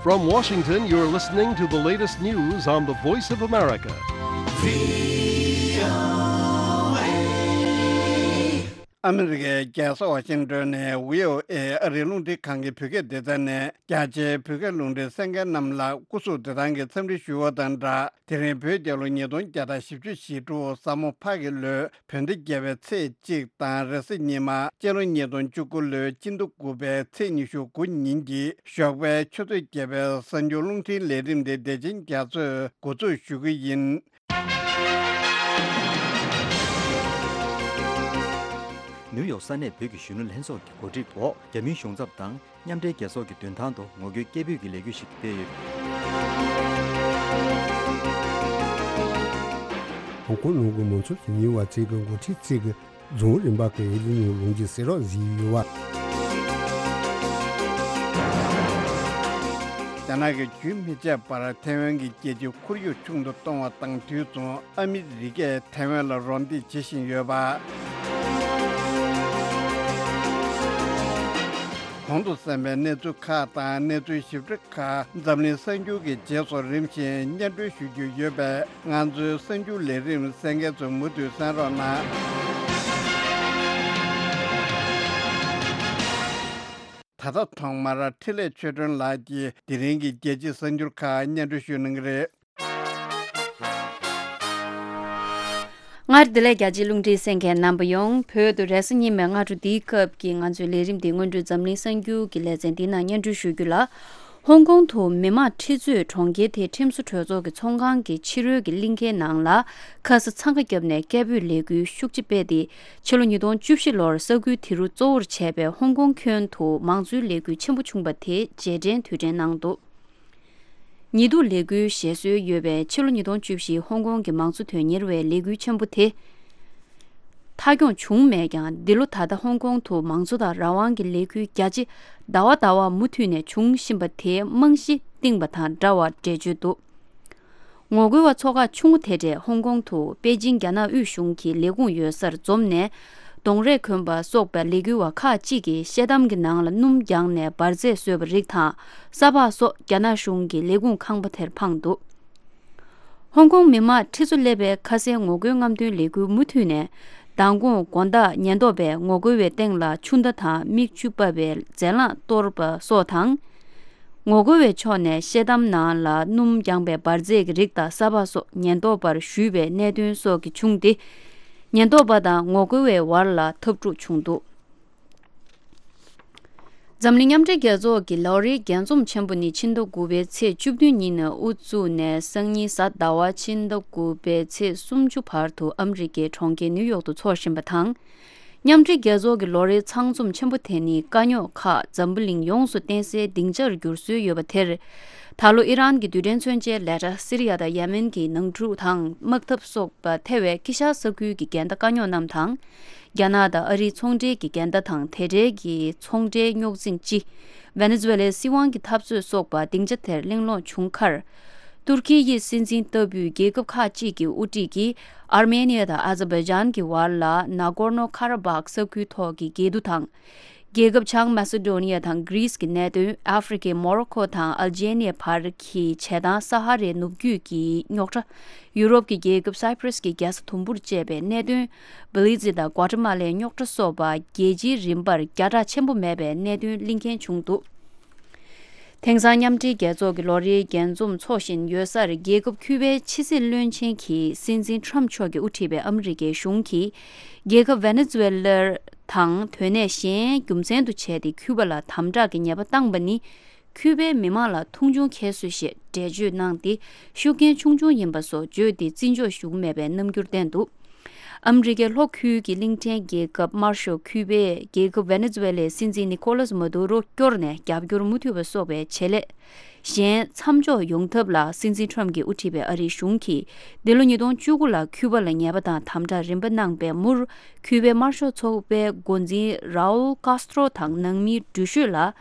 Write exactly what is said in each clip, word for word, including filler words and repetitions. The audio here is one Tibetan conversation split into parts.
From Washington, you're listening to the latest news on the Voice of America. ཨ་མི་རི་ཀའི་རྒྱལ་ས་ཝ་ཤིང་ཏོན་ནས་བྷི་ཨོ་ཨེ་ཨ་རིའི་རླུང་འཕྲིན་ཁང་གི་བོད་སྐད་སྡེ་ཚན་ནས་རྒྱ་ཆེའི་བོད་སྐད་རླུང་འཕྲིན་གསན་མཁན་རྣམས་ལ་སྐུ་གཟུགས་བདེ་ཐང་གི་འཚམས་འདྲི་ཞུ་བ་དང་སྦྲགས། དེ་རིང་བོད་རྒྱལ་ལོ་ཉིས་སྟོང་བརྒྱ་དང་བཞི་བཅུ་ཞེ་དྲུག་ས་མོ་ཕག་གི་ལོའི་བོད་ཟླ་བརྒྱད་པའི་ཚེས་གཅིག་དང་རེས་གཟའ་ཉི་མ་སྤྱི་ལོ་ཉིས་སྟོང་བཅུ་དགུ་ལོའི་སྤྱི་ཟླ་དགུ་པའི་ཚེས་ཉི་ཤུ་དགུ་ཉིན་གྱི་ཞོགས་པའི་ཆུ་ཚོད་བརྒྱད་པའི་གསར་འགྱུར་རླུང་འཕྲིན་ལས་རིམ་དེ་བདེ་ཆེན་རྒྱ་མཚོས་འགོ་འཛུགས་ཞུ་གི་ཡིན། ནིའུ་ཡོག་ས་གནས་བོད་ཀྱི་གཞོན་ནུ་ལྷན་ཚོགས་ཀྱི་གོ་སྒྲིག་འོག་རྒྱ་མིའི་གཞུང་ཚབ་དང་མཉམ་འབྲེལ་རྒྱལ་ཚོགས་ཀྱི་མདུན་ཐང་དུ་ངོ་རྒོལ་སྐད་འབོད་ཀྱི་ལས་འགུལ་ཞིག་སྤེལ་ཡོད། ཧོང་ཀོང་ནང་གི་མང་གཙོ་དོན་གཉེར་བ་ཚོས་ཀྱི་འགོ་ཁྲིད་ཚོས་ཀྱི་རྫོང་རིམ་པ་གི་ཨེ་ལི་ཉུང་ལུང་གི་སེ་རོགས་བཟོས་ཡོད་པ། རྒྱ་ནག་གིས་རྒྱུན་མི་ཆད་པར་ཐའེ་ཝན་གྱི་རྒྱལ་སྤྱིའི་ཁོར་ཡུག་ཆུང་དུ་གཏོང་བ་དང་དུས་མཚུངས། ཨ་མི་རི་ཀས་ཐའེ་ཝན་ལ་རོགས་འདེགས་བྱེད་བཞིན་ཡོད་པ། གོང་དུ་གསན་པའི་གནས་ཚུལ་ཁག་དང་གནས་ཚུལ་ཞིབ་ཕྲ་ཁག་འཛམ་གླིང་གསར་འགྱུར་གྱི་རྗེས་སུ་རིམ་བཞིན་སྙན་སྒྲོན་ཞུ་རྒྱུ་ཡོད་པས། ང་ཚོའི་གསར་འགྱུར་ལས་རིམ་གསན་མཁན་ཚོས་མུ་མཐུད་གསན་རོགས་གནང་། ད་ལྟ་ཐོག་མར་འཕྲིན་ལས་ཆོས་སྒྲོན་ལགས་ཀྱིས་དེ་རིང་གི་རྒྱལ་སྤྱིའི་གསར་འགྱུར་ཁག་སྙན་སྒྲོན་ཞུ་གནང་གི་རེད། སྔར་བདེ་ལེགས། རྒྱལ་སྤྱིའི་རླུང་འཕྲིན་གསན་མཁན་རྣམ་པ་ཡོངས། བོད་དུ་རེས་གཟའ་ཉི་མའི་སྔ་དྲོ་འདིའི་སྐབས་ཀྱི་ང་ཚོའི་ལས་རིམ་འདི་སྔོན་འགྲོའི་འཛམ་གླིང་གསར་འགྱུར་གྱི་ལེ་ཚན་འདིའི་ནང་སྙན་སྒྲོན་ཞུ་རྒྱུ་ལ། ཧོང་ཀོང་དུ་མི་དམངས་ཁྲི་ཚོས་གྲོང་ཁྱེར་དེའི་ཁྲིམས་བཟོ་གྲོས་ཚོགས་ཀྱི་ཚོགས་ཁང་གི་ཕྱི་རོལ་གྱི་གླིང་ཁའི་ནང་ལ་ཁ་ས་འཚང་ཁ་བརྒྱབ་ནས་སྐད་འབོད་ལས་འགུལ་ཤུགས་ཆེ་སྤེལ་ཏེ། ཕྱི་ལོ་ཉིས་སྟོང་བཅུ་བཞི་ལོར་ས་ཁུལ་དེ་རུ་གཙོ་བོར་བྱས་པའི་ཧོང་ཀོང་ཁྱོན་དུ་མང་གཙོའི་ལས་འགུལ་ཆེན་པོ་བྱུང་པ་དེ་རྗེས་དྲན་དུས་དྲན་གནང་འདུག་ཉི་གདུགས་ལས་འགུལ་ཞེས་གསོལ་ཡོད་པའི་ཕྱི་ལོ་ཉིས་སྟོང་བཅུ་བཞི་ཧོང་ཀོང་གི་མང་གཙོ་དོན་གཉེར་བའི་ལས་འགུལ་ཆེན་པོ་དེ་མཐའ་འཁྱོངས་བྱུང་མེད་ཀྱང་། འདི་ལོ་ད་ལྟ་ཧོང་ཀོང་དུ་མང་གཙོ་དང་རང་དབང་གི་ལས་འགུལ་རྒྱ་ཆེ་ཟླ་བ་ཟླ་བ་མུ་མཐུད་ནས་འབྱུང་བཞིན་པ་དེའི་རྨང་གཞི་བཏིང་པ་དང་འདྲ་བར་འགྲེལ་བརྗོད་འདུག་ངོ་རྒོལ་བ་ཚོགས་ཁག་ཆུང་ངུ་དེ་འདྲས་ཧོང་ཀོང་དུ་པེ་ཅིང་རྒྱ་ནག་དབུས་གཞུང་གི་ལས་ཁུངས་ཡོད་སར་འཛོམས་ནས། གདོང་རས་གོན་པ་སོགས་པའི་ལས་འགུལ་བ་ཁག་ཅིག་གིས་ཤེལ་དམ་གྱི་ནང་ལ་སྣུམ་བརྒྱངས་ནས་འབར་རྫས་བཟོས་པ་རིགས་དང་ས་ཕག་སོགས་རྒྱ་ནག་གཞུང་གི་ལས་ཁུངས་ཁང་པ་དེར་འཕངས་འདུག་ཧོང་ཀོང་མི་དམངས་ཁྲི་ཚོ་སླེབས་པའི་ཁ་སའི་ངོ་རྒོལ་རྔམ་སྟོན་ལས་འགུལ་མུ་མཐུད་ནས་མདང་དགོང་དགོང་དག་ཉེན་རྟོག་པས་ངོ་རྒོལ་བའི་སྟེང་ལ་ཆུ་མདའ་དང་མིག་ཆུ་ཕབ་པའི་རྫས་རླངས་གཏོར་པ་སོགས་དང་། ངོ་རྒོལ་བའི་ཕྱོགས་ནས་ཤེལ་དམ་ནང་ལ་སྣུམ་བརྒྱངས་པའི་འབར་རྫས་ཀྱི་རིགས་དང་ས་ཕག་སོགས་ཉེན་རྟོག་པར་གཞུས་པའི་གནད་དོན་སོགས་ཀྱིས་བྱུང་སྟེ། ཉེན་རྟོག་པ་དང་ངོ་རྒོལ་བའི་བར་ལ་འཐབ་འཁྲུག་བྱུང་འདུག་འཛམ་གླིང་མཉམ་འབྲེལ་རྒྱལ་ཚོགས་ཀྱི་ལོ་རེའི་རྒྱས་འཛོམས་ཆེན་པོ་ནི་ཕྱི་ཟླ་དགུ་པའི་ཚེས་བཅུ་བདུན་ཉིན་ནས་དབུ་བཙུགས་ནས་སང་ཉིན་གཟའ་ཟླ་བ་ཕྱི་ཟླ་དགུ་པའི་ཚེས་སུམ་ཅུ་བར་དུ་ཨ་མི་རི་ཀའི་གྲོང་ཁྱེར་ནིའུ་ཡོག་ཏུ་འཚོགས་བཞིན་པ་དང་། མཉམ་འབྲེལ་རྒྱལ་ཚོགས་ཀྱི་ལོ་རེའི་ཚང་འཛོམས་ཆེན་པོ་དེ་ནི་དཀའ་རྙོག་ཁག་འཛམ་བུ་གླིང་ཡོངས་སུ་བརྟེན་སའི་སྡིངས་ཆར་འགྱུར་སྲོལ་ཡོད་པ་དེར། ད་ལོ་ཨི་རན་གྱི་རྡུལ་ཕྲན་མཚོན་ཆའི་ལས་གྲྭ། སི་རི་ཡ་དང་ཡེ་མེན་གྱི་ནང་འཁྲུག་དང་དམག་འཐབ་སོགས་པ་ཐེ་བའི་དཀྱིལ་ཤར་ས་ཁུལ་གྱི་འགལ་ཟླ་དཀའ་རྙོག་རྣམས་དང་། རྒྱ་ནག་དང་ཨ་རིའི་ཚོང་འབྲེལ་གྱི་འགལ་ཟླ་དང་དེ་འབྲེལ་གྱི་ཚོང་འབྲེལ་རྙོག་འཛིང་སྤྱི། ཝེ་ནེ་ཛུ་ཝེ་ལའི་སྲིད་དབང་གི་འཐབ་རྩོད་སོགས་པ་སྡིངས་ཆ་དེར་གླེང་སློང་བྱུང་ཁར། ཏུར་ཁི་ཡི་སྲིད་འཛིན་ལྟ་བུའི་རྒྱལ་ཁབ་ཁག་ཅིག་གི་དབུ་ཁྲིད་ཀྱིས་ཨར་མེ་ནི་ཡ་དང་ཨ་ཛར་བྷའི་ཇན་གྱི་བར་ལ་ན་གོར་ནོ་ཁ་ར་བྷག་ས་ཁུལ་ཐོག་གི་འགལ་འདུ་དང་། རྒྱལ་ཁབ་བྱང་མེ་སི་ཌོ་ནི་ཡ་དང་གྷི་རིས་ཀྱི་གནད་དོན། ཨ་ཧྥེ་རི་ཁའི་མོ་རོ་ཁོ་དང་ཨལ་ཇེ་ནི་ཡའི་བར་གྱི་བྱེ་ཐང་ས་ཧ་རའི་ནུབ་རྒྱུད་ཀྱི་རྙོག་དྲ། ཡུ་རོབ་ཀྱི་རྒྱལ་ཁབ་སའི་པྲས་ཀྱི་རྒྱལ་ས་དུམ་བུར་བཅད་པའི་གནད་དོན། བྷི་ལི་ཛི་དང་ཀོ་ཊ་མ་ལའི་རྙོག་དྲ་སོགས་པ་རྒྱལ་སྤྱིའི་རིམ་པར་བརྒྱ་ཕྲག་ཆེན་པོ་མེད་པའི་གནད་དོན་གླེང་མཁན་བྱུང་འདུག་དེང་སང་མཉམ་འབྲེལ་རྒྱལ་ཚོགས་ཀྱི་ལོ་རེའི་རྒྱས་འཛོམས་འཚོགས་བཞིན་ཡོད་སར། རྒྱལ་ཁབ་ཁྱུ་པའི་ཕྱི་སྲིད་བློན་ཆེན་གྱི་སྲིད་འཛིན་ཁྲམ་མཆོག་གིས་དབུ་ཁྲིད་པའི་ཨ་མི་རི་ཀའི་གཞུང་གིས་རྒྱལ་ཁབ་ཝེ་ནེ་ཛུ་ཝེ་ལར་དང་དོན་གནད་གཞན་རྒྱུ་མཚན་དུ་བྱས་ཏེ་ཁྱུ་པ་ལ་དམ་དྲག་གི་ཉེས་པ་བཏང་པ་ནི། ཁྱུ་པའི་མི་མང་ལ་མཐོང་ཆུང་ཁྱད་གསོད་ཞེས་འགྲེལ་བརྗོད་གནང་སྟེ། ཤུགས་རྐྱེན་ཆུང་ཆུང་ཡིན་པ་སོགས་བརྗོད་དེ་བརྩི་འཇོག་ཞུ་མེད་པའི་རྣམ་འགྱུར་བསྟན་འདུག་ཨ་མི་རི་ཀའི་ལྷོ་ཁུལ་གྱི་གླིང་ཕྲན་རྒྱལ་ཁབ་དམར་ཤོག་ཁྱུ་པས་རྒྱལ་ཁབ་ཝེ་ནེ་ཛུ་ཝེ་ལའི་སྲིད་འཛིན་ནི་ཀོ་ལཱས་མ་དུ་རོ་སྐྱོར་ནས་རྒྱབ་སྐྱོར་མུ་མཐུད་པ་སོགས་པའི་བྱེད་ལས་གཞན་མཚམས་འཇོག་ཡོང་ཐབས་ལ། སྲིད་འཛིན་ཁྲམ་གྱིས་དབུ་ཁྲིད་པའི་ཨ་རིའི་གཞུང་གིས་འདི་ལོ་ཉིས་སྟོང་བཅུ་དགུ་ལ་ཁྱུ་པ་ལ་ཉེས་པ་དང་དམ་དྲག་རིམ་པ་གནང་པའི་མུར། ཁྱུ་པའི་དམར་ཤོག་ཚོགས་པའི་འགོ་འཛིན་རའུལ་ཀཱས་ཏྲོ་དང་ནང་མིའི་འགྲུལ་བཞུད་ལ་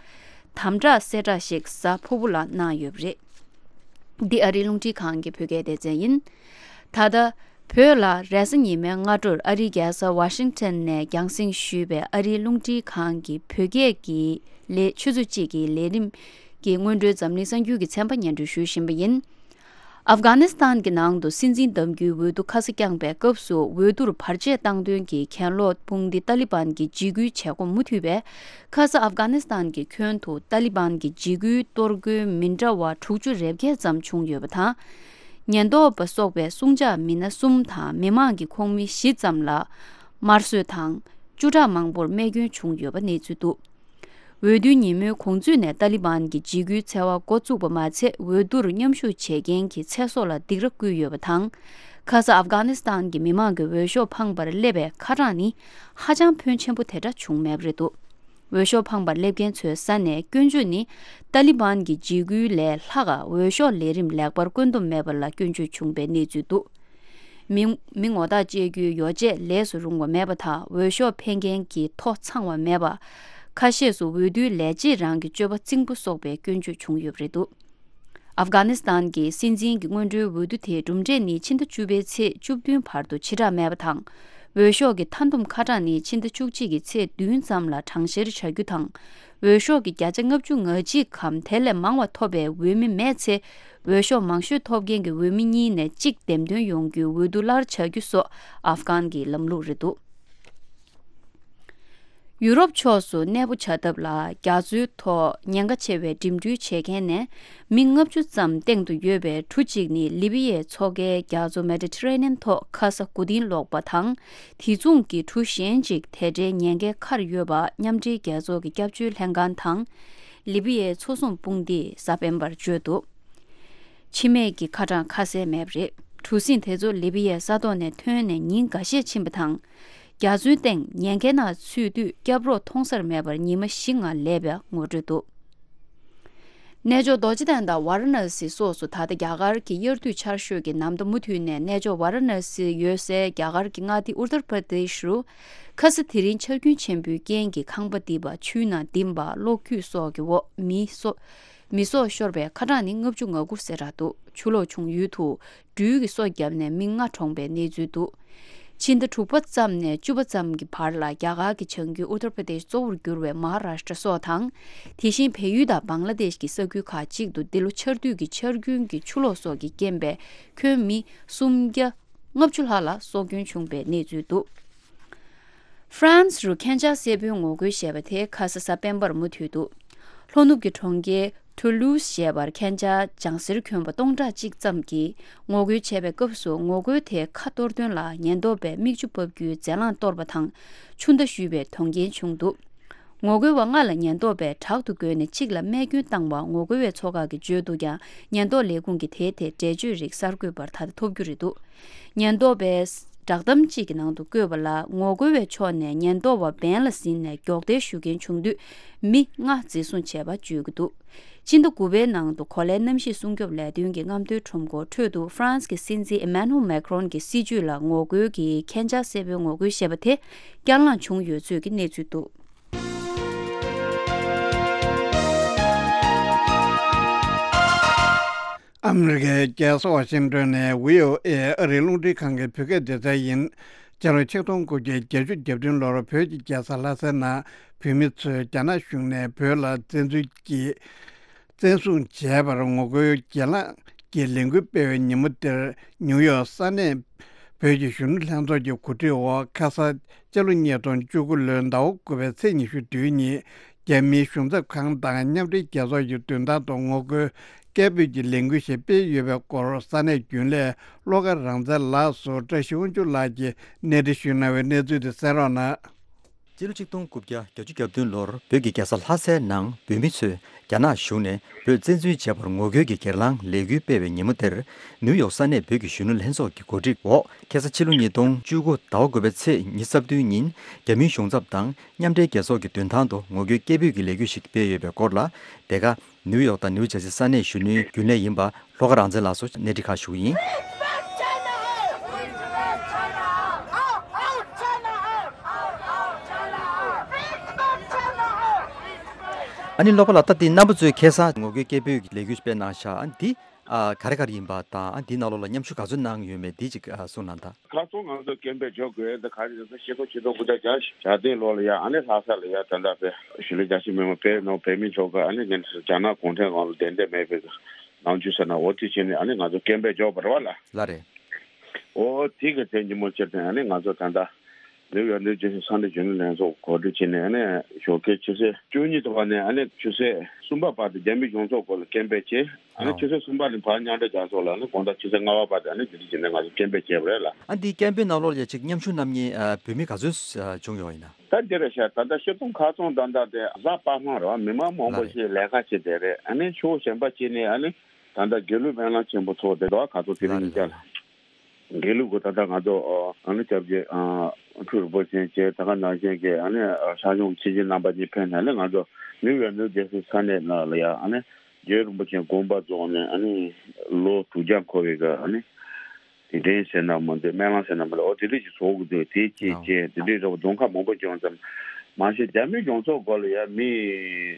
དམ་དྲག་གསལ་བསྒྲགས་ཤིག་གཟའ་ཕུར་བུ་ལ་གནང་ཡོད་པ་རེད། འདི་ཨ་རིའི་རླུང་འཕྲིན་ཁང་གི་བོད་སྐད་སྡེ་ཚན་ཡིན། ད་ལྟ་བོད་ལ་རེས་གཟའ་ཉི་མའི་སྔ་དྲོར་ཨ་རིའི་རྒྱལ་ས་ཝ་ཤིང་ཊོན་ནས་རྒྱང་སྲིང་ཞུས་པའི་ཨ་རིའི་རླུང་འཕྲིན་ཁང་གི་བོད་སྐད་ཀྱི་ལས་ཆུ་ཚོད་གཅིག་གི་ལས་རིམ་ གི་སྔོན་འགྲོའི་འཛམ་གླིང་གསར་འགྱུར་གྱི་ཚན་པ་སྙན་སྒྲོན་ཞུ་བཞིན་པ་ཡིན། ཨབ་གྷ་ནི་སི་ཐན་གྱི་ནང་དུ་སྲིད་འཛིན་གདམ་རྒྱུའི་འོས་བསྡུ་ཁ་ས་བསྐྱངས་པའི་སྐབས་སུ་འོས་བསྡུར་བར་ཆད་བཏང་དོན་གྱི་གྱེན་ལོག་དཔུང་སྡེ་ཏཱ་ལི་བན་གྱི་འཇིགས་སྐུལ་བྱེད་སྒོ་མུ་མཐུད་པས། ཁ་ས་ཨབ་གྷ་ནི་སི་ཐན་གྱི་ཁྱོན་དུ་ཏཱ་ལི་བན་གྱི་འཇིགས་སྐུལ་གཏོར་རྒོལ་མི་འདྲ་བ་དྲུག་ཅུ་རེ་བརྒྱད་ཙམ་བྱུང་ཡོད་པ་དང་། ཉེན་རྟོག་པ་སོགས་པའི་སྲུང་བྱ་མི་སྣ་གསུམ་དང་མི་མང་གི་ཁོངས་མི་བཞི་ཙམ་ལ་དམར་གསོད་དང་། བཅུ་ཕྲག་མང་པོར་རྨས་སྐྱོན་བྱུང་ཡོད་པ་གནས་ཚུལ་འདུག་འོས་བསྡུའི་ཉིན་མོའི་གོང་ཚུད་ནས་ཏཱ་ལི་བན་གྱི་འཇིགས་སྐུལ་འཚེ་བ་འགོ་བཙུགས་པ་མ་ཚད། འོས་བསྡུར་མཉམ་ཞུགས་བྱེད་མཁན་གྱི་ཚེ་སྲོག་ལ་སྡིགས་ར་བསྐུལ་ཡོད་པ་དང་། ཁ་ས་ཨབ་གྷ་ནི་སི་ཐན་གྱི་མི་མང་གི་འོས་ཤོག་འཕངས་པར་སླེབས་པའི་ཁ་གྲངས་ནི་ཧ་ཅང་ཕོན་ཆེན་པོ་དེ་འདྲ་བྱུང་མེད་པ་རེད་འདུག་འོས་ཤོག་འཕངས་པར་སླེབས་མཁན་ཚོའི་ས་ནས་སྐྱོན་བརྗོད་ནི། ཏཱ་ལི་བན་གྱི་འཇིགས་སྐུལ་ལས་ལྷག་འོས་ཤོག་ལས་རིམ་ལེགས་པར་བཀོད་འདོམས་མེད་པ་ལ་སྐྱོན་བརྗོད་བྱུང་པའི་གནས་ཚུལ་འདུག་མི་མི་ངོ་རྟགས་བཅད་རྒྱུའི་ཡོ་བྱད་ལས་སུ་རུང་བ་མེད་པ་དང་། འོས་ཤོག་འཕེན་མཁན་གྱི་ཐོ་ཚང་བ་མེད་པ། ཁ་ཤས་སུ་འོས་བསྡུའི་ལས་བྱེད་རང་གི་སྤྱོད་པ་རྩིང་པོ་སོགས་པའི་སྐྱོན་བརྗོད་བྱུང་ཡོད་པ་རེད་འདུག་ཨབ་གྷ་ནི་སི་ཐན་གྱི་སྲིད་འཛིན་གྱི་སྔོན་འགྲོའི་འོས་བསྡུ་དེའི་གྲུབ་འབྲས་ནི་ཕྱི་ཟླ་བཅུ་པའི་ཚེས་བཅུ་བདུན་བར་དུ་ཕྱིར་བསྒྲགས་མེད་པ་དང་། འོས་ཤོག་གི་མཐའ་བསྡོམས་ཁ་གྲངས་ནི་ཕྱི་ཟླ་བཅུ་གཅིག་གི་ཚེས་བདུན་ཙམ་ལ་གྲངས་བཤེར་བྱ་རྒྱུ་དང་། འོས་ཤོག་གི་བརྒྱ་ཆ་ལྔ་བཅུ་ང་གཅིག་གམ་དེ་ལས་མང་བ་ཐོབ་པའི་འོས་མི་མེད་ཚེ། འོས་ཤོག་མང་ཤོས་ཐོབ་མཁན་གྱི་འོས་མི་གཉིས་ནས་གཅིག་འདེམས་ཐོན་ཡོང་རྒྱུའི་འོས་བསྡུ་སླར་བྱ་རྒྱུ་སོགས་ཨབ་གྷན་གྱི་ལམ་ལུགས་རེད་འདུག་ཡུ་རོབ་ཕྱོགས་སུ་གནས་སྤོ་བྱ་ཐབས་ལ་རྒྱ་མཚོའི་ཐོག་ཉེན་ཁ་ཆེ་བའི་འགྲིམ་འགྲུལ་བྱེད་མཁན་ནས་མི་ལྔ་བཅུ་ཙམ་སྟེང་དུ་ཡོད་པའི་གྲུ་གཅིག་ནི་ལི་བི་ཡའི་མཚོ་ཁའི་རྒྱ་མཚོ་མེ་ཌི་ཊི་རེ་ནི་ཡན་ཐོག་ཁ་ས་གོ་དིང་ལོག་པ་དང་། དེ་མཚུངས་ཀྱི་གྲུ་གཞན་གཅིག་དེ་འདྲའི་ཉེན་ཁའི་ཁར་ཡོད་པ་མཉམ་འབྲེལ་རྒྱལ་ཚོགས་ཀྱི་སྐྱབས་བཅོལ་ལྷན་ཁང་དང་། ལི་བི་ཡའི་མཚོ་སྲུང་དཔུང་སྡེས་གཟའ་སྤེན་པར་བརྗོད་འདུག་འཆི་རྨས་ཀྱི་ཁ་གྲངས་ཁ་གསལ་མེད་པ་རེད། གྲུ་གཟིངས་དེ་ཚོ་ལི་བི་ཡའི་ས་ཐོག་ནས་ཐོན་ནས་ཉིན་འགའ་ཤས་ཕྱིན་པ་དང་། རྒྱ་མཚོའི་སྟེང་ཉེན་ཁའི་ནང་ཚུད་དུས་སྐྱབས་རོགས་མཐོང་སར་མེད་པར་ཉི་མ་བཞི་ལྔ་སླེབས་པའི་ངོ་སྤྲོད་འདུག་གནས་མཆོག་རྡོ་རྗེ་གདན་དང་ཝཱ་ར་ཎ་སི་སོགས་སུ་ད་ལྟ་རྒྱ་གར་གྱི་དབྱར་དུས་ཆར་ཞོད་ཀྱི་ནམ་ཟླ་མུ་མཐུད་ནས་གནས་མཆོག་ཝཱ་ར་ཎ་སི་ཡོད་སའི་རྒྱ་གར་གྱི་མངའ་སྡེ་ཨུ་ཏར་པར་དེ་ཤི་རུ། ཁ་ས་དེ་རིང་ཆར་རྒྱུན་ཆེན་པོའི་རྐྱེན་གྱིས་ཁང་པ་རྡིབ་པ། ཆུའི་ནང་ལྡིང་བ། གློག་འཁྱུད་སོགས་ཀྱི་འོག་མི་སོ། མི་སྲོག་ཤོར་བའི་ཁ་གྲངས་ནི་ལྔ་བཅུ་ང་དགུ་ཟེར་རག་འདུག་ཆུ་ལོག་བྱུང་ཡུལ་དུ་སྦྲུལ་གྱིས་སོ་བརྒྱབ་ནས་མི་ལྔ་གྲོངས་པའི་གནས་ཚུལ་འདུག་ཕྱི་ཟླ་དྲུག་པ་ཙམ་ནས་བཅུ་པ་ཙམ་གྱི་བར་ལ་རྒྱ་གར་གྱི་བྱང་རྒྱུད་ཨུ་ཏར་པྲ་དེཤ་གཙོ་བོར་གྱུར་བའི་མ་ཧཱ་རཱཤ་ཏྲ་སོགས་དང་། དེ་བཞིན་བལ་ཡུལ་དང་བང་ལ་དེཤ་གི་ས་ཁུལ་ཁག་ཅིག་ཏུ་འདི་ལོ་ཆར་དུས་ཀྱི་ཆར་རྒྱུན་གྱི་ཆུ་ལོག་སོགས་ཀྱི་རྐྱེན་པས་ཁྱོན་མི་སུམ་བརྒྱ་ལྔ་བཅུ་ལྷག་ལ་སྲོག་སྐྱོན་བྱུང་བའི་གནས་ཚུལ་འདུག་ཧྥ་རན་སི་རུ་ཁེན་ཆ་སེར་པོའི་ངོ་རྒོལ་ཞེས་པ་དེ་ཁ་ས་གཟའ་སྤེན་པར་མུ་མཐུད་འདུག་ལྷོ་ནུབ་ཀྱི་གྲོང་ཁྱེར་ཐུ་ལུ་སི་ཞེས་པར་ཁེན་ཆ་ལྗང་སེར་གྱོན་པ་སྟོང་ཕྲག་གཅིག་ཙམ་གྱིས་ངོ་རྒོལ་བྱས་པའི་སྐབས་སུ་ངོ་རྒོལ་དེ་ཁ་གཏོར་དོན་ལ་ཉེན་རྟོག་པས་མིག་ཆུ་ཕབ་རྒྱུའི་རྫས་རླངས་གཏོར་བ་དང་ཆུ་མདའ་གཞུས་པའི་དོན་རྐྱེན་བྱུང་འདུག་ངོ་རྒོལ་བ་ལྔ་ལ་ཉེན་རྟོག་པས་དྲག་ཏུ་རྒོལ་ནས་གཅིག་ལ་རྨས་སྐྱོན་བཏང་བ་ངོ་རྒོལ་བའི་ཚོགས་ཁག་གིས་བརྗོད་འདུག་ཀྱང་། ཉེན་རྟོག་ལས་ཁུངས་ཀྱིས་དེའི་ཐད་འགྲེལ་བརྗོད་རིགས་གསར་འགོད་པར་ད་ལྟ་ཐོབ་རྒྱུ་རེད་འདུག་ཉེན་རྟོག་པས་བསྒྲགས་གཏམ་གཅིག་གི་ནང་དུ་བཀོད་པ་ལ། ངོ་རྒོལ་བའི་ཕྱོགས་ནས་ཉེན་རྟོག་པ་འབེན་ལ་ཟིན་ནས་སྒྱོགས་མདེལ་གཞུ་མཁན་བྱུང་དུས། མི་ལྔ་འཛིན་བཟུང་བྱས་པ་བརྗོད་ཀྱི་འདུག་སྤྱི་ཟླ་དགུ་པའི་ནང་དུ་གོ་ལའི་གནམ་གཤིས་སྲུང་སྐྱོབ་ལས་དོན་གྱི་རྔམ་སྟོན་ཁྲོམ་སྐོར་ཁྲོད་དུ་ཧྥ་རན་སི་གི་སྲིད་འཛིན་ཨི་མན་ནུ་མེ་ཁྲོན་གྱི་སྲིད་བྱུས་ལ་ངོ་རྒོལ་གྱིས་ཁེན་ཆ་སེར་པོའི་ངོ་རྒོལ་ཞེས་པ་དེ་བསྐྱར་ལངས་བྱུང་ཡོད་ཚུལ་གྱི་གནས་ཚུལ་འདུག་ཨ་མི་རི་ཀའི་རྒྱལ་ས་ཝ་ཤིང་ཏོན་ནས་བྷི་ཨོ་ཨེ་ཨ་རིའི་རླུང་འཕྲིན་ཁང་གི་བོད་སྐད་སྡེ་ཚན་ཡིན། སྤྱི་ལོ་ཆིག་སྟོང་དགུ་བརྒྱ་བརྒྱད་ཅུ་གྱ་བདུན་ལོར་བོད་ཀྱི་རྒྱལ་ས་ལྷ་སའི་ནང་བོད་མི་ཚོས་རྒྱ་ནག་གཞུང་ནས་བོད་ལ་བཙན་འཛུལ་གྱིས་བཙན་བཟུང་བྱས་པར་ངོ་རྒོལ་གྱེན་ལངས་ཀྱི་ལས་འགུལ་སྤེལ་བའི་ཉིན་མོ་དེར། ནིའུ་ཡོག་ས་གནས་བོད་ཀྱི་གཞོན་ནུ་ལྷན་ཚོགས་ཀྱི་གོ་སྒྲིག་འོག་ཁ་ས་སྤྱི་ལོ་ཉིས་སྟོང་བཅུ་དགུ་ལོའི་ཟླ་བ་དགུ་པའི་ཚེས་ཉི་ཤུ་བདུན་ཉིན། རྒྱ་མིའི་གཞུང་ཚབ་ཁང་དང་མཉམ་འབྲེལ་རྒྱལ་ཚོགས་ཀྱི་མདུན་ཐང་དུ་ངོ་རྒོལ་སྐད་འབོད་ཀྱི་ལས་འགུལ་ཞིག་སྤེལ་ཡོད་པའི་སྐོར། ས་གནས་རྒྱུན་ལས་བློ་དགའ་རང་བཙན་ལགས་སུ་བཀྲ་ཤིས་དབང་ཕྱུག་ལགས་ཀྱིས་གནས་འདྲི་ཞུས་གནང་བའི་གནས་ཚུལ་དེ་གསན་རོགས་གནང་། སྤྱི་ལོ་ཆིག་སྟོང་དགུ་བརྒྱ་བརྒྱད་ཅུ་གྱ་བདུན་ལོར་བོད་ཀྱི་རྒྱལ་ས་ལྷ་སའི་ནང་བོད་མི་ཚོས་རྒྱ་ནག་གཞུང་ནས་བོད་བཙན་འཛུལ་བྱས་པར་ངོ་རྒོལ་གྱི་གྱེན་ལངས་ལས་འགུལ་སྤེལ་བའི་ཉིན་མོ་དེར། ནིའུ་ཡོག་ས་གནས་བོད་ཀྱི་གཞོན་ནུ་ལྷན་ཚོགས་ཀྱི་གོ་སྒྲིག་འོག་ཁ་སང་ཕྱི་ལོ་ཉིས་སྟོང་བཅུ་དགུ་ཟླ་བ་དགུ་པའི་ཚེས་ཉི་ཤུ་རྩ་བདུན་ཉིན། རྒྱ་མིའི་གཞུང་ཚབ་དང་མཉམ་འབྲེལ་རྒྱལ་ཚོགས་ཀྱི་མདུན་ཐང་དུ་ངོ་རྒོལ་སྐད་འབོད་ཀྱི་ལས་འགུལ་ཞིག་སྤེལ་ཡོད་པའི་སྐོར་ལ། དེ་ག་ནིའུ་ཡོག་དང་ནིའུ་ཇར་སི་ས་གནས་གཞོན་ནུའི་རྒྱུན་ལས་ཡིན་པ་བློ་དགའ་རང་བཙན་ལགས་སུ་གནས་འདྲི་ཁག་ཞུ་གི་ཡིན། ཨ་ནི་བློ་དགའ་ལགས། ད་འདི་རྣམ་པ་ཚོས་ཁ་སང་ངོ་རྒོལ་སྐད་འབོད་ཀྱི་ལས་འགུལ་སྤེལ་གནང་ཤག་འདི། ཨ་ག་རེ་ག་རེ་ཡིན་པ་དང་། ཨ་འདིའི་ནང་ལོགས་ལ་མཉམ་ཞུགས་ག་ཚོད་གནང་ཡོད་མེད་འདི་ཅིག་ཨ་གསུངས་གནང་དང་། ཁ་སང་ང་ཚོ་སྐད་འབོད་འཇོག་དགོས་ཡ་འདི་ག་རེ་རེད་ཟེར། ཕྱི་ལོ་ཆིག་སྟོང་དགུ་བརྒྱ་བརྒྱད་ཅུ་གྱ་བདུན་ལོ་ལ་ཡ་ཨ་ནི་ལྷ་ས་ལ་ཡ་ད་ལྟ་དཔེ་གཞིས་ལུས་རྒྱ་ཆེ་མི་མང་བོད་ནང་བོད་མི་ཚོ་ག་ཨ་ནི་ཉིན་རྒྱ་ནག་གུང་ཁྲན་གོང་ལ་བདེན་བདེན་མེད་པའི་ནང་ཆོས་ཟེར་ན་འོ་དེ་བྱས་ནས་ཨ་ནི་ང་ཚོ་སྐད་འབོད་འཇོག་པ་རེད་བ་ལ། ལགས་རེད། འོ་དེ་གི་དེ་ཉིན་མོ་ཕྱིར་དེ་ཨ་ནི་ང་ཚོ་ད་ལྟ་ནིའུ་ཡོག་ནིའུ་ཇར་སི་ས་གནས་རྒྱུན་ལས་ལྷན་ཚོགས་གོ་སྒྲིག་བྱས་ནས་ཨ་ནི་ཞོགས་ཀའི་ཆུ་ཚོད་བཅུ་གཉིས་ཐོག་ནས་ཨ་ནི་ཆུ་ཚོད་གསུམ་པ་བར་དུ་རྒྱ་མི་གཞུང་ཚབ་སྐོར་ལ་སྐད་འབོད་བྱས། ཨ་ནི་ཨོ་ཆུ་ཚོད་གསུམ་པ་ནས་ཕར་མཉམ་འབྲེལ་རྒྱལ་ཚོགས་ལ་ཨ་ནི་དགོང་དག་ཆུ་ཚོད་ལྔ་པ་བར་དུ་ཨ་ནི་དེ་འདྲ་བྱས་ནས་ང་ཚོ་སྐད་འབོད་བྱས་པ་རེད་ལ། ཨ་འདི་སྐད་འབོད་ནང་ལོགས་ལ་ཡ་ཅིག་མཉམ་ཞུགས་གནང་མཁན་ཨ་བོད་མི་ག་ཚོད་ཨ་བྱུང་ཡོད་ཡིན་ན། ད་འདི་རེད་ཤག་ད་ལྟ་སྤྱིར་བཏང་ཁ་སང་ད་ལྟ་དེ་གཟའ་པ་སངས་རེད་བ། མི་མང་མང་པོ་ལགས་རེད། ཞིག་ལས་ཀ་བྱེད་བསྡད་རེད། ཨ་ནི་ཕྱོགས་གཞན་པ་ཅིག་ནས་ཨ་ནི་ད་ལྟ་དགེ་ལུགས་སྨོན་ལམ་ཆེན་པོ་ཚོགས་བསྡད་འདུག་ཁ་ཐོག་དེ་རིང་ལགས་ཉིན་རེད་ལགས་རེད། དགེ་ལུགས་ཀྱི་ད་ལྟ་ང་ཚོ་ཨ་ནི་སྐྱབས་རྗེ་ཨ་སྤྲུལ་རིན་པོ་ཆེ་བཅས་ད་ག་ནང་བཞིན་གྱི་ཨ་ནི་ཨ་ཤར་གཞུང་ཆོས་རྗེ་རྣམ་པ་གཉིས་ཕེབས་ནས་ཨ་ནི་ང་ཚོ་ནིའུ་ཡོག་ནིའུ་ཇར་སི་ས་གནས་ནང་ལ་ཡ་ཨ་ནི་རྗེ་རིན་པོ་ཆེ་དགོངས་པ་རྫོགས་ནས་ཨ་ནི་ལོ་དྲུག་བརྒྱ་འཁོར་བའི་གི་ཨ་ནི་དེ་འདྲའི་ཟེར་ན་མི་འདུག་སྨོན་ལམ་ཟེར་ན་མི་འདུག་འོ་དེ་འདྲ་ཞིག་ཚོགས་ཀྱི་འདུག་དེ་བཅས་ཨོ་བཅས་དེ་འདྲའི་རེ་བ་གདོང་ཁ་མང་པོ་བྱུང་ཙམ་མ་གཞི་རྒྱ་མི་གཞུང་ཚབ་སྐོར་ལ་ཡ་མི་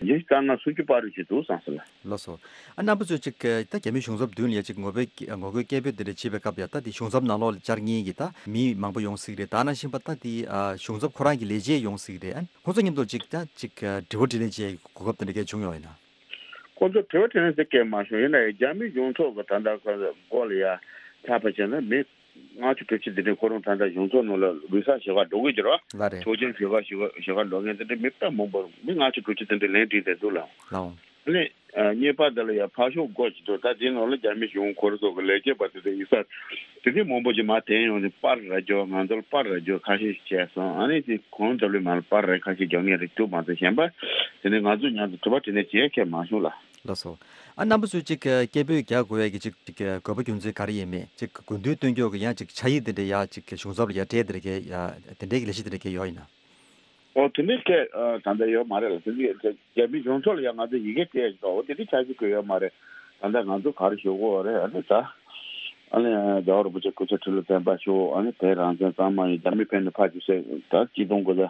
ཉི་ཤུ་རྩ་ལྔ་སུམ་ཅུ་བར་རེ་ཞིག་འདུག་བསམ་སོང་ལ། ལགས་སོ། ཨ་རྣམ་པ་ཚོས་ཅིག་ད་རྒྱ་མི་གཞུང་ཚབ་མདུན་ལ་ཡ་ཅིག་ངོ་རྒོལ་ངོ་རྒོལ་སྐད་འབོད་དེ་འདྲ་བྱེད་པའི་སྐབས་ཡ་ད་དེ་གཞུང་ཚབ་ནང་ལོགས་ལ་བཅར་མཁན་གྱི་ད་མི་མང་པོ་ཡོང་སྲིད་རེད། ད་ནང་བཞིན་པ་ད་དེ་ཨ་གཞུང་ཚབ་ཁོ་རང་གི་ལས་བྱེད་ཡོང་སྲིད་རེད། ཨ་ཁོང་ཚོ་མཉམ་དུ་ཅིག་ད་ཅིག་དྲི་བ་དྲིས་ལན་བྱེད་གོ་སྐབས་དེ་འདྲ་གས་བྱུང་ཡོད་ཡིན་ན། ཁོང་ཚོ་དྲི་བ་དྲིས་ལན་ཟེར་སྐད་མ་བྱུང་། ཡིན་ན་ཡང་རྒྱ་མི་གཞུང་ཚབ་ཀྱི་ད་ལྟ་སྐོར་ལ་ཡ་ཆ་ཕ་བྱས་ན་མི་ལྔ་བཅུ་དྲུག་ཅུ་དེ་འདྲའི་ཁོ་རང་ད་ལྟ་གཞུང་ཚབ་ནང་ལ་ལུས་ས་ཞེ་ག་འགྲོ་གི་ཡོད་རེད་བ། ལགས་རེད། ཆོག་མཆན་ཞེ་ག་ཞེ་ག་ཞེ་ག་འགྲོ་མཁན་དེ་འདྲའི་མི་དཔེ་མང་པོ་མི་ལྔ་བཅུ་དྲུག་ཅུ་དེ་འདྲའི་ལན་བྲིས་བསྡད་འདུག་ལགས། ལགས། ཨ་ནི་ཨ་གཉིས་པ་དེ་ལ་ཡ་ཕར་ཕྱོགས་སྒོ་ཅིག་འདུག་ད་དེའི་ནང་ལ་རྒྱ་མི་གཞུང་སྐོར་སོགས་ཀྱི་ལས་བྱེད་པ་དེ་ཚོ་ཡིན་ས་དེ་འདྲའི་མང་པོ་ཅིག་མར་དེད་ཡོང་ནས་པར་ར་རྒྱོབ། ང་ཚོ་ལ་པར་ར་རྒྱོབ་ཁ་ཤས་ཤིག་བྱས་སོང་། ཨ་ནི་དེ་གང་ལྟར་ལས་མར་པར་ར་ཁ་ཤས་རྒྱོབ་མཁན་རེད་འདུག་མ་གཏོགས་གཞན་པ་དེ་ནས་ང་ཚོ་མཉམ་དུ་དྲི་བ་དྲིས་ལན་བྱེད་མཁན་མ་བྱུང་ལགས། ལགས་སོ། ཨ་རྣམ་པ་ཚོས་ཅིག་སྐད་འབོད་རྒྱག་དགོས་ཡ་གི་ཅིག་ཅིག་དགོས་པ་རྒྱུ་མཚན་ག་རེ་ཡིན་མེད། ཅིག་དགོས་འདུན་སྟོན་རྒྱུ་གི་ཡང་ཅིག་ཕྱག་ཡིག་དེ་འདྲ་ཡ་ཅིག་གཞུང་ཚབ་ལ་ཡ་སྤྲད་དེ་འདྲ་གི་ཡ་དེ་འདྲའི་གི་ལས་གཞི་དེ་འདྲ་གི་ཡོད་ཡིན་ན། ཨོ་དེ་འདྲའི་སྐད་ཨ་ད་ལྟ་ཡོད་མ་རེད་ལ། དེ་འདྲའི་རྒྱ་མི་གཞུང་ཚབ་ལ་ཡང་ང་ཚོ་ཡི་གེ་སྤྲད་ཡོད། ཨོ་དེ་འདྲའི་ཕྱག་ཞུ་དགོས་ཡོད་མ་རེད། ད་ལྟ་ང་ཚོ་ག་རེ་ཞུ་དགོས་རེད། ཨ་ནི་ད་ཨ་ནི་རྒྱལ་བ་རིན་པོ་ཆེ་སྐུ་ཚེ་ཁྲི་ལོ་བརྟན་པ་ཤོག་ཨ་ནི་བོད་རང་བཙན་གཙང་མ་ཡིན། རྒྱ་མི་ཕན་ནས་ཕར་ཚུར་ཟེར་ད་ཆིག་སྟོང་དགུ་བརྒྱ་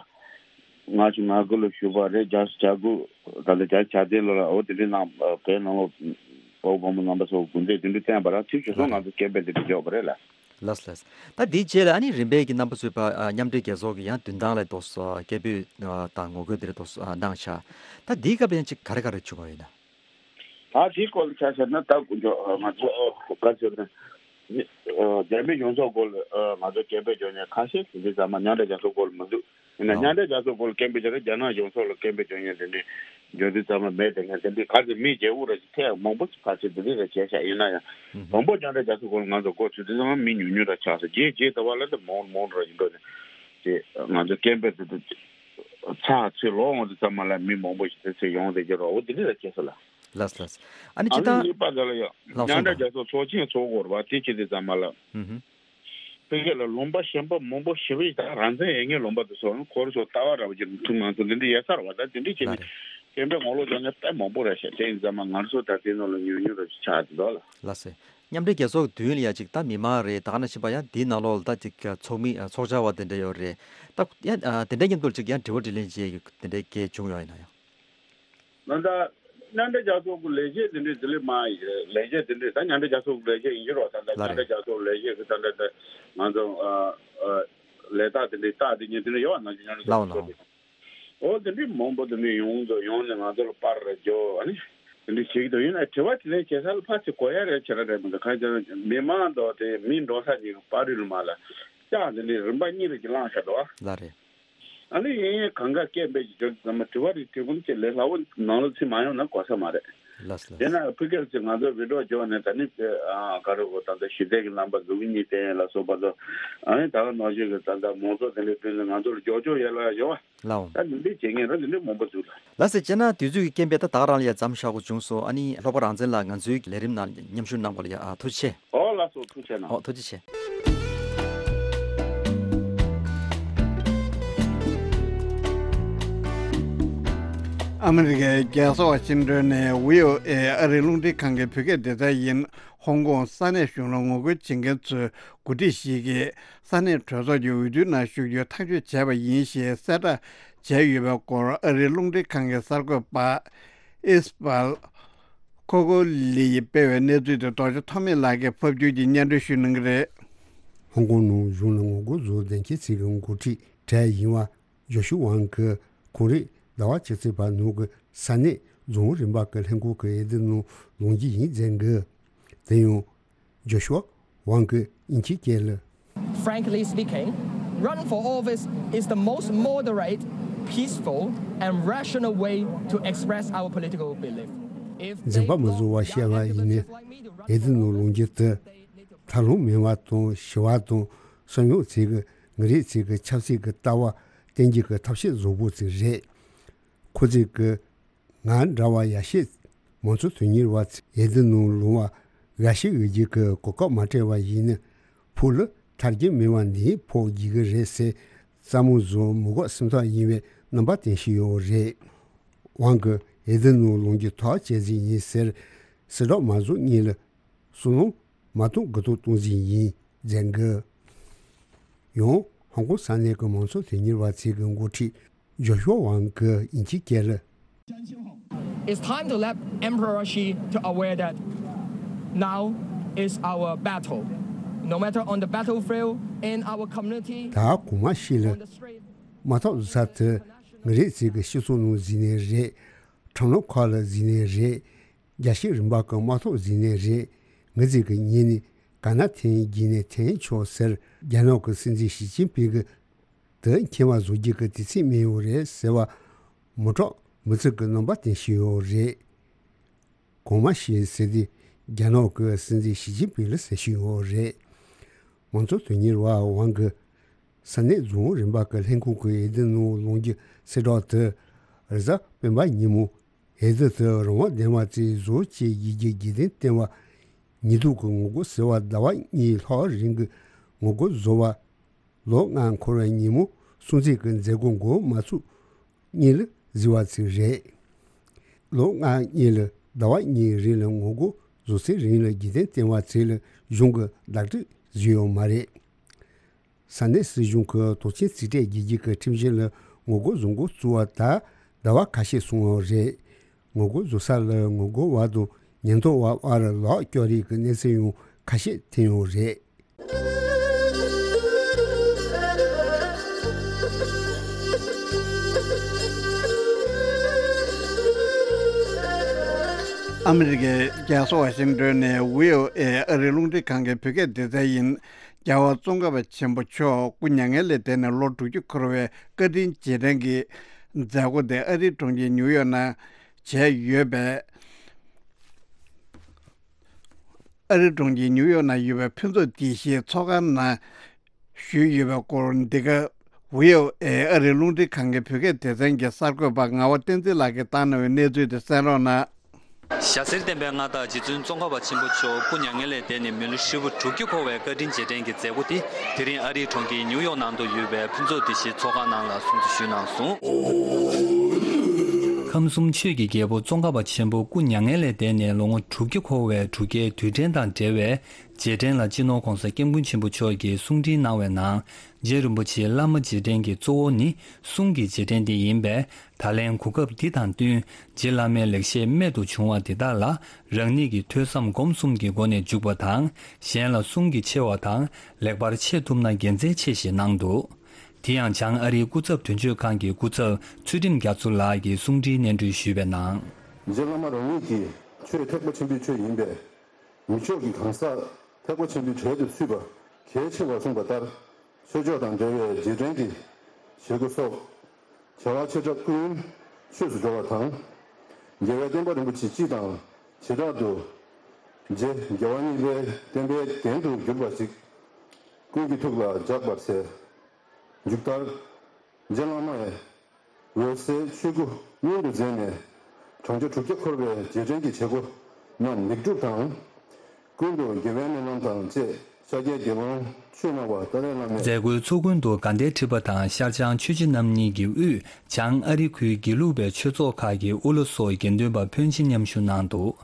ལྔ་བཅུ་ང་དགུ་ལ་ཞུས་པ་རེད། བརྒྱ་དང་གྱ་དགུ་ད་ལྟ་བརྒྱ་དང་གྱ་བདུན་ལོ་ལ་འོ་དེ་འདྲའི་ནང་བོད་ནང་ལོགས་དཔའ་བོ་དཔའ་མོ་རྣམ་པ་ཚོ་དགོངས་འགལ་དེ་འདྲ་བསྟན་པ་རང་ཚིག་ཞུ་སོང་། ང་ཚོ་སྐད་འབོད་དེ་འདྲ་འཇོག་པ་རེད་ལ། ལགས་ལགས། ད་དེའི་རྗེས་ལ་ཨ་ནི་རིམ་པས་ཀྱི་རྣམ་པ་ཚོས་པ་ཨ་མཉམ་འབྲེལ་རྒྱལ་ཚོགས་ཀྱི་ཡང་མདུན་ཐང་ལ་འདུག་སེ་སྐད་འབོད་ཨ་དང་ངོ་རྒོལ་དེ་འདྲ་འདུག་སེ་ཨ་གནང་ཤག་ད་དེའི་སྐབས་ལ་ཡང་ཅིག་ག་རེ་ག་རེ་བྱུང་བ་ཡིན་ན། ད་དེའི་སྐོར་ལ་ཆ་བཞག་ན་ད་ང་ཚོ་ག་ཚོད་ན་རྒྱ་མི་གཞུང་ཚབ་སྐོར་ལ་ང་ཚོ་སྐད་འབོད་བརྗོད་མཁན་ཁ་ཤས་དེ་འདྲའི་ཚང་མ་མཉམ་འབྲེལ་རྒྱལ་ཚོགས་སྐོར་ལ་མི་འདུག་ཡིན་ན་ཨོ། མཉམ་འབྲེལ་རྒྱལ་ཚོགས་སྐོར་ལ་སྐད་འབོད་བྱས་ན་རྒྱ་ནག་གཞུང་ཚབ་ལ་སྐད་འབོད་བྱེད་མཁན་དེ་འདྲའི་འབྱོར་འདུག་ཚང་མ་མེད་དེ་ངས་དེ་འདྲའི་ག་ཚོད་མི་བརྗེ་པོ་ར་ཅིག་ཐེངས་མང་པོ་ཅིག་ཕར་ཕྱིན་དེ་འདྲའི་ར་བྱས་ཤག་ཡིན་ན་ཡང་། ཨུ་ཧུ། དང་པོ་མཉམ་འབྲེལ་རྒྱལ་ཚོགས་སྐོར་ལ་ང་ཚོ་འགོ་ཚུགས་དུས་ཚང་མ་མི་ཉུང་ཉུང་ར་ཆགས་སོང་། རྗེས་རྗེས་ད་བར་ལ་དེ་མང་མང་ར་ཡིན་འགྲོ་ནས་དེ་ང་ཚོ་སྐད་འབོད་དེ་དེ་ཚར་ཚེ་ལོག་འོང་དུས་ཚང་མ་ལ་མི་མང་པོ་ཞིག་དེ་ཚེ་ཡོང་བསྡད་ཀྱི་ར། འོ་དེ་འདྲའི་ར་བྱས་སོང་ལ། ལགས་ལགས། ཨ་ནི་ཨ་ཅི་ནི་ད་གཉིས་པ་དེ་ལ་ཡང་ལགས་མཉམ་སོང་འབྲེལ་དང་རྒྱལ་ཚོགས་ཚོགས་ཆེན་ཚོགས་དགོས་ར་བ། དེ་བྱེད་དུས་ཙམ་པ་ལ། ཨུ་ཧུ། ཕ་གི་ལ་ལུང་པ་གཞན་པ་མང་པོ་ཞེ་པོ་ཞིག་ད་རང་བཙན་ཡོད་མཁན་ལུང་པ་དེ་ཚོ་ཁོ་རང་ཚོ་ལྟ་བ་ར་བ་ཅིག་ཐུག་མ་སོང་། འདི་འདྲ་ཡོད་ས་རེད་བ། ད་དེ་འདྲ་བྱས་ལགས་ནས་རེད། སྐད་འབོད་ངོ་ལོག་རྒྱག་མཁན་དཔེ་མང་པོ་རེད་ཤག་དེ་ཡིན་ཙང་མ་ང་ཚོ་ད་དེ་ནང་ལ་ཉུང་ཉུང་ར་ཅིག་ཆགས་ཀྱི་འདུག་ལ། ལགས་སེ། མཉམ་འབྲེལ་རྒྱལ་ཚོགས་མདུན་ལ་ཡ་ཅིག་ད་མི་མང་རེད། ད་ག་ནང་བཞིན་པ་ཡང་འདིའི་ནང་ལོགས་ལ་ད་ཅིག་ཚོགས་མི་ཚོགས་བཅར་བ་དེ་འདྲ་ཡོད་རེད། ད་ཡང་དེ་འདྲའི་མཉམ་དུ་ཅིག་ཡང་དྲི་བ་དྲིས་ལན་བྱེད་ཡ་དེ་འདྲའི་གལ་བྱུང་ཡོད་ཡིན་ན་ཡང་། ད་ལྟ་མཉམ་འབྲེལ་རྒྱལ་ཚོགས་ཀྱི་ལས་བྱེད་འདི་འདྲའི་དེ་ལས་མ་ཡི་ལས་བྱེད་འདི་འདྲའི་ད་མཉམ་འབྲེལ་རྒྱལ་ཚོགས་ཀྱི་ལས་བྱེད་ཡིན་གྱི་རོགས། ད་ལྟ་ལགས་མཉམ་འབྲེལ་རེད། རྒྱལ་ཚོགས་ལས་བྱེད་ཀྱི་ད་ལྟ་ད་ང་ཚོ་ཨ་ཨ་ལས་རྟགས་འདི་འདྲའི་རྟགས་འདི་ཉིད་འདི་འདྲ་ཡོད་པ་ནང་བཞིན་མཉམ་འབྲེལ་རྒྱལ་ལགས་ཚོགས་ལགས། འོ་འདི་འདྲའི་མང་པོ་འདི་འདྲའི་ཡོང་དུ་ཡོང་ནས་ང་ཚོ་ལ་པར་རེ་འཇོག་ཨ་ནི་འདི་འདྲའི་བྱེད་ཀྱི་འདུག་ཡིན་ན་དྲི་བ་དྲིས་ལན་བྱེད་ས་ལ་ཕར་ཚུར་གོ་ཡ་རེད་བྱེད་ར་རེད་མི་འདུག་གང་ཡིན་ཟེར་ན་མི་མང་དང་དེ་མི་འགྲོ་ས་ཅིག་པར་རིས་ལ་མ་ལ་ལྕགས་འདི་འདྲའི་རིམ་པ་གཉིས་རེ་ཅིག་བླངས་བཞག་འདུག་ལགས་རེད། ཨ་ནི་ཡིན་ཡིན་གང་ག་སྐད་འབོད་ཀྱི་འཇོག་ཙམ་མ་དྲི་བ་རེ་དྲི་གུང་ཅིག་ལས་སླ་བོ་ནང་ལ་ཚུད་མ་ཡོང་ན་གོ་ས་མ་རེད། ལགས་ལགས། དེས་ན་ཕ་གིར་ཚུད་ང་ཚོ་བི་ཌིའོ་འཇོག་ནས་ད་ནི་ཨ་ག་རེ་གོ་ད་ལྟ་ཞི་བདེ་གི་རྣམ་པ་འཛུགས་གཉིས་བསྟན་ལ་སོགས་པ་ཚོ་ཨ་ནི་ད་ག་ནང་བཞིན་གི་ད་ལྟ་མང་ཚོགས་དེ་འདྲའི་ཕུལ་ནས་ང་ཚོ་ལ་འཇོག་འཇོག་ཡོད་ལ་ཡོད་བ། ལགས་འོང་། ད་འདི་འདྲའི་བྱེད་མཁན་ར་འདི་འདྲའི་མང་པོ་འདུག་ལ། ལགས་སེ། བྱས་ན་དུས་ཚོད་ཀྱི་རྐྱེན་པས་ད་ད་ག་རང་ལ་ཡ་མཚམས་བཞག་དགོས་བྱུང་སོང་། ཨ་ནི་ལྷག་པར་རང་བཙན་ལགས་ང་ཚོའི་ལས་རིམ་ནང་མཉམ་ཞུགས་གནང་བ་ལ་ཡ་ཨ་ཐུགས་རྗེ་ཆེ། ཨོ་ལགས་སོ། ཐུགས་རྗེ་གནང་། ཨོ་ཐུགས་རྗེ་ཆེ། ཨ་མི་རི་ཀའི་རྒྱལ་ས་ཝ་ཤིང་ཏོན་ནས་བྷི་ཨོ་ཨེ་ཨ་རིའི་རླུང་འཕྲིན་ཁང་གི་བོད་སྐད་སྡེ་ཚན་ཡིན། ཧོང་ཀོང་ས་གནས་གཞུང་ལ་ངོ་རྒོལ་བྱེད་མཁན་ཚོའི་འགོ་ཁྲིད་ཞིག་གིས་ས་གནས་གྲོས་ཚོགས་ཀྱི་འོས་བསྡུའི་ནང་ཞུགས་རྒྱུའི་ཐག་གཅོད་བྱས་པ་ཡིན་ཞེས་གསལ་བསྒྲགས་བྱས་ཡོད་པའི་སྐོར་ཨ་རིའི་རླུང་འཕྲིན་ཁང་གི་གསར་འགོད་པ་ཨིས་པལ་ ཀོ་ཀོ་ལི་ཡིས་སྤེལ་བའི་གནས་ཚུལ་དེ་རྡོ་རྗེ་ཐོགས་མེད་ལགས་ཀྱིས་ཕབ་བསྒྱུར་གྱིས་སྙན་སྒྲོན་ཞུ་གནང་གི་རེད། ཧོང་ཀོང་ནང་གཞུང་ལ་ངོ་རྒོལ་བཟོ་མཁན་ཚོའི་འགོ་ཁྲིད་གྲས་ཡིན་པ་ཇོ་ཤུ་ཝང་གིས་ཁོང་རང་ཟླ་བ་ཕྱི་ཚེས་པ་ནང་གི་ས་གནས་རྫོང་རིམ་པ་གི་ལྷན་ཁང་གི་འོས་བསྡུ་ནང་ལངས་རྒྱུ་ཡིན་ཟེར་གི། དེ་ཡང་ཇོ་ཤུ་ཝང་གིས་དབྱིན་ཇིའི་སྐད་ལ། Frankly speaking, run for office is the most moderate, peaceful, and rational way to express our political belief. If འཛིན་པ་མི་བཟོ་བ་བཤད་པ་ཡིན་ན། འོས་བསྡུ་ནང་ལངས་རྒྱུ་དེ་ཐབས་ལམ་མེད་པ་དང་། ཞི་བ་དང་། སོ་ཉུལ་ཚོས་ཀྱི་ངན་རིགས་ཚོས་ཀྱི་ཆབ་སྲིད་ཀྱི་ལྟ་བ་བསྟན་རྒྱུ་གི་ཐབས་ཤེས་བཟང་པོ་ཅིག་རེད། ཁོ་ཚོས་ཀྱི་ང་འདྲ་བ་ཡ་ཤས་མང་གཙོ་དོན་གཉེར་བ་ཚོས་འོས་བསྡུ་ནང་ལངས་པ་འགའ་ཞིག་འོས་བསྡུ་གི་གོ་སྐབས་མ་སྤྲད་པ་ཡིན་ན། ཕུགས་ལ་ཐར་རྒྱུ་མེད་པ་འདིའི་ཕོག་རྒྱུ་གི་རེད་ཟེར། བསམ་བློ་བཟོ་མི་དགོས་སེམས་ཐག་ཡིན་པའི་རྣམ་པ་བསྟན་བཞིན་ཡོད་རེད། ཝང་གིས་འོས་བསྡུ་ནང་ལངས་རྒྱུ་ཐག་བཅད་རྩིས་ཡིན་ཟེར། གསལ་བསྒྲགས་མ་བཟོ་སྔོན་ལ་བསམ་བློ་མ་གཏོང་དགུ་གཏོང་གཏོང་རྩིས་ཡིན་ཟེར་གི། ཡང་ཧོང་ཀོང་ས་གནས་ཀྱི་མང་གཙོ་དོན་གཉེར་བ་ཚོའི་འགོ་ཁྲིད་ཇོ་ཤུ་ཝང་གིས་དབྱིན་ཇིའི་སྐད་ལ། It's time to let Emperor Xi to aware that now is our battle. No matter on the battlefield, in our community, ད་གོང་མ་ཤི་ལ། on the street, དམག་འཐབ་བཟོ་ས་དེ་ངན་རིགས་ཚོས་ཀྱི་སྤྱི་ཚོགས་ནང་གཟིགས་ནའི་རེད། ཁྲོམ་ལམ་ཁག་ལ་གཟིགས་ནའི་རེད། རྒྱལ་སྤྱིའི་རིམ་པ་གི་དམག་འཐབ་གཟིགས་ནའི་རེད། ངེད་ཚོས་ཀྱི་ཉིན་ནས་ག་ན་འཐེན་རྒྱུ་ནས་འཐེན་ཆོག་ཟེར། རྒྱ་ནག་གི་སྲིད་འཛིན་ཞི་ཅིན་ཕིང་གིས་དེ་མཁྱེན་པ་བཟོ་རྒྱུ་གི་དུས་ཚོད་མིན་ཡོད་རེད་ཟེར་བ། མི་དྲག་མི་ཚིག་གི་རྣམ་པ་བསྟན་བཞིན་ཡོད་རེད། གོང་མ་ཤི་ཟེར་དུས་རྒྱ་ནག་གི་སྲིད་འཛིན་ཞི་ཅིན་ཕིང་ལ་ཟེར་བཞིན་ཡོད་རེད། མང་གཙོ་དོན་གཉེར་བ་ཝང་གིས་ས་གནས་རྫོང་རིམ་པ་གི་ལྷན་ཁང་གི་འོས་བསྡུ་ནང་ལངས་རྒྱུ་གསལ་བསྒྲགས་དེ་རེས་གཟའ་སྤེན་པ་ཉིན་མོ། འོས་བསྡུ་དེ་རང་དབང་ལྡན་པ་ཅིག་བཟོ་ཆེད་ཡིན་རྒྱུ་རྒྱུན་ལྡན་བསྟན་པ། ཉིན་ཐོ་གི་ངོ་རྒོལ་ཟེར་བ་ཟླ་བ་གཉིས་ལྷག་རིང་གི་ངོ་རྒོལ་བཟོ་བ། ལོ་ལྔ་འཁོར་བའི་ཉིན་མོ་སྲུང་བརྩི་གི་མཛད་སྒོ་འགོ་མ་ཚུགས་སྔོན་ལ་བཟོས་པ་ཅིག་རེད། ལོ་ལྔ་སྔོན་ལ་ཟླ་བ་གཉིས་རིང་ལ་ངོ་རྒོལ་བཟོ་ཚེ་རིང་ལ་རྒྱུན་ལྡན་བསྟན་པ་ཚོས་ལ་གཞུང་གི་བདག་སྒྲིག་བཟོས་ཡོད་མ་རེད། ས་གནས་སྲིད་གཞུང་གི་དོགས་ཆེན་རྩིས་སྤྲད་རྒྱག་རྒྱུ་གི་ཁྲིམས་གཞི་ལ་ངོ་རྒོལ་བཟོ་འགོ་བཙུགས་པ་ད་ཟླ་བ་ཁ་ཤས་སོང་བ་རེད། ངོ་རྒོལ་བཟོ་ས་ལ་ངོ་རྒོལ་བ་དང་ཉེན་རྟོག་པ་བར་ལག་སྐྱོར་རེས་ཀྱི་གནས་ཚུལ་ཡང་ཁ་ཤས་ཐོན་ཡོད་རེད། ཨ་མི་རི་ཀའི་རྒྱལ་ས་ཝ་ཤིང་ཏོན་ནས་བྷི་ཨོ་ཨེ་ཨ་རིའི་རླུང་འཕྲིན་ཁང་གི་བོད་སྐད་སྡེ་ཚན་ཡིན། རྒྱལ་བ་ཙོང་ཁ་པ་ཆེན་པོ་མཆོག་སྐུ་མྱ་ངན་ལས་འདས་ནས་ལོ་དྲུག་ཅུ་འཁོར་བའི་བཀའ་དྲིན་རྗེས་དྲན་གྱི་མཛད་སྒོ་དེ་ཨ་རིའི་གྲོང་ཁྱེར་ཉིའུ་ཡོག་ནང་བྱས་ཡོད་པས། ཨ་རིའི་གྲོང་ཁྱེར་ཉིའུ་ཡོག་ནང་ཡོད་པའི་ཕུན་ཚོགས་སྡེ་བཞིའི་ཚོགས་ཁང་ནང་ཞུས་ཡོད་པའི་སྐོར། འདི་ག་བྷི་ཨོ་ཨེ་ཨ་རིའི་རླུང་འཕྲིན་ཁང་གི་བོད་སྐད་སྡེ་ཚན་གྱི་གསར་འགོད་པ་ངག་དབང་བསྟན་འཛིན་ལགས་ཀྱིས་བཏང་གནང་བའི་གནས་ཚུལ་དེ་གསན་རོགས་གནང་། ཞྭ་སེར་ལྡན་པའི་མངའ་བདག་རྗེ་བཙུན་ཙོང་ཁ་པ་ཆེན་པོ་མཆོག་སྐུ་མྱ་ངན་ལས་འདས་ནས་མི་ལོ་ཧྲིལ་པོ་དྲུག་ཅུ་འཁོར་བའི་བཀའ་དྲིན་རྗེས་དྲན་གྱི་མཛད་སྒོ་དེ་དེ་རིང་ཨ་རིའི་གྲོང་ཁྱེར་ཉིའུ་ཡོག་ནང་དུ་ཡོད་པའི་ཕུན་ཚོགས་སྡེ་བཞིའི་ཚོགས་ཁང་ནང་ལ་སྲུང་བརྩི་ཞུས་གནང་སོང་། ཁམས་གསུམ་ཆོས་ཀྱི་རྒྱལ་པོ་ཙོང་ཁ་པ་ཆེན་པོ་སྐུ་མྱ་ངན་ལས་འདས་ནས་ལོ་ངོ་དྲུག་ཅུ་འཁོར་བའི་གྲུབ་འབྲས་དུས་དྲན་དང་འབྲེལ་བའི་རྗེས་དྲན་ལ་སྤྱི་ནོར་༧གོང་ས་༧སྐྱབས་མགོན་ཆེན་པོ་མཆོག་གིས་གསུང་འཕྲིན་གནང་བའི་ནང་། རྗེ་རིན་པོ་ཆེའི་བླ་མ་རྗེས་དྲན་གྱི་གཙོ་བོ་ནི་གསུང་གི་རྗེས་དྲན་དེ་ཡིན་པས། ད་ལན་གོ་སྐབས་འདི་དང་བསྟུན་རྗེ་བླ་མའི་ལེགས་བཤད་རྨད་དུ་བྱུང་བ་འདི་དག་ལ་རང་ཉིད་ཀྱི་ཐོས་བསམ་སྒོམ་གསུམ་གྱི་སྒོ་ནས་འཇུག་པ་དང་། གཞན་ལ་གསུང་གི་ཆེ་བ་དང་ལེགས་པར་འཆད་ཐུབ་ན་དགེ་མཚན་ཆེ་ཞེས་གནང་འདུག་དེ་ཡང་བྱང་ཨ་རིའི་སྐུ་ཚབ་དོན་གཅོད་ཁང་གི་སྐུ་ཚབ་ཚུལ་ཁྲིམས་རྒྱ་མཚོ་ལགས་ཀྱིས་གསུང་འཕྲིན་སྙན་སྒྲོན་ཞུས་པའི་ནང་། རྗེ་བླ་མ་རང་ཉིད་ཀྱིས་ཆོས་ཐེག་པ་ཆེན་པོའི་ཆོས་ཡིན་པས། མི་མཆོག་གི་གང་ཟག་ཐེག་པ་ཆེན་པོའི་གྲལ་དུ་ཚུད་པ་གལ་ཆེ་བར་གསུངས་པ་ལྟར། ཆོས་ཕྱོགས་དང་འབྲེལ་བའི་རྗེས་དྲན་གྱི་བྱེད་སྒོ་སོགས་བྱ་བ་ཆེ་ཕྲ་ཀུན་ཆོས་སུ་འགྲོ་བ་དང་། རྒྱལ་བའི་བསྟན་པ་རིན་པོ་ཆེ་སྤྱི་དང་བྱེ་བྲག་ཏུ་རྗེ་རྒྱལ་བ་གཉིས་པའི་བསྟན་པའི་རྒྱན་དུ་གྱུར་པ་ཞིག་ཀུན་གྱི་ཐུགས་ལ་འཇགས་པར་འཚལ། མཇུག་མཐར། རྗེ་བླ་མས་འོད་གསལ་ཆོས་སྐུ་མངོན་དུ་མཛད་ནས་བགྲང་བྱ་དྲུག་བརྒྱ་འཁོར་བའི་རྗེས་དྲན་གྱི་བྱེད་སྒོ་རྣམས་ལེགས་གྲུབ་དང་། ཀུན་ཏུ་དགེ་བའི་སྨོན་ལམ་དང་བཅས་ཤཱཀྱའི་དགེ་སློང་ཆོས་སྨྲ་བ་ཏཱ་ལའི་བླ་མས། མཛད་སྒོའི་ཚོགས་མགོན་དུ་དགའ་ལྡན་ཁྲི་པ་དང་ཤར་བྱང་ཆོས་རྗེ་རྣམ་གཉིས་ཀྱི་དབུས་བྱང་ཨ་རི་ཁུལ་དགེ་ལུགས་པའི་ཆོས་ཚོགས་ཁག་གི་དབུ་བླ་སོགས་དགེ་འདུན་པ་ཕོན་ཆེ་མཉམ་ཞུགས་གནང་འདུག་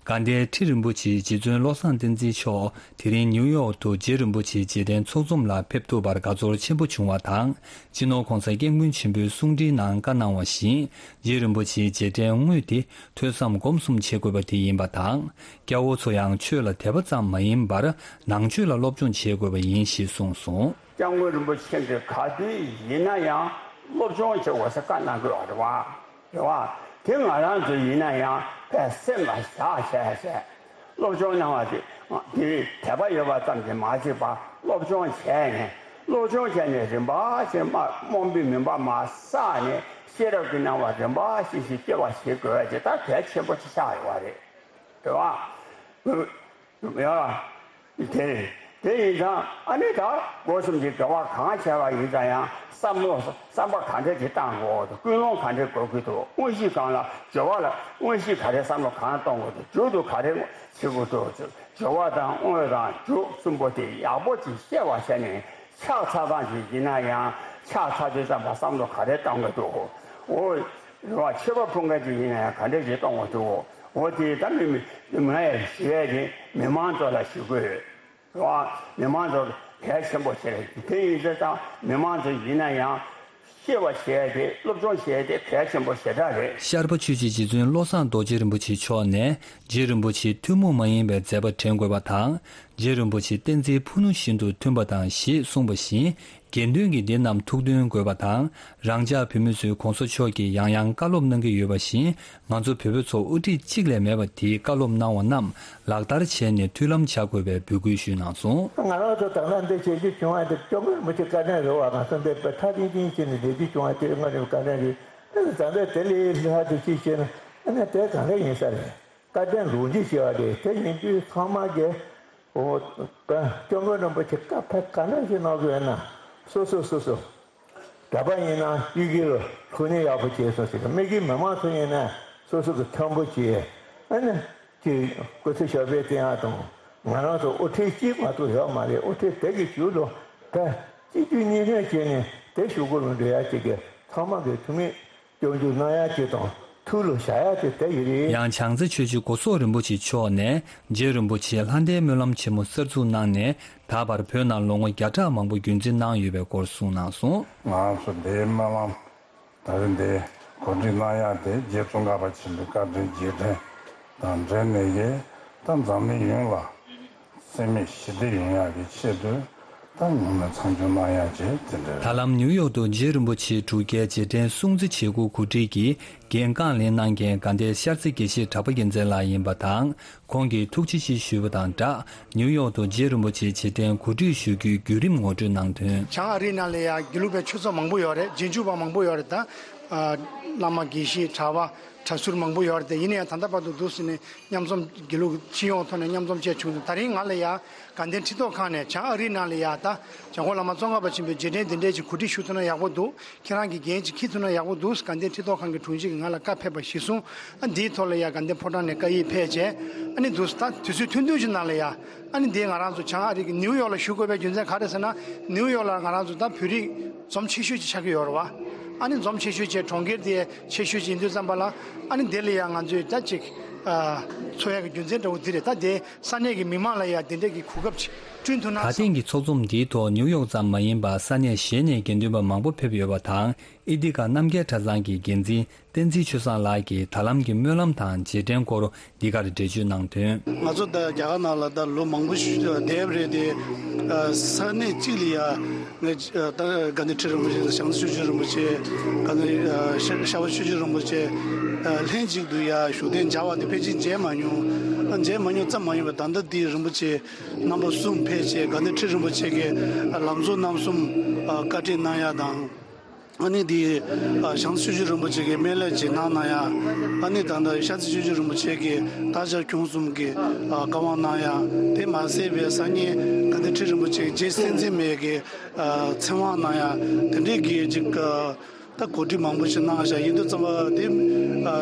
དགའ་ལྡན་ཁྲི་རིན་པོ་ཆེ་རྗེ་བཙུན་བློ་བཟང་བསྟན་འཛིན་མཆོག་དེ་རིང་ནིའུ་ཡོག་ཏུ་རྗེ་རིན་པོ་ཆེའི་རྗེས་དྲན་ཚོགས་འཛོམས་ལ་ཕེབས་ཐུབ་པར་དགའ་ཚོར་ཆེན་པོ་བྱུང་བ་དང་། སྤྱི་ནོར་༧གོང་ས་༧སྐྱབས་མགོན་ཆེན་པོའི་གསུང་འཕྲིན་ནང་བཀའ་གནང་བ་བཞིན། རྗེ་རིན་པོ་ཆེའི་རྗེས་དྲན་དངོས་དེ་ཐོས་བསམ་སྒོམ་གསུམ་བྱེད་དགོས་པ་དེ་ཡིན་པ་དང་། སྐྱ་བོ་ཚོ་ཡང་ཆོས་ལ་དད་པ་ཙམ་མ་ཡིན་པར་ནང་ཆོས་ལ་སློབ་སྦྱོང་བྱེད་དགོས་པ་ཡིན་ཞེས་གསུངས་སོང་། སྐྱབས་མགོན་རིན་པོ་ཆེ་གིས་ག་དུས་ཡིན་ན་ཡང་སློབ་སྦྱོང་བྱེད་དགོས་ཟེར་བཀའ་གནང་དགོས་པ་རེད་བ། རེད་བ། དེ་ང་རང་ཚོ་ཡིན་ན་ཡང་དཔེ་སེམས་ལ་བཞག་བྱས་བྱས། སློབ་སྦྱོང་གནང་བ་དེ་དེ་དད་པ་ཡོད་པ་ཙམ་གྱིས་མ་གཅིག་པ་སློབ་སྦྱོང་བྱས་ནས། སློབ་སྦྱོང་བྱས་ནས་རིམ་པ་བཞིན་མ་རྨོངས་པའི་མུན་པ་མ་བསལ་ནས་ཤེས་རབ་ཀྱི་སྣང་བ་རིམ་པ་བཞིན་ཞིག་སྐྱེ་བ་ཞིག་དགོས་ཀྱི་ད་གལ་ཆེན་པོ་ཞིག་ཆགས་ཡོད་པ་རེད། རེད་བ། ཡ། དེ་དེ་ཡིན་ཙང་ཨ་ནི་ད་སྒོ་གསུམ་གྱི་དགེ་བ་གང་བྱས་པ་ཡིན་ཙང་ཡང་བསམ་བློ་བསམ་པ་ག་འདྲ་ཞིག་བཏང་དགོས་འདུག་ཀུན་སློང་ག་འདྲ་དགོས་ཀྱི་འདུག་དངོས་གཞི་གང་ལ་སྦྱོར་བ་ལ་དངོས་གཞི་ག་རེ་བསམ་བློ་གང་གཏོང་དགོས་འདུག་མཇུག་ཏུ་ག་རེ་བྱེད་དགོས་འདུག་སྦྱོར་བ་དང་དངོས་དང་མཇུག་གསུམ་པོ་དེ་ཡག་པོ་ཅིག་ཤེས་པ་བྱས་ནས་ཕྱག་འཚལ་སྟངས་ཅིག་ཡིན་ན་ཡང་ཕྱག་འཚལ་དུས་ཙམ་པ་བསམ་བློ་ག་རེ་གཏོང་དགོས་འདུག་འོ། རེད་བ། མཆོད་པ་ཕུལ་མཁན་ཅིག་ཡིན་ན་ཡང་ག་འདྲ་ཞིག་གཏོང་དགོས་འདུག་འོ་དེ་ད་མི་མི་ང་ཡང་ཞུ་ཡས་དེ་མི་མང་ཚོ་ལ་ཞུ་དགོས་ཡོད། རེད་བ། མི་མང་ཚོ་གལ་ཆེན་པོ་ཞིག་རེད། དེ་ཡིན་ཙང་མི་མང་ཚོ་ཡིན་ན་ཡང་ཤེས་པ་བྱས་ཏེ་སློབ་སྦྱོང་བྱས་ཏེ་གལ་ཆེན་པོ་ཞེ་དྲག་རེད། ཤར་པ་ཆོས་རྗེ་རྗེ་བཙུན་བློ་བཟང་རྡོ་རྗེ་རིན་པོ་ཆེ་མཆོག་ནས་རྗེ་རིན་པོ་ཆེ་ཐུན་མོང་མ་ཡིན་པའི་མཛད་པ་དྲན་དགོས་པ་དང་། རྗེ་རིན་པོ་ཆེ་བསྟན་འཛིན་ཕུ་ནུ་བཞིན་དུ་མཐུན་པ་དང་ཞེས་གསུངས་པ་བཞིན། དགེ་འདུན་གྱིས་འདི་རྣམས་ཐུགས་འདོན་དགོས་པ་དང་། རང་ཅག་བོད་མི་ཚོས་གོང་ས་མཆོག་གིས་ཡང་ཡང་བཀའ་སློབ་གནང་གི་ཡོད་པ་བཞིན། ང་ཚོ་བོད་པ་ཚོ་དབུ་ཁྲིད་གཅིག་ལས་མེད་པ་དེའི་བཀའ་སློབ་གནང་བ་རྣམས་ལག་བསྟར་བྱས་ནས་མཐུན་ལམ་བྱ་དགོས་པའི་འབོད་སྐུལ་ཞུས་གནང་སོང་། ང་རང་ཚོ་ད་ལྟ་འདི་བྱེད་རྒྱུ་བྱུང་བ་དེ་སྐྱབས་མགོན་རིན་པོ་ཆེ་བཀའ་དྲིན་རེད་བ། ང་ཚོ་འདི་དཔེ་མཐའ་གཅིག་ཏུ་བྱས་ནས་བསྡད་རྒྱུ་བྱུང་བ་དེ་སྐྱབས་མགོན་རིན་པོ་ཆེ་བཀའ་དྲིན་རེད། ཨ་ནི་ད་ལྟ་དེ་ལས་ལྷག་ཏུ་ཅི་བྱས་ན་ཨ་ནི་དེ་གང་འདྲ་ཡིན་ས་རེད། བཀའ་དྲིན་ལུང་བྱིན་ཞེས་པ་རེད། དེ་ཡིན་དུས་ཚང་མ་གིས་འོ། སྐྱབས་མགོན་རིན་པོ་ཆེ་བཀའ་ཕེབས་ག་འདྲ་ཞིག་གནང་དགོས་ན། སོ་སོ་སོ་སོ། དད་པ་ཡིན་ན་གཡུལ་འགྱེད་ལ་ཐུགས་སྣང་ཡག་པོ་བྱས་སོང་ཟེར་གི། མི་གི་མི་མང་ཚོ་ཡིན་ན་སོ་སོ་གི་མཐོན་པོ་བྱས། ཨ་ནི་ཅིག་སྐུ་ཚེ་ཞབས་པད་བརྟན་ཡག་དང་། ང་རང་ཚོ་དབུ་ཁྲིད་གཅིག་མ་གཏོགས་ཡོད་མ་རེད། དབུ་ཁྲིད་དེ་གི་ཞུ་ལོ་ད་གཅིག་བསྡུས་གཉིས་སྣོན་བྱས་ནས་དེ་ཞུ་དགོས་ལ་འགྲོ་ཡག་ཅིག་གི་ཚང་མ་གི་ཐུགས་མི། སྐྱོན་བརྗོད་གནང་ཡག་ཅིག་དང་ཐུགས་ལ་བཞག་ཡག་ཅིག་དེ་ཡིན་རེད། ཡང་བྱང་རྩེ་ཆོས་རྗེ་གོ་སོག་རིན་པོ་ཆེ་མཆོག་ནས་རྗེ་རིན་པོ་ཆེས་ལྷ་ལྡན་སྨོན་ལམ་ཆེན་མོ་གསར་འཛུགས་གནང་ནས་ད་བར་བོད་ནང་ལོ་ངོ་བརྒྱ་ཕྲག་མང་པོ་རྒྱུན་འཛིན་གནང་ཡོད་པའི་སྐོར་གསུངས་གནང་སོང་། ང་ཚོ་འདིའི་སྨོན་ལམ་ད་རེས་འདི་གོ་སྒྲིག་གནང་ཡག་དེ་རྗེ་ཙོང་ཁ་པ་ཆེན་པོའི་བཀའ་དྲིན་རྗེས་དྲན་དང་འབྲེལ་ནས་ཀྱི་ད་འཛམ་གླིང་ཡོངས་ལ། སེམས་མེད་ཞི་བདེ་ཡོང་ཡག་གི་ཆེད་དུ་ད་ངོ་མ་མཚམས་སྦྱོར་གནང་ཡག་བྱས་དེ་འདྲ། ད་ལམ་ནིའུ་ཡོག་ཏུ་རྗེ་རིན་པོ་ཆེའི་སྒྲུབ་སྐལ་རྗེས་དྲན་སྲུང་བརྩི་བྱེད་སྒོ་གོ་སྒྲིག་གིས་འགན་རྐང་ལེན་གནང་མཁན་དགའ་ལྡན་ཤར་རྩེ་དགེ་བཤེས་གྲགས་པ་རྒྱལ་མཚན་ལགས་ཡིན་པ་དང་། ཁོང་གིས་ཐུགས་རྗེ་ཆེ་ཞུས་པ་དང་སྦྲགས། ནིའུ་ཡོག་ཏུ་རྗེ་རིན་པོ་ཆེའི་རྗེས་དྲན་གོ་སྒྲིག་ཞུ་རྒྱུའི་བརྒྱུད་རིམ་ངོ་སྤྲོད་གནང་དོན། བྱང་ཨ་རིའི་ནང་ལ་ཡང་དགེ་ལུགས་པའི་ཆོས་ཚོགས་མང་པོ་ཡོད་རེད། རྗེས་འཇུག་པ་མང་པོ་ཡོད་རེད་ད། བླ་མ་དགེ་བཤེས་གྲྭ་པ་གྲྭ་ཟུར་མང་པོ་ཡོད་རེད་དེ། ཡིན་ན་ཡང་ད་ལྟ་བར་དུ་འདུག་ཟེར་ནས་མཉམ་འཛོམས་དགེ་ལུགས་སྤྱི་ཡོངས་ཐོག་ནས་མཉམ་འཛོམས་བཅས་བྱུང་འདུག་ད་རིང་ང་ལ་ཡ་དགའ་ལྡན་ཁྲི་ཐོག་ཁང་ནས་བྱང་ཨ་རིའི་ནང་ལ་ཡ་ད་འཇམ་མགོན་བླ་མ་ཙོང་ཁ་པ་ཆེན་པོའི་རྗེས་དྲན་འདི་འདྲས་ཀྱི་གོ་སྒྲིག་ཞུ་ཐུབ་ན་ཡག་པོ་འདུག་ཁྱེད་རང་གིས་འགན་ཅིག་འཁྱེར་ཐུབ་ན་ཡག་པོ་འདུག་དགའ་ལྡན་ཁྲི་ཐོག་ཁང་གི་དྲུང་ཆེ་གིས་ང་ལ་བཀའ་ཕེབས་པ་གཞིར་བཟུང་། ཨ་འདིའི་ཐོག་ལ་ཡ་དགའ་ལྡན་ཕོ་བྲང་ནས་བཀའ་ཡིག་ཕེབས་བྱས། ཨ་ནི་འདུག་ད་དུས་ཚོད་ཐུང་ཐུང་ཞིག་ནང་ལ་ཡ། ཨ་ནི་འདི་ང་རང་ཚོ་བྱང་ཨ་རི་གི་ནིའུ་ཡོག་ལ་བཞུགས་དགོས་པའི་རྒྱུ་མཚན་ག་རེ་ཟེར་ན། ནིའུ་ཡོག་ལ་ང་རང་ཚོ་ད་བོད་རིགས་འཛོམས་ཆེ་ཤོས་ཅིག་ཆགས་ཀྱི་ཡོད་རེད་བ། ཨ་ནི་འཛོམས་ཆེ་ཤོས་བྱས་གྲོང་ཁྱེར་དེ་ཆེ་ཤོས་ཅིག་ཡིན་དུས་ཙམ་པ་ལ། ཨ་ནི་འདི་ལ་ཡང་ང་ཚོས་ད་ཅིག་ཨ། འཚོགས་ཡག་གི་རྒྱུ་མཚན་འདྲ་བོ་འདི་རེད། ད་དེ་ས་གནས་ཀྱི་མི་མང་ལ་ཡང་དེ་འདྲས་ཀྱི་གོ་སྐབས་ཅིག་བསྐྲུན་ཐུབ་ན་ད་བསམ། ཐེངས་ཀྱི་ཚོགས་འཛོམས་འདིའི་ཐོག་ནིའུ་ཡོག་ཙམ་མ་ཡིན་པར་ས་གནས་གཞན་ནས་དགེ་འདུན་པ་མང་པོ་ཕེབས་ཡོད་པ་དང་། ཨི་ཏི་ཀ་རྣམ་རྒྱལ་གྲྭ་ཚང་གི་འགན་འཛིན་བསྟན་འཛིན་ཆོས་བཟང་ལགས་ཀྱིས་ད་ལམ་གྱི་སྨོན་ལམ་དང་རྗེས་དྲན་སྐོར་འདི་གར་འགྲེལ་བརྗོད་གནང་དོན། ང་ཚོ་ད་རྒྱ་གར་ནང་ལ་ད་ལོ་མང་པོ་ཞིག་བསྡད་པ་རེད་དེ། ས་གནས་གཅིག་ལ་ཡ་ངས་ད་དགའ་ལྡན་ཁྲི་རིན་པོ་ཆེ་དང་བྱང་རྩེ་ཆོས་རྗེ་རིན་པོ་ཆེ། དགའ་ལྡན་ཤར་པ་ཆོས་རྗེ་རིན་པོ་ཆེ་ལྷན་ཅིག་ཏུ་ཡ་བཞུགས་གདན་མཇལ་བ་དེ་ཕལ་ཆེར་མཇལ་མ་མྱོང་། མཇལ་མ་མྱོང་ཙམ་མ་ཡིན་པར་ད་ལྟ་འདི་རིན་པོ་ཆེ་རྣམ་པ་གསུམ་ཕེབས་བྱས་དགའ་ལྡན་ཁྲི་རིན་པོ་ཆེ་གི་ལམ་གཙོ་རྣམ་གསུམ་བཀའ་དྲིན་གནང་ཡ་དང་། ཨ་ནི་འདི་བྱང་རྩེ་ཆོས་རྗེ་རིན་པོ་ཆེ་གི་སྨན་བླའི་རྗེས་གནང་གནང་ཡ། ཨ་ནི་ད་ལྟ་ཤར་རྩེ་ཆོས་རྗེ་རིན་པོ་ཆེ་གི་དར་ཕྱར་ཁྱུང་གསུམ་གྱི་བཀའ་དབང་གནང་ཡ། དེ་མ་ཟད་པའི་སང་ཉིན་དགའ་ལྡན་ཁྲི་རིན་པོ་ཆེ་གི་རྗེ་བསྟན་འཛིན་མའི་གི་ཚེ་དབང་གནང་ཡ། དེ་འདྲའི་གི་ཅིག་ད་གོ་སྒྲིག་མང་པོ་ཞིག་གནང་བཞག་ཡིན་དུས་ཙམ་པ་དེ་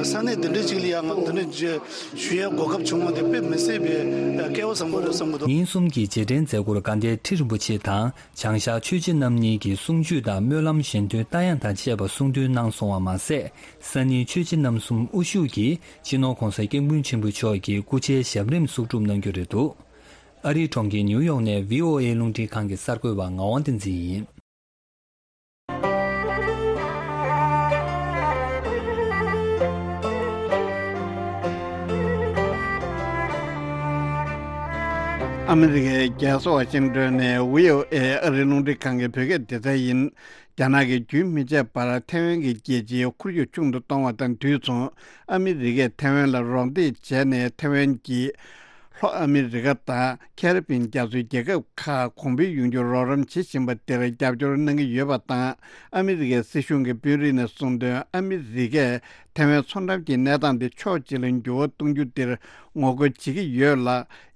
ས་གནས་འདི་འདྲའི་ཅིག་ལ་ཡང་ང་འདི་འདྲ་ཞུ་ཡའི་གོ་སྐབས་བྱུང་བ་དེ་དཔེ་མི་སྲིད་པའི་སྐལ་བ་བཟང་པོ་རེད་བསམ་གྱི་འདུག་ཉིན་གསུམ་གྱི་རྗེས་དྲན་མཛད་སྒོར་དགའ་ལྡན་ཁྲི་རིན་པོ་ཆེ་དང་བྱང་ཤར་ཆོས་རྗེ་རྣམ་གཉིས་ཀྱིས་གསུང་ཆོས་དང་སྨོན་ལམ་གཞན་དོན་རྟ་དབྱངས་དང་བཅས་པ་གསུང་འདོན་གནང་སོང་བ་མ་ཟད། ས་གནས་ཆོས་རྗེ་རྣམ་གསུམ་དབུ་བཞུགས་ཀྱིས་སྤྱི་ནོར་༸གོང་ས་༸སྐྱབས་མགོན་ཆེན་པོ་མཆོག་གི་སྐུ་ཕྱྭའི་ཞབས་རིམ་གསོག་སྒྲུབ་གནང་རྒྱུ་རེད་འདུག་ཨ་རིའི་གྲོང་ཁྱེར་ནིའུ་ཡོག་ནས་བྷི་ཨོ་ཨེ་རླུང་འཕྲིན་ཁང་གི་གསར་འགོད་པ་ངག་དབང་བསྟན་འཛིན་ཡིན། ཨ་མི་རི་ཀའི་རྒྱལ་ས་ཝ་ཤིང་ཏོན་ནས་བྷི་ཨོ་ཨེ་ཨ་རིའི་རླུང་འཕྲིན་ཁང་གི་བོད་སྐད་སྡེ་ཚན་ཡིན། རྒྱ་ནག་གིས་རྒྱུན་མི་ཆད་པར་ཐའེ་ཝན་གྱི་རྒྱལ་སྤྱིའི་ཁོར་ཡུག་ཆུང་དུ་གཏོང་བ་དང་དུས་མཚུངས། ཨ་མི་རི་ཀས་ཐའེ་ཝན་ལ་རོགས་འདེགས་བྱས་ནས་ཐའེ་ཝན་གྱིས་ལྷོ་ཨ་མི་རི་ཀ་དང་ཁེ་རི་པིན་རྒྱ་མཚོའི་རྒྱལ་ཁབ་ཁག་གོང་འཕེལ་ཡོང་རྒྱུར་རོགས་རམ་བྱེད་བཞིན་པ་དེར་རྒྱབ་སྐྱོར་གནང་གི་ཡོད་པ་དང་། ཨ་མི་རི་ཀའི་སྲིད་གཞུང་གི་དཔོན་རིགས་ནས་གསུངས་དོན། ཨ་མི་རི་ཀས་ཐའེ་ཝན་མཚོ་འགྲམ་གྱི་གནས་སྟངས་དེ་ཕྱོགས་གཅིག་ལ་འགྱུར་བ་གཏོང་རྒྱུ་དེར་ངོ་རྒོལ་བྱེད་ཀྱི་ཡོད་ལ།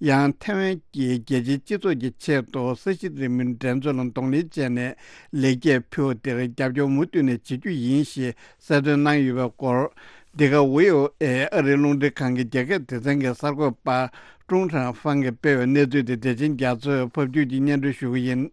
ཡང་ཐའེ་ཝན་གྱིས་རྒྱལ་སྤྱིའི་སྤྱི་ཚོགས་ཀྱི་ཆེད་དུ་ས་གཞི་རི་མོའི་འགྲན་རྩོད་ལ་གདོང་ལེན་བྱས་ནས་ལེགས་སྐྱེས་ཕུལ་བ་དེར་རྒྱབ་སྐྱོར་མུ་མཐུད་ནས་བྱེད་རྒྱུ་ཡིན་ཞེས་གསལ་སྟོན་གནང་ཡོད་པའི་སྐོར། འདི་ག་བྷི་ཨོ་ཨེ་ཨ་རིའི་རླུང་འཕྲིན་ཁང་གི་རྒྱ་སྐད་སྡེ་ཚན་གྱི་གསར་འགོད་པ་ཀྲུང་ཧྲན་ཧྥང་གིས་སྤེལ་བའི་གནས་ཚུལ་དེ་བདེ་ཆེན་རྒྱ་མཚོས་ཕབ་སྒྱུར་གྱིས་སྙན་སྒྲོན་ཞུ་གི་ཡིན།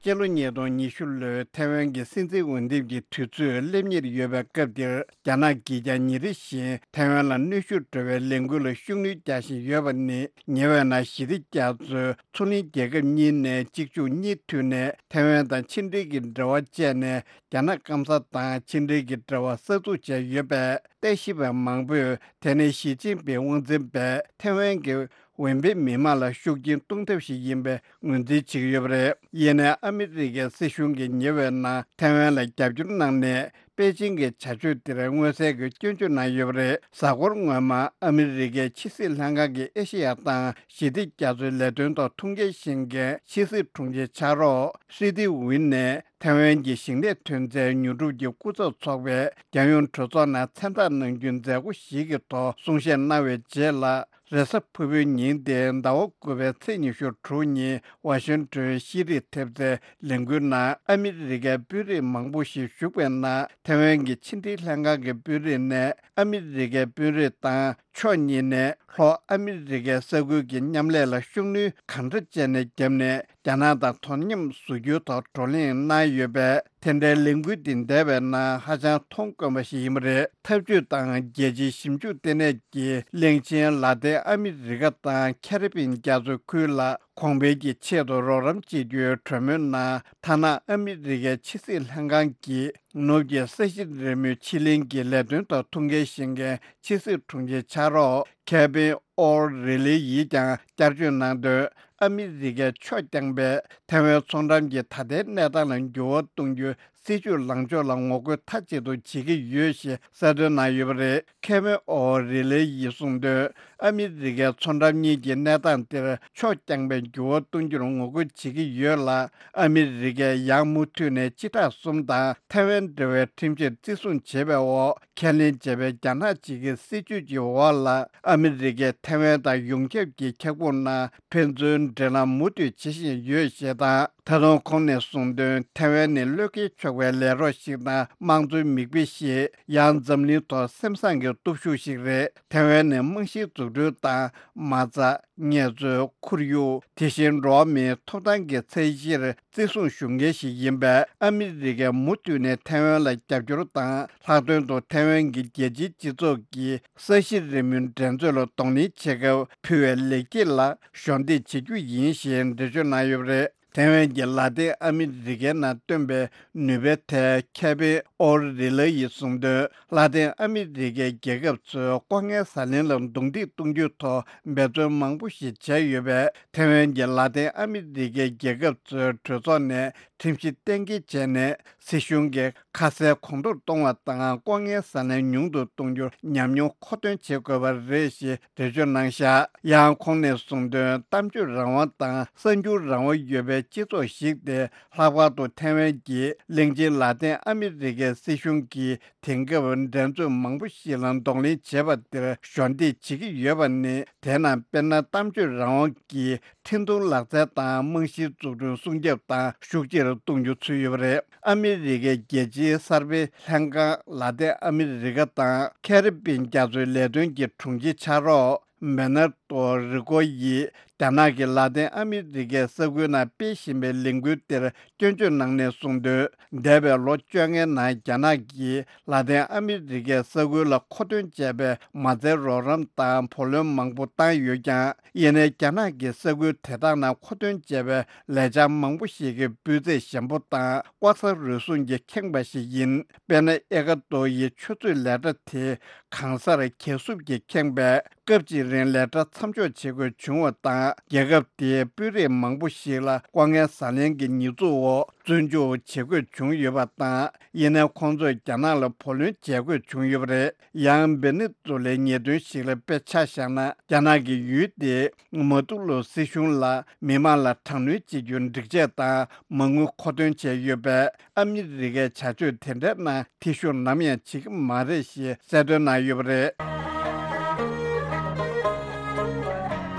སྤྱི་ལོ་ཉིས་སྟོང་ཉི་ཤུ་ལོའི་ཐའེ་ཝན་གྱི་སྲིད་འཛིན་འོས་འདེམས་ཀྱི་དུས་ཚོད་སླེབས་ཉེར་ཡོད་པའི་སྐབས་འདིར། རྒྱ་ནག་གིས་ཀྱང་ཉིན་རེ་བཞིན་ཐའེ་ཝན་ལ་གནོན་ཤུགས་འགྲོ་བའི་ལས་འགུལ་ལ་ཤུགས་སྣོན་རྒྱག་བཞིན་ཡོད་པ་ནི། ཉེ་བའི་ནང་ཞི་བདེ་རྒྱ་མཚོའི་མཚོ་གླིང་རྒྱལ་ཁབ་གཉིས་ནས་གཅིག་མཇུག་གཉིས་མཐུད་ནས་ཐའེ་ཝན་དང་ཕྱི་འབྲེལ་གྱི་འབྲེལ་བ་བཅད་ནས། རྒྱ་ནག་སྐམ་ས་དང་ཕྱི་འབྲེལ་གྱི་འབྲེལ་བ་གསར་འཛུགས་བྱས་ཡོད་པས། ལྟ་ཞིབ་པ་མང་པོས་དེ་ནི་ཞི་ཅིན་ཕིང་དབང་འཛིན་པའི་ཐའེ་ཝན་གྱི་འོས་འཕེན་མི་མང་ལ་ཤུགས་རྐྱེན་གཏོང་ཐབས་ཤིག་ཡིན་པའི་ངོས་འཛིན་བྱེད་ཀྱི་ཡོད་པ་རེད། ཡིན་ནའི་ཨ་མི་རི་ཀའི་སྲིད་གཞུང་གིས་ཉེ་བའི་ནང་ཐའེ་ཝན་ལ་རྒྱབ་སྐྱོར་གནང་ནས། པེ་ཅིང་གི་བྱ་སྤྱོད་དེར་མངོན་གསལ་གྱི་སྐྱོན་བརྗོད་གནང་ཡོད་པ་རེད། གཟའ་འཁོར་སྔོན་མ་ཨ་མི་རི་ཀའི་ཕྱི་སྲིད་ལྷན་ཁང་གི་ཨེ་ཤེ་ཡ་དང་ཞི་བདེ་རྒྱ་མཚོའི་ལས་དོན་ཐོག་ཐུགས་འགན་བཞེས་མཁན་ཕྱི་སྲིད་དྲུང་ཆེ་ཕྱག་རོགས་ཧྲི་ཏི་ཝིན་ནས། ཐའེ་ཝན་གྱི་ཞིང་ལས་ཐོན་རྫས་ཉོ་སྒྲུབ་ཀྱི་སྐུ་ཚབ་ཚོགས་པས་རྒྱལ་ཡོངས་གྲོས་ཚོགས་ནང་མཚན་རྟགས་གནང་རྒྱུའི་མཛད་སྒོ་ཞིག་གི་ཐོག་གསུང་བཤད་གནང་བའི་རྗེས་ལ། རེས་གཟའ་ཕུར་བུའི་ཉིན་ཏེ་ཟླ་བ་དགུ་པའི་ཚེས་ཉི་ཤུ་དྲུག་ཉིན་ཝ་ཤིང་ཏོན་ཤེས་རིག་ཐེབས་རྩའི་ལས་འགུལ་ནང་ཨ་མི་རི་ཀའི་དཔོན་རིགས་མང་པོ་ཞིག་ཞུགས་པའི་ནང་། ཐའེ་ཝན་གྱི་ཕྱི་འབྲེལ་ལྷན་ཁང་གི་དཔོན་རིགས་ནས་ཨ་མི་རི་ཀའི་དཔོན་རིགས་དང་ཕྱོགས་གཉིས་ནས་ལྷོ་ཨ་མི་རི་ཀའི་ས་ཁུལ་གྱི་མཉམ་ལས་ལ་ཤུགས་སྣོན་གང་འདྲ་བྱས་ནས་བརྒྱབ་ནས། རྒྱ་ནག་དང་དོ་མཉམ་བཟོ་རྒྱུའི་ཐོག་བགྲོ་གླེང་གནང་ཡོད་པས། དེ་འདྲའི་ལས་འགུལ་འདི་འདས་པའི་ནང་ཧ་ཅང་མཐོང་དཀོན་པ་ཞིག་ཡིན་པ་རེད། འཐབ་ཇུས་དང་རྒྱལ་སྤྱིའི་ཞིབ་འཇུག་ལྟེ་གནས་ཀྱི་གླིང་ཆེན་ལ་ཏིན་ཨ་མི་རི་ཀ་དང་ཁེ་རི་པིན་རྒྱ་མཚོའི་ཁུལ་ལ་གོང་འཕེལ་གྱི་ཆེད་དུ་རོགས་རམ་བྱེད་རྒྱུའི་གྲོས་མོལ་ནང་། ཐ་ན་ཨ་མི་རི་ཀའི་ཕྱི་སྲིད་ལྷན་ཁང་གིས་ནུབ་ཀྱི་ས་གཞི་རི་མོའི་ཕྱེད་གླིང་གི་ལས་དོན་ཐོག་ཐུགས་འགན་བཞེས་མཁན་ཕྱི་སྲིད་དྲུང་ཆེ་ཕྱག་རོགས་ཁེ་བིན་ཨོ་རི་ལི་ཡིས་ཀྱང་བསྐྱར་བརྗོད་གནང་དོན། ཨ་མི་རི་ཀས་ཕྱོགས་རྐྱང་པས་ཐའེ་ཝན་མཚོ་འགྲམ་གྱི་ད་ལྟའི་གནས་སྟངས་ལ་འགྱུར་བ་གཏོང་རྒྱུའི་སྲིད་ཇུས་ལངས་ཕྱོགས་ལ་ངོ་རྒོལ་མཐའ་གཅིག་ཏུ་བྱེད་ཀྱི་ཡོད་ཞེས་གསལ་སྟོན་གནང་ཡོད་པ་རེད། ཁེ་བིན་ཨོ་རི་ལི་ཡིས་གསུངས་དོན། ཨ་མི་རི་ཀས་མཚོ་འགྲམ་གཉིས་ཀྱི་གནས་སྟངས་དེར་ཕྱོགས་རྐྱང་པས་འགྱུར་བ་གཏོང་རྒྱུར་ངོ་རྒོལ་བྱེད་ཀྱི་ཡོད་ལ། ཨ་མི་རི་ཀས་ཡང་མུ་མཐུད་ནས་སྤྱི་ཟླ་གསུམ་དང་ཐའེ་ཝན་འབྲེལ་བའི་ཁྲིམས་གཞིར་བརྩི་སྲུང་བྱེད་པའི་འོག་ཁས་ལེན་བྱས་པའི་རྒྱ་ནག་གཅིག་གི་སྲིད་ཇུས་ཀྱི་འོག་ལ། ཨ་མི་རི་ཀས་ཐའེ་ཝན་དང་ཡོངས་ཁྱབ་ཀྱི་ཁྱབ་ཁོངས་ནང་ཕན་ཚུན་འབྲེལ་ལམ་མུ་མཐུད་བྱེད་བཞིན་ཡོད་ཞེས་དང་། ད་དུང་ཁོང་ནས་གསུངས་དོན། ཐའེ་ཝན་ནི་བློས་འགེལ་ཆོག་པའི་ལས་རོགས་ཤིག་དང་། དམངས་གཙོའི་མིག་དཔེ་ཞིག་ཡང་འཛམ་གླིང་ཐོག་སེམས་བཟང་གི་སྟོབས་ཤུགས་ཤིག་རེད། ཐའེ་ཝན་ནི་རྨང་གཞིའི་འཛུགས་སྐྲུན་དང་། མ་རྩ། ངལ་རྩོལ། ཁོར་ཡུག་དེ་བཞིན་འགྲོ་བ་མིའི་ཐོབ་ཐང་གི་ཚད་གཞིར་བརྩི་སྲུང་ཞུ་མཁན་ཞིག་ཡིན་པས། ཨ་མི་རི་ཀས་མུ་མཐུད་ནས་ཐའེ་ཝན་ལ་རྒྱབ་སྐྱོར་དང་། ལྷག་དོན་དུ་ཐའེ་ཝན་གྱི་རྒྱལ་སྤྱིའི་སྤྱི་ཚོགས་ཀྱིས་ས་གཞི་རི་མོའི་འགྲན་རྩོད་ལ་གདོང་ལེན་བྱེད་སྐབས་ཕུལ་བའི་ལེགས་སྐྱེས་ལ་གཞོགས་འདེགས་བྱེད་རྒྱུ་ཡིན་ཞེས་འགྲེལ་བརྗོད་གནང་ཡོད་པ་རེད། ཐའེ་ཝན་གྱིས་ལ་ཏིན་ཨ་མི་རི་ཀའི་ནང་བཏོན་པའི་ནུས་པའི་ཐད་ཁེ་བིན་ཨོ་རི་ལི་ཡིས་གསུངས་དོན། ལ་ཏིན་ཨ་མི་རི་ཀའི་རྒྱལ་ཁབ་ཚོས་ལྐོག་རྔན་ཟ་ལེན་ལ་རྡུང་རྡེག་གཏོང་རྒྱུའི་ཐོག་འབད་བརྩོན་མང་པོ་ཞིག་བྱས་ཡོད་པས། ཐའེ་ཝན་གྱིས་ལ་ཏིན་ཨ་མི་རི་ཀའི་རྒྱལ་ཁབ་ཚོའི་གྲོས་ཚོགས་ནས་ཁྲིམས་གཞི་གཏན་འཁེལ་བྱས་ནས། སྲིད་གཞུང་གིས་ཁ་གསལ་གོང་མཐོར་གཏོང་བ་དང་། ལྐོག་རྔན་ཟ་ལེན་ཉུང་དུ་གཏོང་རྒྱུར་ཉམས་མྱོང་མཁོ་འདོན་བྱེད་དགོས་པ་རེད་ཞེས་འགྲེལ་བརྗོད་གནང་བཞག་ཡང་ཁོང་ནས་གསུངས་དོན། གཏམ་བརྗོད་རང་དབང་དང་གསར་འགྱུར་རང་དབང་ཡོད་པའི་སྤྱི་ཚོགས་ཤིག་སྟེ། ལྷག་པར་དུ་ཐའེ་ཝན་གྱིས་གླིང་ཆེན་ལ་ཏིན་ཨ་མི་རི་ཀའི་སྲིད་གཞུང་གིས་དེང་སྐབས་འགྲན་རྩོད་མང་པོ་ཞིག་ལ་གདོང་ལེན་བྱེད་པ་དེར་གཞོགས་འདེགས་བྱེད་ཀྱི་ཡོད་པ་ནི། དེ་ནང་དཔེར་ན། གཏམ་བརྗོད་རང་དབང་གིས་འཕྲིན་ཐུང་ལག་རྩལ་དང་རྨང་གཞིའི་འཛུགས་སྐྲུན་སྲུང་སྐྱོབ་དང་ཤུགས་ཆེར་ གཏོང་རྒྱུ་ཚུད་ཡོད་པ་རེད། ཨ་མི་རི་ཀའི་རྒྱལ་སྤྱིའི་གསར་སྤེལ་ལྷན་ཁང་ལ་ཏིན་ཨ་མི་རི་ཀ་དང་ཁེ་རི་པིན་རྒྱ་མཚོའི་ལས་དོན་གྱི་དྲུང་ཆེ་ཕྱག་རོགས་མེ་ནར་ཏོ་རི་ཀོ་ཡིས་རྒྱ་ནག་གིས་ལ་ཏིན་ཨ་མི་རི་ཀའི་ས་ཁུལ་ནང་སྤེལ་བཞིན་པའི་ལས་འགུལ་དེར་སྐྱོན་བརྗོད་གནང་ནས་གསུངས་དོན། འདས་པའི་ལོ་བཅོ་ལྔའི་ནང་རྒྱ་ནག་གིས་ལ་ཏིན་ཨ་མི་རི་ཀའི་ས་ཁུལ་ལ་མཁོ་འདོན་བྱས་པའི་མ་རྩའི་རོགས་རམ་དང་བུ་ལོན་མང་པོ་བཏང་ཡོད་ཀྱང་། ཡིན་ནའི་རྒྱ་ནག་གིས་ས་ཁུལ་དེ་དག་ནང་མཁོ་འདོན་བྱས་པའི་ལས་འཆར་མང་པོ་ཞིག་གི་སྤུས་ཚད་ཞན་པོ་དང་ལྐོག་ཟ་རུལ་སུངས་ཀྱིས་ཁེངས་པ་ཞིག་ཡིན། དཔེར་ན། ཨེ་ཀ་ཏོ་ཡི་ཆུ་མཛོད་ལས་གྲྭ་དེ་གང་སར་གས་སྲུབས་ཀྱིས་ཁེངས་པས། སྐབས་གཅིག་རིང་ལས་གྲྭ་མཚམས་འཇོག་བྱེད་དགོས་བྱུང་བ་དང་། རྒྱལ་ཁབ་དེའི་དཔོན་རིགས་མང་པོ་ཞིག་ལ་ལྐོག་རྔན་ཟ་ལེན་གྱི་ཉེས་འཛུགས་འོག་བཙོན་འཇུག་བྱེད་དགོས་བྱུང་ཡོད་པ་དང་། ཡིན་ནའི་ཁོང་ཚོས་རྒྱ་ནག་ལ་བུ་ལོན་འཇལ་དགོས་བྱུང་ཡོད་པ་རེད། ཡང་། ཝེ་ནེ་ཛུ་ལའི་ཉེས་དོན་ཞིག་ལ་དཔེ་ཆ་བཞག་ན། རྒྱ་ནག་གི་ཡུལ་དེའི་མ་ཏུ་ལོ་སྲིད་གཞུང་ལ་མི་མང་ལ་དྲག་གནོན་བྱེད་རྒྱུའི་སྒྲིག་ཆས་དང་མ་དངུལ་མཁོ་འདོན་བྱས་ཡོད་པས། ཨ་མི་རི་ཀའི་བྱ་སྤྱོད་དེ་འདྲའི་ནང་ཐེ་ཞུགས་ནམ་ཡང་བྱེད་ཀྱི་མ་རེད་ཞེས་གསལ་སྟོན་གནང་ཡོད་པ་རེད།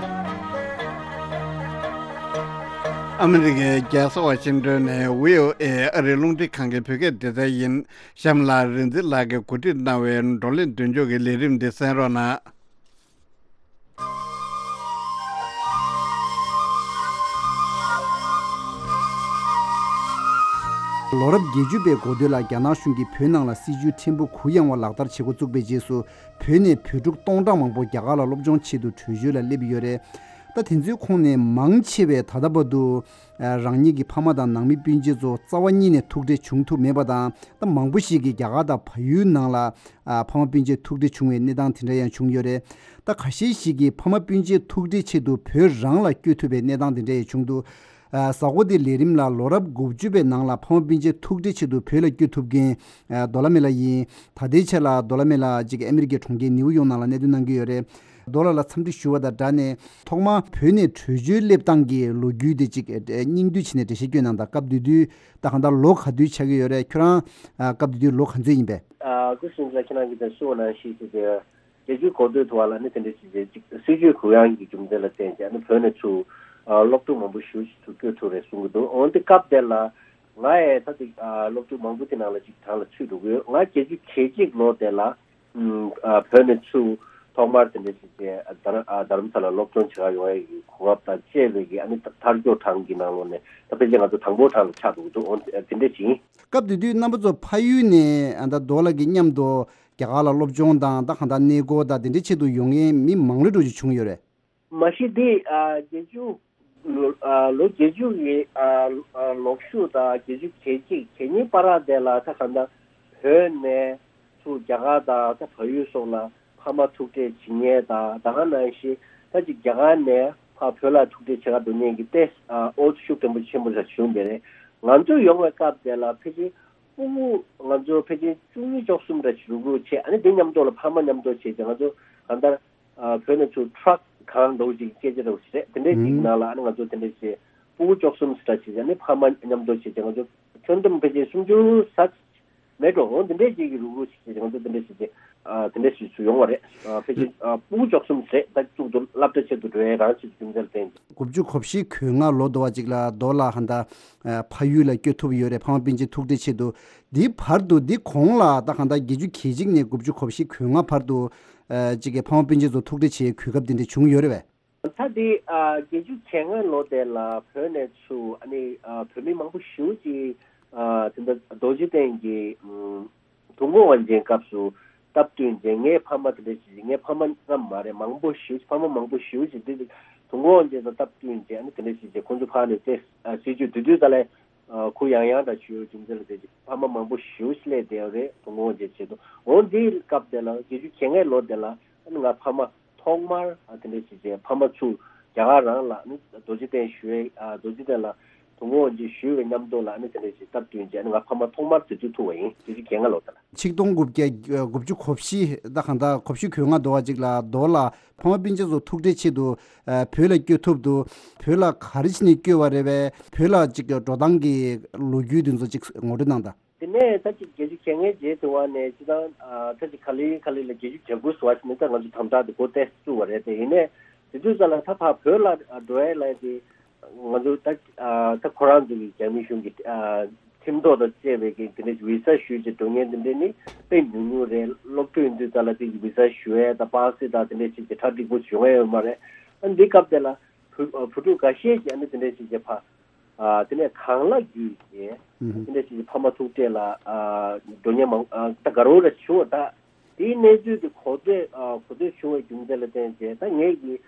ཨ་མི་རི་ཀའི་རྒྱལ་ས་ཝ་ཤིང་ཏོན་ནས་བྷི་ཨོ་ཨེ་ཨ་རིའི་རླུང་འཕྲིན་ཁང་གི་བོད་སྐད་སྡེ་ཚན་ཡིན། གཤམ་ལ་རིག་འཛིན་ལགས་ཀྱིས་གོ་སྒྲིག་གནང་བའི་བགྲོ་གླེང་མདུན་ལྕོག་གི་ལས་རིམ་འདི་གསན་རོགས་གནང་། ལོ་རབས་བརྒྱད་ཅུ་པའི་འགོ་སྟོད་ལ་རྒྱ་ནག་གཞུང་གིས་བོད་ནང་ལ་སྲིད་ཇུས་ཕྲན་བུ་གུ་ཡངས་པ་ལག་བསྟར་བྱེད་འགོ་བཙུགས་པའི་རྗེས་སུ། བོད་ནས་བོད་ཕྲུག་སྟོང་ཕྲག་མང་པོ་རྒྱ་གར་ལ་སློབ་སྦྱོང་ཆེད་དུ་བྲོས་བྱོལ་ལ་སླེབས་ཡོད་རེད། ད་དེ་ཚོའི་ཁོངས་ནས་མང་ཆེ་བས་ད་ལྟ་བར་དུ། ཨ། རང་ཉིད་ཀྱི་ཕ་མ་དང་ནང་མི་སྤུན་མཆེད་ཚོ་རྩ་བ་ཉིད་ནས་ཐུག་འཕྲད་བྱུང་ཐུབ་མེད་པ་དང་། ད་མང་པོ་ཞིག་གིས་རྒྱ་གར་དང་བལ་ཡུལ་ནང་ལ། ཨ། ཕ་མ་སྤུན་མཆེད་ཐུག་འཕྲད་བྱུང་བའི་གནས་སྟངས་དེ་འདྲ་ཡང་བྱུང་ཡོད་རེད། ད་ཁ་ཤས་ཤིག་གིས་ཕ་མ་སྤུན་མཆེད་ཐུག་འཕྲད་ཆེད་དུ་བོད་རང་ལ་བསྐྱོད་ཐུབ་པའི་གནས་སྟངས་དེ་འདྲ་ཡང་བྱུང་འདུག་ཨ། གཟའ་འཁོར་འདིའི་ལས་རིམ་ལ་ལོ་རབས་དགུ་བཅུ་པའི་ནང་ལ་ཕ་མ་སྤུན་མཆེད་ཐུག་འཕྲད་ཆེད་དུ་བོད་ལ་བསྐྱོད་ཐུབ་མཁན། ཨ། རྡོ་ལ་མེ་ལགས་ཡིན། ད་ལྟའི་ཆར་ལ་རྡོ་ལ་མེ་ལགས་གཅིག་ཨ་མི་རི་ཀའི་གྲོང་ཁྱེར་ནིའུ་ཡོག་ནང་ལ་གནས་སྡོད་གནང་གི་ཡོད་རེད། རྡོ་ལགས་ལ་འཚམས་འདྲི་ཞུ་བ་དང་སྦྲགས་ནས། ཐོག་མར་བོད་ནས་བྲོས་བྱོལ་སླེབས་སྟངས་ཀྱི་ལོ་རྒྱུས་དེ་གཅིག་ཨ། སྙིང་བསྡུས་བྱས་ནས་འགྲེལ་བཤད་སྐྱོན་གནང་དང་། སྐབས་དེ་དུས་ད་གང་ལྟར་ལོ་ག་དུས་ཆགས་ཀྱི་ཡོད་རེད། ཁྱོད་རང་། ཨ། སྐབས་དེ་དུས་ལོ་ག་ཚོད་ཡིན་པས། ཨ། སྐུ་ཞབས་ལགས་ཁྱེད་རང་གིས་ད་གསུངས་པ་ནང་བཞིན་ཞིག་དེ། བརྒྱད་ཅུའི་འགོ་སྟོད་དུ་བ་ལ་ནི་དེ་འདྲ་ཞིག་རེད། གཅིག་སྲིད་ཇུས་གུ་ཡངས་ཀྱི་རྒྱུ་མཚན་ལ་བརྟེན་བྱས་ནི་བོད་ནས་ཚུར་ཨ་སློབ་ཕྲུག་མང་པོ་ཞེ་པོ་ཞིག་ཚུར་བསྐྱོད་ཐུབ་རེད་གསུང་གི་འདུག་འོན་ཏེ་སྐབས་དེ་ལ་ང་ཡང་ད་ཅིག་ཨ་སློབ་ཕྲུག་མང་པོ་དེ་ནང་ལ་ཅིག་གྲངས་ལ་ཚུད་འགྲོ་གི་ཡོད། ང་བརྒྱད་ཅུ་གྱ་གཅིག་ལོ་དེ་ལ་ཨ་བོད་ནས་ཚུར་ཐོག་མར་དེ་འདྲ་ཞིག་བྱས་ཨ་རྡ་རམ་ས་ལ་སློབ་སྦྱོང་བྱེད་ག་ཡོང་ཡས་ཀྱི་གོ་སྐབས་དང་བཅས་པའི་གི་ཨ་ནི་ཐར་ཀྱོག་གྲངས་ཀྱི་ནང་ལོགས་ནས་ད་ཕལ་ཆེར་ང་ཚོ་དང་པོ་གྲངས་ལ་ཆགས་འགྲོ་གི་འདུག་འོན་ཏེ་དེ་འདྲ་ཞིག་ཡིན། སྐབས་དེ་དུས་རྣམ་པ་ཚོ་ཕ་ཡུལ་ནས་ཨ་ད་རྡོ་ལགས་ཀྱི་མཉམ་དུ། རྒྱ་གར་ལ་སློབ་སྦྱོང་དང་ད་གང་ལྟར་གནས་སྐོར་དང་དེ་འདྲའི་ཆེད་དུ་ཡོང་མཁན་མི་མང་རབས་འགྲོ་ཅིག་བྱུང་ཡོད་རེད། མ་གཞི་འདི་ཨ་བརྒྱད་ཅུ་ལོ་ཨ་ལོ་བརྒྱད་ཅུ་གི་ཨ་ཨ་ལོག་ཤུགས་དང་བརྒྱད་ཅུ་གྱ་གཅིག་གྱ་གཉིས་བར་དེ་ལ་ད་གང་ལྟར་བོད་ནས་ཚུར་རྒྱ་གར་དང་ད་བལ་ཡུལ་སོགས་ལ་ཕ་མ་ཐུག་འཕྲད་བྱེད་མཁན་དང་ད་ག་ནང་བཞིན་ད་ཅིག་རྒྱ་གར་ནས་ཕར་བོད་ལ་ཐུག་འཕྲད་བྱེད་ག་འགྲོ་མཁན་གྱི་ཏེ་ཨ་ཨོ་ཤུགས་ཆེན་པོ་ཆེན་པོ་ཞིག་བྱུང་བསྡད་རེད། ང་ཚོ་ཡོང་བའི་སྐབས་དེ་ལ་ཕལ་ཆེར། ཕྲུ་གུ་ང་ཚོ་ཕལ་ཆེར་བཅུ་གཉིས་བཅུ་གསུམ་འདྲ་ཞིག་རུག་རུག་བྱས། ཨ་ནི་དེ་མཉམ་དུ་ལ་ཕ་མ་མཉམ་དུ་བྱས་ཏེ་ང་ཚོ་གང་ལྟར་ཨ་བོད་ནས་ཚུར་ཊྲག་གང་འདྲ་བོ་ཅིག་སྐད་ཆ་འདྲ་བོ་ཞིག་རེད། དེ་འདྲའི་ཅིག་ཨུ་ནང་ལ་ཨ་ནི་ང་ཚོ་དེ་འདྲ་བྱས་ཕྲུ་གུ་བཅུ་གསུམ་འདྲ་ཞིག་ཨ་ནི་ཕ་མ་མཉམ་དུ་བྱས་ཏེ་ང་ཚོ་ཁྱོན་བསྡོམས་ཕལ་ཆེར་སུམ་ཅུ་ཟ་མེད་འགྲོ། འོ་དེ་འདྲའི་ཅིག་གི་རུག་རུག་ཞིག་བྱས་ཏེ་ང་ཚོ་དེ་འདྲ་ཞིག་བྱས་ཨ་དེ་འདྲ་ཞིག་ཚུར་ཡོང་བ་རེད། ཨ་ཕལ་ཆེར་ཨ་ཕྲུ་གུ་བཅུ་གསུམ་རེད། ད་གཙུག་ཏུ་སློབ་གྲྭ་ཆེད་དུ་འགྲོ་ཡས་རང་ཆེད་དུ་རྒྱུ་མཚན་ལ་བརྟེན་ཏེ། དགུ་བཅུ་གོ་བཞི་གོ་ལྔ་ལོ་དུ་བ་ཅིག་ལ་རྡོ་ལགས་ཧན་ད་ཕ་ཡུལ་ལ་བསྐྱོད་ཐུབ་ཡོད་རེད། ཕ་མ་སྤུན་མཆེད་ཐུག་འཕྲད་ཆེད་དུ། འདིའི་བར་དུ་འདི་གོང་ལ་ད་གང་ལྟར་བརྒྱད་ཅུ་གྱ་གཅིག་ནས་དགུ་བཅུ་གོ་བཞི་གོ་ལྔ་བར་དུ་ཨ་ཅིག་གི་ཕ་མ་སྤུན་མཆེད་ཚོ་ཐུག་འཕྲད་བྱེད་གོ་སྐབས་འདི་འདྲ་བྱུང་ཡོད་རེད་པས། ད་འདི་ཨ་བརྒྱད་ཅུ་གྱ་ལྔ་ལོ་དེ་ལ་བོད་ནས་ཚུར་ཨ་ནི་ཨ་བོད་མི་མང་པོ་ཞེ་པོ་ཅིག་ཨ་དེ་འདྲ་རྡོ་རྗེ་གདན་གྱི་ཨམ་དུས་འཁོར་དབང་ཆེན་སྐབས་སུ་སྟབས་བསྟུན་བྱས། ངའི་ཕ་མ་དེ་འདྲ་ཞིག་ངའི་ཕ་མ་ལྔ་མ་རེད། མང་པོ་ཞེ་པོ་ཅིག་ཕ་མ་མང་པོ་ཞེ་པོ་ཅིག་འདི་དུས་འཁོར་དབང་ཆེན་དང་སྟབས་བསྟུན་བྱས་ཨ་ནི་དེ་འདྲ་ཞིག་བྱས་ཁོང་ཚོ་ཕར་ནས་ཏེ་ཨ་སྲིད་ཇུས་དེ་དུས་ད་ལས། ཨ་གུ་ཡངས་ཡངས་འདྲ་ཞུ་རྒྱུ་མཚན་ལ་བརྟེན་ཅིང་ཕ་མ་མང་པོ་ཞེ་པོ་ཞིག་སླེབས་བསྡད་ཡོད་རེད། དུས་འཁོར་དབང་ཆེན་ཆེད་དུ། འོ་འདིའི་སྐབས་དེ་ལ་བརྒྱད་ཅུ་གྱ་ལྔའི་ལོ་དེ་ལ་ཨ་ནི་ང་ཕ་མ་ཐོག་མར་ཨ་དེ་འདྲ་ཞིག་བྱས་ཕ་མ་ཚུར་རྒྱ་གར་རང་ལ་ཨ་ནི་རྡོ་རྗེ་གདན་ཞུ་བའི་ཨ་རྡོ་རྗེ་གདན་ལ་དུས་འཁོར་དབང་ཆེན་ཞུ་བའི་མཉམ་དུ་ལ་ཨ་ནི་དེ་འདྲ་ཞིག་སྟབས་བསྟུན་བྱས་ཨ་ནི་ང་ཕ་མ་ཐོག་མར་དེ་དུས་ཐུག་པ་ཡིན། བརྒྱད་ཅུ་གྱ་ལྔ་ལོ་དེ་ལ། ཆིག་སྟོང་དགུ་བརྒྱ་དགུ་བཅུ་གོ་བཞི་ད་གང་ལྟར་གོ་བཞི་གོ་ལྔ་དུ་བ་ཅིག་ལ་རྡོ་ལ་ཕ་མ་སྤུན་མཆེད་ཚོ་ཐུག་འཕྲད་ཆེད་དུ་ཨ་བོད་ལ་བསྐྱོད་ཐུབ་འདུག་བོད་ལ་ག་རེ་བྱས་ནས་བསྐྱོད་པ་རེད་པས། བོད་ལ་ཅིག་འགྲོ་སྟངས་ཀྱི་ལོ་རྒྱུས་དེ་ཚོ་ཅིག་ངོ་སྤྲོད་གནང་དང་། དེ་ནས་ད་ཅིག་བརྒྱད་ཅུ་གྱ་ལྔའི་རྗེས་དུ་བ་ནས་སྤྱི་བཏང་ཨ་ད་ཅིག་ག་ལེ་ག་ལེ་ལ་བརྒྱད་ཅུ་གྱ་དགུ་ཟེར་བ་ཞིག་ནས་ད་ང་ཚོ་དམ་དྲག་དེ་འགོ་ཏོག་ཙམ་བཙུགས་པ་རེད། དེ་ཡིན་ནའི་དེ་དུས་ཙམ་ལ་ད་ཕར་བོད་ལ་འགྲོ་ཡས་ལ་དེ་ ང་ཚོ་ད་ཨ་ད་ཁོ་རང་ཚོ་གི་རྒྱ་མི་གཞུང་གི་ཨ་ཁྲིམས་ཐོག་དང་བཅས་པའི་གི་དེ་འདྲའི་བི་ས་ཞུས་བྱས་འགྲོ་མཁན་དེ་འདྲ་ནི་དཔེ་ཉུང་ཉུང་རེད། སློབ་ཕྲུག་ཡིན་དུས་ཙ་ལ་དེ་གི་བི་ས་ཞུ་ཡས་དང་པ་སེ་དང་དེ་འདྲ་བྱས་བྱས་གྲ་སྒྲིག་པོ་བྱུང་ཡས་ཡོད་མ་རེད། ཨ་འདི་སྐབས་དེ་ལ་བུ་ཨ་བུ་ཕྲུག་འགའ་ཤས་ཀྱིས་ཨ་ནི་དེ་འདྲ་བྱས་བྱས་ཕ་ཨ་དེ་ནས་གང་ལ་བརྒྱུད་བྱས་ཨ་ནི་དེ་འདྲ་བྱས་བྱས་ཕ་མ་ཐུག་འཕྲད་ལ་ཨ་འགྲོ་མཁན་མང་ཨ་ད་དགའ་རབ་ར་བྱུང་བ་ད། དེའི་གནས་ཚུལ་དེ་གོ་ཐོས་ཨ་གོ་ཐོས་བྱུང་བའི་རྒྱུ་མཚན་ལ་བརྟེན་བྱས་ད་ངས་ཀྱིས་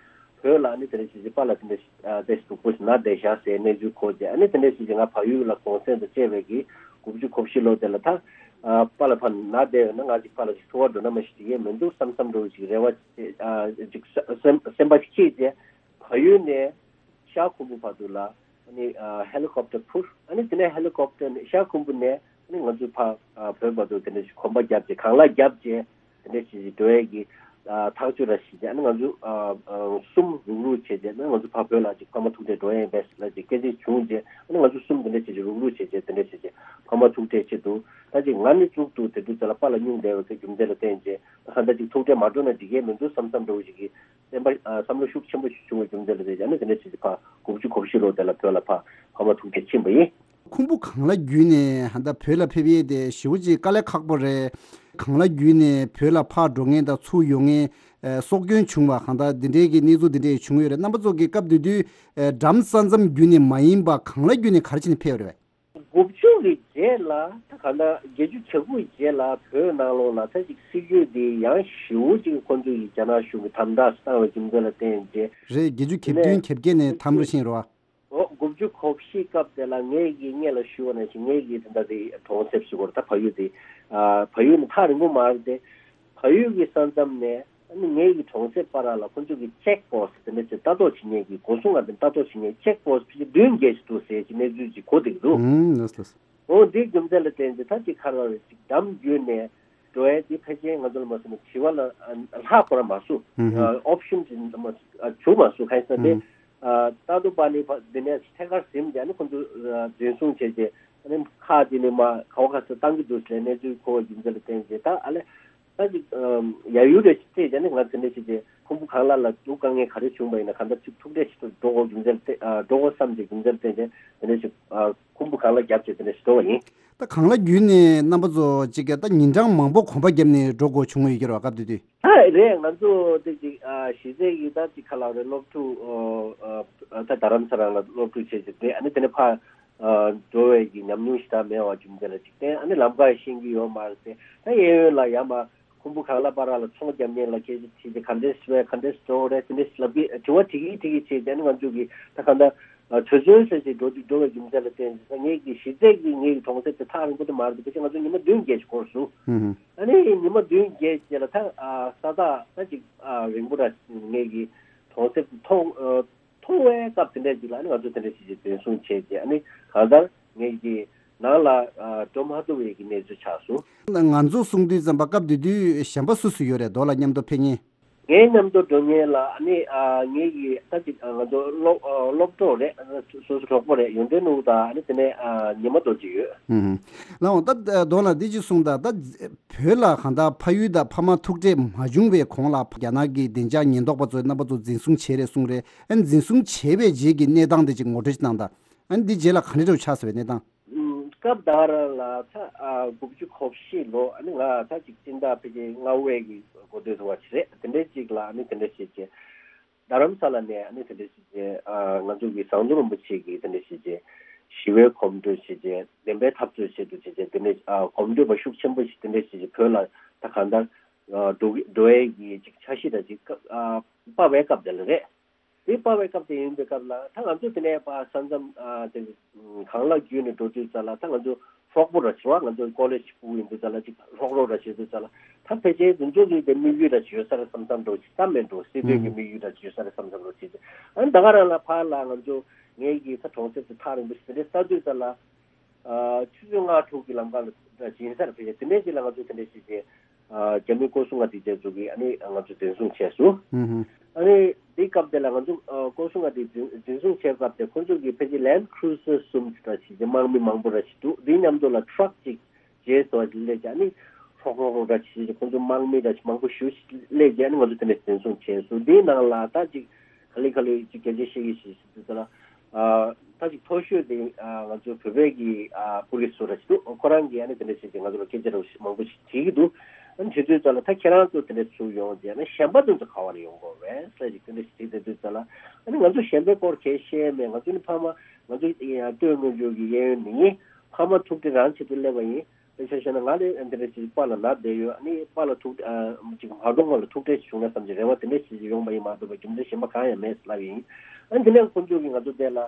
བོད་ལ་ཨ་ནི་དེ་འདྲ་བྱས་བྱས་པཱ་ལགས་དེ་འདྲ་ཞིག་ཨ་དེ་ཞིག་འདུག་པོ་ཞིག་ན་བསྡད་བཞག་ཟེར་གནས་ཚུལ་གོ་བྱས་ཨ་ནི་དེ་འདྲ་བྱས་བྱས་ང་ཕ་ཡུལ་ལ་གུང་སེང་དང་བཅས་པའི་གི་དགུ་བཅུ་གོ་བཞི་ལོ་དེ་ལ་ད་ཨ་པཱ་ལགས་ཕར་ན་བསྡད་ཡོད་ན་ང་ཅིག་པཱ་ལགས་ཅིག་ཐུག་པར་འགྲོ་ན་མ་ཤེས་ཀྱི་ཡས་མི་འདུག་བསམ་བསམ་འདྲ་བོ་ཞིག་རེ་བ་བྱས་ཨ་ཅིག་སེམས་སེམས་པ་སྐྱིད་བྱས་ཕ་ཡུལ་ནས། ཤར་ཁུམ་བུ་བར་དུ་ལ་ཨ་ནི་ཨ་ཧེ་ལི་ཀོབ་ཊར་འཕུར། ཨ་ནི་དེ་ནས་ཧེ་ལི་ཀོབ་ཊར་ནས་ཤར་ཁུམ་བུ་ནས་ཨ་ནི་ང་ཚོ་ཕར་ཨ་བོད་བར་དུ་དེ་འདྲ་ཞིག་གོམ་པ་བརྒྱབ་བྱས་གང་ལ་བརྒྱབ་བྱས་དེ་འདྲ་ཞིག་འགྲོ་ཡས་ཀྱི་ཨ་ཐག་གཅོད་ར་ཞིག་བྱས། ཨ་ནི་ང་ཚོ་ཨ་ཨ་གསུམ་རུག་རུག་བྱས་བྱས་ཨ་ནི་ང་ཚོ་ཕར་བོད་ལ་ཅིག་ཕ་མ་ཐུག་འཕྲད་འགྲོ་ཡས་ཡིན་པས་ལ་ཅིག་སྐད་ཆ་བྱུང་བྱས། ཨ་ནི་ང་ཚོ་གསུམ་དེ་འདྲ་བྱས་བྱས་རུག་རུག་བྱས་བྱས་དེ་འདྲ་བྱས་བྱས་ཕ་མ་ཐུག་འཕྲད་ཆེད་དུ་ད་ཅིག་ང་ནི་གཙུག་ཏུ་དེ་དུས་ཚོད་ལ་པཱ་ལགས་སྙུང་བསྡད་པ་གི་རྒྱུ་མཚན་ལ་བརྟེན་བྱས་ད་གང་ལྟར་ཅིག་ཐུག་འཕྲད་མ་འགྲོ་ན་འགྲིག་གི་མི་འདུག་བསམ་བསམ་འདྲ་བོ་ཞིག་གིས། བསམ་པ་ཨ་བསམ་བློ་ཤུགས་ཆེན་པོ་ཞིག་བྱུང་བའི་རྒྱུ་མཚན་ལ་བྱས་ཨ་ནི་དེ་འདྲ་བྱས་ཏེ་ཕར་དགུ་བཅུ་གོ་བཞི་ལོ་དེ་ལ་བོད་ལ་ཕར་ཕ་མ་ཐུག་འཕྲད་ཕྱིན་པ་ཡིན། ཁུམ་བུ་གངས་ལ་བརྒྱུད་ནས་ཧ་ད་བོད་ལ་ཕེབས་ཡས་དེ་ཞེ་པོ་ཅིག་དཀའ་ལས་ཁག་པོ་རེད། གངས་ལ་བརྒྱུད་ནས་བོད་ལ་ཕར་འགྲོ་མཁན་དང་ཚུར་ཡོང་མཁན་ཨ་སྲོག་སྐྱོན་བྱུང་བ་གང་ལྟར་འདི་འདྲའི་གི་གནས་ཚུལ་འདི་འདྲའི་བྱུང་ཡོད་རེད། རྣམ་པ་ཚོ་གི་སྐབས་དེ་དུས་ཨ་འགྲམ་ས་མཚམས་བརྒྱུད་ནས་མ་ཡིན་པ་གངས་ལ་བརྒྱུད་ནས་ག་རེ་བྱས་ནས་ཕེབས་ཡོད་རེད་པས། དགུ་བཅུ་གི་རྗེས་ལ་ད་ག་ན་བརྒྱད་ཅུ་གྱ་དགུ་རྗེས་ལ་བོད་ནང་ལོགས་ལ་ད་ཅིག་སྲིད་ཇུས་འདི་ཡང་ཞེ་པོ་ཅིག་ཁོང་ཚོས་ཀྱི་རྒྱ་ནག་གཞུང་གིས་དམ་དྲག་བཏང་བའི་རྒྱུ་མཚན་ལ་བརྟེན་རྗེས་རེད། བརྒྱད་ཅུ་གྱ་བདུན་གྱ་བརྒྱད་ནས་དམ་རུ་ཕྱིན་རོ། འོ་དགུ་བཅུ་གོ་བཞི་སྐབས་དེ་ལ་ངས་ཀྱི་སྔོན་ལ་ཞུ་བ་ནང་བཞིན་ངས་ཀྱི་ད་ལྟ་དེ་གྲོང་གསེབ་ཟེར་དགོས་རེད། ད་ཕ་ཡུལ་དེ་ཨ་ཕ་ཡུལ་ནི་ཐག་རིང་པོ་མ་རེད་དེ། ཕ་ཡུལ་གྱི་ས་མཚམས་ནས་ཨ་ནི་ངེད་ཀྱི་གྲོང་གསེབ་བར་ལ་ཁོ་ཚོ་གི་ཅེག་པོ་སི་ཊི་དེ་འདྲ་ཅིག་ལྟ་རྟོག་བྱེད་མཁན་གྱི་སྒོ་སྲུང་ལ་དེ་ལྟ་རྟོག་བྱེད་མཁན་ཅེག་པོ་སི་ཊི་ཕལ་ཆེར་བདུན་བརྒྱད་ཅིག་འདུག་ཟེར་གྱི་གནས་ཚུལ་ཅིག་གོ་བསྡད་ཀྱི་འདུག་ཨང་། ལགས་སོ། འོ་འདིའི་རྒྱུ་མཚན་ལ་བརྟེན་ཏེ་ད་ཅིག་ཁ་ར་རེ་ཅིག་འགྲམ་བརྒྱུད་ནས་འགྲོ་ཡས་དེ་ཕལ་ཆེར་ང་ཚོ་ལ་མ་སོང་ན་བྱིས་པ་ལ་ལྷག་པར་མ་སོང་། ཨོབ་ཤན་ཅིག་བྱུང་མ་སོང་། གང་ཡིན་ཟེར་ན་དེ་ཏཱ་ཏུ་པ་ནི་འདི་ནས་ཐད་ཀར་ཟིན་བྱས་ནས་ཁོ་ཚོ་འཛིན་བཟུང་བྱས་རྗེས་ཨ་ནི་ཁག་ཅིག་ནས་མར་ག་བ་ག་ས་བཏང་གི་འདུག་ཟེར་གནས་ཚུལ་གོ་བའི་རྒྱུ་མཚན་ལ་བརྟེན་རྗེས་ད་ཨ་ལས། ད་ཅིག་ཡ་ཡུལ་རེ་ཞིག་བལྟས་ཀྱང་ནི་ང་ཚོ་འདི་ཞིག་གི་ཁུམ་བུ་གངས་ལ་ལ་འདུག་དཀའ་ངལ་ག་རེ་བྱུང་བ་ཡིན་ན་གང་ལྟར་ཅིག་ཐུག་འཕྲད་ཞིག་ཏུ་འགྲོ་དགོས་རྒྱུ་མཚན་ཏེ་འགྲོ་དགོས་བསམ་གྱི་རྒྱུ་མཚན་ཏེ་དེ་འདི་ཞིག་ཁུམ་བུ་གངས་ལ་བརྒྱབ་ཅིག་དེ་འདི་ཞིག་འགྲོ་བ་ཡིན། ད་གངས་ལ་བརྒྱུད་ནས་རྣམ་པ་ཚོ་ཅིག་ག་ད་ཉིན་གྲངས་མང་པོ་གོམ་པ་བརྒྱབ་ནས་འགྲོ་དགོས་བྱུང་བ་ཡོད་ཀྱི་རེད་བ། སྐབས་དེ་དུས། ད་རེད་ང་ཚོ་དེ་ཅིག་གཞི་རྩའི་གི་ད་ཅིག་ཁ་ལག་རེད་སློབ་ཕྲུག་ད་རྡ་རམ་ས་རང་ལ་སློབ་ཕྲུག་བྱས་ཅིག་དེ་ཨ་ནི་དེ་ནས་ཕ་འགྲོ་བའི་གི་ཉམས་མྱོང་ཞིག་ད་མེད་བ་རྒྱུ་མཚན་ལ་ཅིག་དེ་ཨ་ནི་ལམ་ཁ་ཤེས་ཀྱི་ཡོད་མ་རེད་དེ་ད་གཡས་གཡོན་ལ་ཡར་མར། ཁུམ་བུ་གངས་ལ་བར་ལ་ཚོང་རྒྱག་མཁན་ལ་སྐད་ཆ་དྲིས་ཏེ་ག་འདྲས་སེ་བས་ག་འདྲས་སེ་འགྲོ་རེད་དེ་འདྲས་སེ་ལབ་ཀྱི་དྲི་བ་དྲི་གི་དྲི་གི་བྱས་ཏེ་ནི་ང་ཚོ་གི་ད་གང་ལྟར་ཆུ་ཚོད་ཟེར་ཅིག་འགྲོ་དུས་འགྲོ་བའི་རྒྱུ་མཚན་ལ་བརྟེན་ཏེ་ངེད་ཀྱི་གཞི་རྩའི་གི་ངེད་ཀྱི་གྲོང་གསེབ་དེ་ཐག་རིང་པོ་དེ་མ་རེད་དེ་ཕལ་ཆེར་ང་ཚོ་ཉི་མ་བདུན་བརྒྱད་ཅིག་འགོར་སོང་། ཨ་ནི་ཉི་མ་བདུན་བརྒྱད་ཅིག་ལ་ད་ས་ཐག་ད་ཅིག་རིང་པོ་ར་ངེད་ཀྱི་གྲོང་གསེབ་དེ་མཐོང་། མཐོང་བའི་སྐབས་དེ་འདྲ་ཅིག་ལ་ཨ་ནི་ང་ཚོ་དེ་འདྲ་ཞིག་ཅིག་འཛིན་བཟུང་བྱས་རྗེས་ཨ་ནི་གང་ལྟར་ངེད་ཀྱི་ནང་ལ་འགྲོ་མ་ཐུབ་པའི་གི་གནས་ཚུལ་ཆགས་སོང་། ང་ཚོ་གསུང་དུས་ཙམ་པ་སྐབས་དེ་དུས་གཞན་པ་སུ་སུ་ཡོད་རེད་རྡོ་ལ་མཉམ་དུ་ཕེབས་མཁན། ངའི་མཉམ་དུ་འགྲོ་མཁན་ལ་ཨ་ནི་ངེད་ཀྱི་ད་ཅིག་ང་ཚོ་སློབ་སློབ་གྲོགས་རེད། སོ་སོ་གྲོགས་པོ་རེད་ཡོན་ཏན་ནོར་བུ་དང་ཨ་ནི་དེ་ནས་ཉི་མ་རྡོ་རྗེ་ཡོད། ལགས་འོང་ད་རྡོ་ལ་འདི་ཅིག་གསུངས་དང་ད། བོད་ལ་གང་ལྟར་ཕ་ཡུལ་དང་ཕ་མ་ཐུག་འཕྲད་མ་བྱུང་བའི་གོང་ལ་རྒྱ་ནག་གི་བདེ་འཇགས་ཉེན་རྟོག་པ་ཚོས་རྣམ་པ་ཚོ་འཛིན་བཟུང་བྱས་རེད་གསུངས་རེད། ཨ་ནི་འཛིན་བཟུང་བྱས་པའི་རྗེས་ཀྱི་གནས་སྟངས་དེ་ཅིག་ངོ་སྤྲོད་ཅིག་གནང་དང་། ཨ་ནི་འདི་རྗེས་ལ་ག་འདྲ་འདྲ་བོ་ཆགས་སོང་བའི་གནས་སྟངས། སྐབས་དེ་ག་རང་ལ་ད་དགུ་བཅུ་གོ་བཞི་ལོ་ཨ་ནི་ང་ད་ཅིག་སྤྱི་ཟླ་ཕལ་ཆེར་ལྔ་པའི་གི་འགོ་སྟོད་དུ་བ་ཞིག་རེད། དེ་འདྲའི་ཅིག་ལ་ཨ་ནི་དེ་འདྲ་ཞིག་བྱས། རྡ་རམ་ས་ལ་ནས་ཨ་ནི་དེ་འདྲ་ཞིག་བྱས། ང་ཚོ་གི་ཟམ་གདོང་རིན་པོ་ཆེ་གི་དེ་འདྲ་ཞིག་བྱས། ཞི་བའི་གོམ་བགྲོད་ཞིག་བྱས། བདེན་པའི་འཐབ་རྩོད་བྱེད་དུ་བྱས་བྱས་དེ་འདྲ་གོམ་བགྲོད་པ་ཤུགས་ཆེན་པོ་ཞིག་དེ་འདྲ་ཞིག་བྱས་བོད་ལ་ད་གང་ལྟར་འགྲོ་གི་འགྲོ་ཡས་ཀྱི་ཅིག་འཆར་གཞི་འདྲ་ཅིག་སྤར་བའི་སྐབས་དེ་ལ་རེད། དེ་སྤར་བའི་སྐབས་དེ་ཡིན་པའི་སྐབས་ལ་ད་ང་ཚོ་དེ་ནས་ཕར་ས་མཚམས་དེ་གངས་ལ་བརྒྱུད་ནས་འགྲོ་དུས་ཙམ་ལ་ད་ང་ཚོ་ཧྲོག་པོ་ར་བྱེད་པ་ང་ཚོ་ཀོ་ལེཇ་ཕྲུ་གུ་ཡིན་དུས་ཙམ་ལ་ཅིག་ཧྲོག་ཧྲོག་ར་བྱེད་དུས་ཙམ་ལ་ད་ཕལ་ཆེར་དེ་ཚོ་གི་དེ་དམིགས་ཡུལ་ར་ཅིག་ཡོད་ས་རེད་བསམ་བསམ་འགྲོ་ཅིག་ད་མེད་འགྲོ་སྲིད་དོན་གྱི་དམིགས་ཡུལ་ར་ཅིག་ཡོད་ས་རེད་བསམ་བསམ་འགྲོ་ཅིག་ཨ་ནི་ད་ག་རང་ལ་ཕར་ལ་ང་ཚོ་ངེད་ཀྱི་ས་གྲོང་གསེབ་དེ་ཐག་རིང་པོ་ཞིག་དེ་འདྲའི་ལྟ་དུས་ཙམ་ལ། ཆུ་ཚོད་ལྔ་དྲུག་གི་ལམ་ཁ་ལ་ཡིན་ས་རེད། ཕལ་ཆེར་དེ་འདྲའི་ཅིག་ལ་ང་ཚོ་དེ་འདྲའི་ཞིག་གི་རྒྱ་མི་སྐོར་སྲུང་ལྔ་སྡེ་བརྒྱད་ཚོ་གིས་ཨ་ནི་ང་ཚོ་འཛིན་བཟུང་བྱས་སོང་། ཨ་ནི་དེའི་སྐབས་དེ་ལ་ང་ཚོ་སྐོར་སྲུང་ལྔ་སྡེ་འཛིན་འཛིན་བཟུང་བྱས་སྐབས་དེ་ཁོ་ཚོ་གིས་ཕལ་ཆེར་ལེན་ཁུ་རུ་ཟར་གསུམ་ཅིག་ར་ཞིག་གི་དམག་མི་མང་པོ་ར་ཞིག་འདུག་དེའི་མཉམ་དུ་ལ་ཊྲག་ཅིག་རྗེས་སུ་སླེབས་ཀྱི་ཨ་ནི་ཧྲོག་ཧྲོག་ཧྲོག་ར་ཞིག་ཁོ་ཚོ་དམག་མི་ར་ཞིག་མང་པོ་ཞེ་པོ་ཞིག་སླེབས་ཀྱི་ཨ་ནི་ང་ཚོ་དེ་འདྲ་འཛིན་བཟུང་བྱས་སོང་། དེའི་ནང་ལ་ད་ཅིག་ག་ལེ་ག་ལེ་ཅིག་སྐད་ཆ་བཤད་ཀྱི་ཞིག་ཞིག་དུས་ལ། ཨ་ད་ཅིག་མཐོ་ཤོས་དེ་ཨ་ང་ཚོ་བོད་པའི་གི་ཨ་པུ་ལིས་ཚོ་ར་ཞིག་འདུག་ཁོ་རང་གིས་ཨ་ནི་དེ་འདྲ་བྱས་ཏེ་ང་ཚོ་ལ་སྐད་ཆ་ར་མང་པོ་ཞིག་དྲིས་ཀྱི་འདུག་ཨ་ནི་དྲི་དུས་ཙམ་ལ་ད་ཁྱེད་རང་ཚོ་དེ་འདྲ་ཚུར་ཡོང་རྗེས་ཨ་ནི་གཞན་པ་དེ་ཚོ་ག་བ་ནས་ཡོང་དགོས་རེད་ཟེར་ཅིག་དེ་འདྲ་ཞིག་དྲིས་བསྡད་དུས་ཙམ་ལ། ཨ་ནི་ང་ཚོ་གཞན་པའི་སྐོར་གས་བཤད་མེད། ང་ཚོ་ནི་ཕ་མ་ང་ཚོ་ཡ་སྟོད་མངོན་ཆུང་གི་གཡས་གཡོན་ནི་ཕ་མ་ཐུག་འཕྲད་རང་ཆེད་དུ་སླེབས་པ་ཡིན། དཔེ་ཆ་བཤད་ན་ང་ནི་འདི་འདྲ་ཞིག་པཱ་ལགས་ན་བསྡད་ཡོད། ཨ་ནི་པཱ་ལགས་ཐུག་ཨ་ཅིག་མ་གཏོང་བ་ལ་ཐུག་འཕྲད་ཞིག་བྱུང་ན་བསམ་གྱི་རེ་བ་དེ་འདྲ་ཞིག་ཡོང་པ་ཡིན་མ་གཏོགས་པའི་རྒྱུ་མཚན་གཞན་པ་གང་ཡང་མེད་ལབ་ཡིན། ཨ་ནི་དེ་ནས་ཁོང་ཚོ་གིས་ང་ཚོ་དེ་ལ་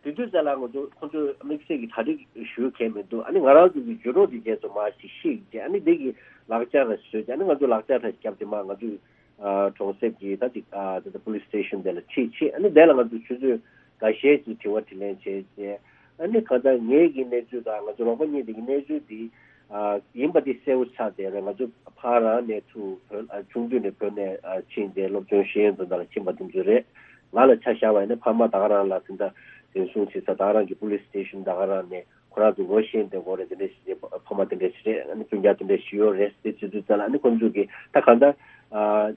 དེ་དུས་ཙམ་ལ་ང་ཚོ་ཁོང་ཚོས་དམིགས་བསལ་གྱི་གྲ་སྒྲིག་ཞུ་མཁན་མི་འདུག་ཨ་ནི་ང་རང་ཚོ་གི་བརྒྱུད་རོགས་དེ་རྗེས་སུ་མར་ཞིག་ཤེས་ཀྱི་ཨ་ནི་དེ་གི་ལག་ཆ་ར་བཟོས་ཀྱི་ཨ་ནི་ང་ཚོ་ལག་ཆ་ར་བརྒྱབ་དེ་མར་ང་ཚོས་ཨ་གྲོང་གསེབ་ཀྱི་ད་ཅིག་ཨ་ད་ལྟ་པུ་ལིས་སི་ཊེ་ཤན་དེ་ལ་ཁྲིད་ཆེད་ཨ་ནི་དེ་ལ་ང་ཚོ་ཆུ་ཚོད་འགའ་ཤས་ཀྱི་དྲི་བ་དྲིས་ལན་བྱས་རྗེས་ཨ་ནི་གང་ལྟར་ངེད་ཀྱི་གནས་ཚུལ་དང་ང་ཚོ་རོགས་པ་གཉིས་དེ་གི་གནས་ཚུལ་དེ་ཨ་ཡིན་པ་དེ་གསལ་པོ་ཆགས་བསྡད་རེད། ང་ཚོ་ཕར་རང་ནས་ཚུར་བོད་ཨ་ཆུང་དུས་ནས་བོད་ནས་ཨ་ཕྱིན་ཏེ་སློབ་སྦྱོང་ཤེས་ཡོན་དང་དང་ལ་ཕྱིན་པ་དེ་ཚོ་རེད། ང་ལ་ཆ་བཞག་པ་ཡིན་ན་ཕ་མ་ད་ག་རང་ལ་དེ་འདྲ་འཛིན་བཟུང་བྱེད་ས་ད་ག་རང་གི་པུ་ལིས་སི་ཊེ་ཤན་ད་ག་རང་ནས་ཁོ་རང་ཚོ་ངོ་ཤེས་དེ་གོ་རེད། དེ་འདྲ་ཞིག་ཕ་མ་དེ་འདྲ་ཞིག་རེད། ཨ་ནི་སྤུན་ཀྱག་དེ་འདྲ་ཞིག་ཡོད་རེད་ཟེར་བྱེད་དུས་ཙམ་ལ་ཨ་ནི་ཁོང་ཚོ་གིས་ད་གང་ལྟར་ཨ་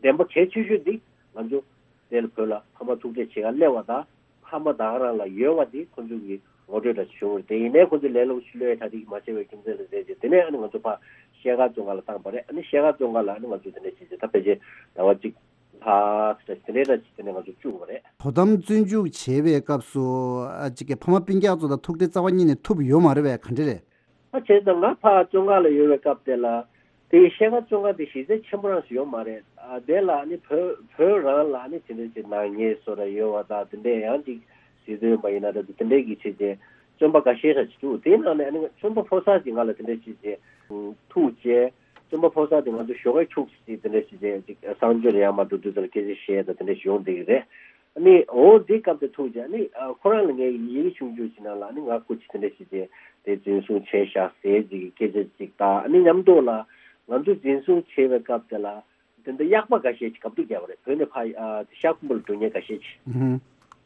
བདེན་པ་གལ་ཆེ་ཤོས་འདི་ང་ཚོ་དེ་ལ་བོད་ལ་ཕ་མ་ཐུག་འཕྲད་བྱེད་ག་སླེབས་པ་དང་ཕ་མ་ད་ག་རང་ལ་ཡོད་པ་འདི་ཁོང་ཚོ་གིས་ངོ་སྤྲོད་འདྲ་ཞིག་བྱུང་བ་རེད། དེ་ཡིན་ནའི་ཁོང་ཚོས་ལས་སླ་པོ་ཞིག་བློས་གྲ་སྒྲིག་མ་བྱས་པའི་རྒྱུ་མཚན་ལ་བརྟེན་བྱས་དེ་ནས་ཨ་ནི་ང་ཚོ་ཕར་ཤེལ་དཀར་བཙོན་ཁང་ལ་བཏང་པ་རེད། ཨ་ནི་ཤེལ་དཀར་བཙོན་ཁང་ལ་ཨ་ནི་ང་ཚོ་དེ་འདྲ་བྱས་བྱས་ད་ཕལ་ཆེར་ཟླ་བ་གཅིག་ལྷག་ཙམ་དེ་འདྲའི་འདྲ་ཅིག་དེ་ནས་ང་ཚོ་བཅུག་པ་རེད། དོ་དམ་བཙོན་འཇུག་བྱེད་པའི་སྐབས་སུ་ཨ་ཅིག་གི་ཕ་མ་སྤུན་ཀྱག་ཚོ་དང་ཐུག་འཕྲད་རྩ་བ་ཉིད་ནས་ཐུབ་ཡོད་མ་རེད་པས། ག་འདྲ་རེད། ཨ་བྱས་ཙང་ང་ཕར་བཙོན་ཁང་ལ་ཡོད་པའི་སྐབས་དེ་ལ་དེ་ཤེལ་དཀར་བཙོན་ཁང་དེ་གཞི་རྩ་ཆེན་པོ་རང་ཞིག་ཡོད་མ་རེད། ཨ་དེ་ལ་ཨ་ནི་བོད་བོད་རང་ལ་ཨ་ནི་དེ་འདྲའི་ཅིག་ནག་ཉེས་བཟོ་འདྲ་ཡོད་པ་དང་དེ་འདྲའི་ཡང་ཅིག་སྲིད་དོན་པ་ཡིན་ན་འདྲ་འདུག་དེ་འདྲའི་གི་ཆེད་ཅིག་བཙོན་པ་འགའ་ཤས་ར་ཅིག་འདུག་དེའི་ནང་ནས་ཨ་ནི་བཙོན་པ་ཕོ་གསར་ཅིག་ང་ལ་དེ་འདྲའི་ཅིག་ཅིག་ཐུག་བྱས། བཙོན་པ་ཕོ་གསར་དེ་ང་ཚོ་ཞོགས་ཀས་ཁྱུག་ཙམ་ཅིག་དེ་འདྲ་ཞིག་བྱས་ཅིག་གསང་སྤྱོད་ལ་ཡར་མར་འགྲོ་དུས་ཙམ་ལ་སྐད་ཆ་བཤད་དང་དེ་འདྲ་ཞིག་ཡོང་བསྡད་ཀྱི་རེད། ཨ་ནི་འོ་དེའི་སྐབས་དེ་ཐུག་རྗེས་ཨ་ནི་ཨ་ཁོ་རང་ལ་ངས་ཡི་གེ་ཆུང་ཆུང་ཞིག་ནང་ལ་ཨ་ནི་ང་སྐུ་མཁྱེན་དེ་འདྲ་ཞིག་བྱས་དེ་འཛིན་བཟུང་བྱས་བཞག་ཟེར་ཅིག་སྐད་ཆ་ཅིག་དང་ཨ་ནི་མཉམ་དུ་ལ་ང་ཚོ་འཛིན་བཟུང་བྱས་པའི་སྐབས་དེ་ལ་དེ་འདྲ་གཡག་པ་འགའ་ཤས་ཅིག་གབ་ཏུ་བརྒྱབ་པ་རེད། བོད་ནས་ཕར་ཨ་དེ་ཤར་ཁུམ་བུ་ལ་འགྲོ་མཁན་འགའ་ཤས་ཅིག་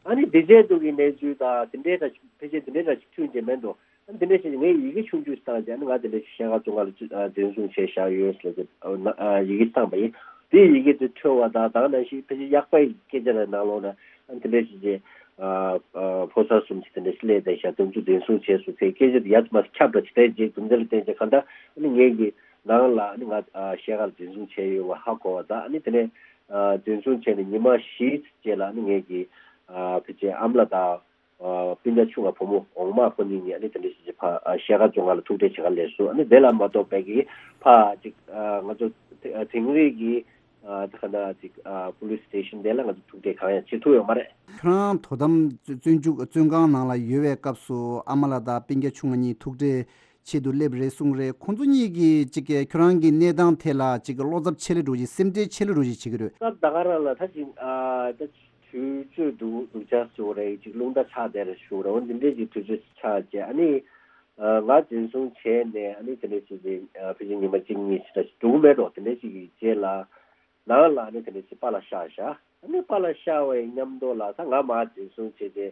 ཨ་ནི་དེ་བྱས་འདུག་གི་གནས་ཚུལ་དང་དེ་འདྲའི་འདྲ་ཞིག་ཕལ་ཆེར་དེ་འདྲའི་འདྲ་ཞིག་ཐོན་རྗེས་མེད་འགྲོ། ཨ་ནི་དེ་འདྲ་བྱས་ནས་ངས་ཡི་གེ་ཆུང་ཆུང་ཞིག་བཏང་རྗེས་ཨ་ནི་ང་དེ་འདྲ་ཞིག་ཤེལ་དཀར་བཙོན་ཁང་ལ་ཅིག་ཨ་འཛིན་བཟུང་བྱས་བཞག་ཡོད་ཟེར་ཏེ་ཨ་ན་ཨ་ཡི་གེ་བཏང་པ་ཡིན། དེའི་ཡི་གེ་དེ་འཕྲོད་པ་དང་དེ་ནང་བཞིན་ཕལ་ཆེར་གཡག་པའི་སྐད་ཆ་རེ་ནང་ལོགས་ནས་ཨ་ནི་དེ་འདྲ་ཞིག་བྱས་ཨ་ཨ་ཕོ་གསར་གསུམ་ཞིག་དེ་འདྲ་ཞིག་སླེབས་ཏེ་བཞག་དེ་ཚོ་འཛིན་བཟུང་བྱས་སོང་ཟེར་སྐད་ཆ་དེ་ཡར་མར་ཁྱབ་འདྲ་ཅིག་བྱས་རྗེས་རྒྱུ་མཚན་ལ་བརྟེན་བྱས་གང་ལྟར་ཨ་ནི་ངེད་ཀྱི་ནང་ལ་ཨ་ནི་ང་ཨ་ཤེལ་དཀར་འཛིན་བཟུང་བྱས་ཡོད་པ་ཧ་གོ་བ་དང་ཨ་ནི་དེ་ནས་ཨ་འཛིན་བཟུང་བྱས་ནས་ཉི་མ་བཞིའི་རྗེས་ལ་ཨ་ནི་ངེད་ཀྱི་ཨ་ཕལ་ཆེར་ཨ་མ་ལགས་དང་། ཨ་སྤུན་ཀྱག་ཆུང་བ་བུ་མོ་འོག་མ་ཁོ་གཉིས་ནི་ཨ་ནི་དེ་འདྲ་ཞིག་ཅིག་ཕར་ཨ་ཤེལ་དཀར་བཙོན་ཁང་ལ་ཐུག་འཕྲད་བྱེད་ག་སླེབས་སོང་། ཨ་ནི་དེ་ལ་མ་གཏོགས་པའི་གི་ཕར་ཅིག་ཨ་ང་ཚོ་དེ་ཨ་དིང་རི་གི་ཨ་དེ་ག་ན་ཅིག་ཨ་པུ་ལིས་སི་ཊེ་ཤན་དེ་ལ་ང་ཚོ་ཐུག་འཕྲད་གང་ཡང་བྱེད་ཐུབ་ཡོད་མ་རེད། ཁྱོད་རང་དོ་དམ་བཙོན་འཇུག་བཙོན་ཁང་ནང་ལ་ཡོད་པའི་སྐབས་སུ་ཨ་མ་ལགས་དང་སྤུན་ཀྱག་ཆུང་བ་གཉིས་ཐུག་འཕྲད་ཆེད་དུ་སླེབས་རེད་གསུངས་རེད། ཁོང་ཚོ་གཉིས་ཀྱིས་ཅིག་གི་ཁྱོད་རང་གི་གནས་སྟངས་ཐད་ལ་ཅིག་གི་བློ་འཚབ་ཆེ་ལེ་འགྲོ་ཅིག་སེམས་ཁྲལ་ཆེ་ལེ་འགྲོ་ཅིག་བྱེད་ཀྱི་རེད། སྐབས་ད་ག་རང་ལ་ད་ཅིག་ཨ་ད་དུས་ཚོད་འདུག་འདུག་ཆ་ཞུ་རེད། ཅིག་རླུང་རྟ་ཆགས་བསྡད་རེད་ཞུ་རེད། འོ་འདི་འདྲའི་ཅིག་དུས་ཚོད་ཆགས་རྗེས་ཨ་ནི་ཨ་ང་འཛིན་བཟུང་བྱས་ནས་ཨ་ནི་དེ་འདྲ་ཞིག་གི་ཨ་ཕལ་ཆེར་ཉི་མ་གཅིག་གཉིས་ཞིག་ད་ཅིག་འདུག་མེད་འགྲོ། དེ་འདྲ་ཞིག་གི་རྗེས་ལ་ནང་ལ་ཨ་ནི་དེ་འདྲ་ཞིག་པཱ་ལགས་གཤགས་བཞག་ཨ་ནི་པཱ་ལགས་གཤགས་པའི་མཉམ་དུ་ལ་ད་ང་མར་འཛིན་བཟུང་བྱས་ཏེ་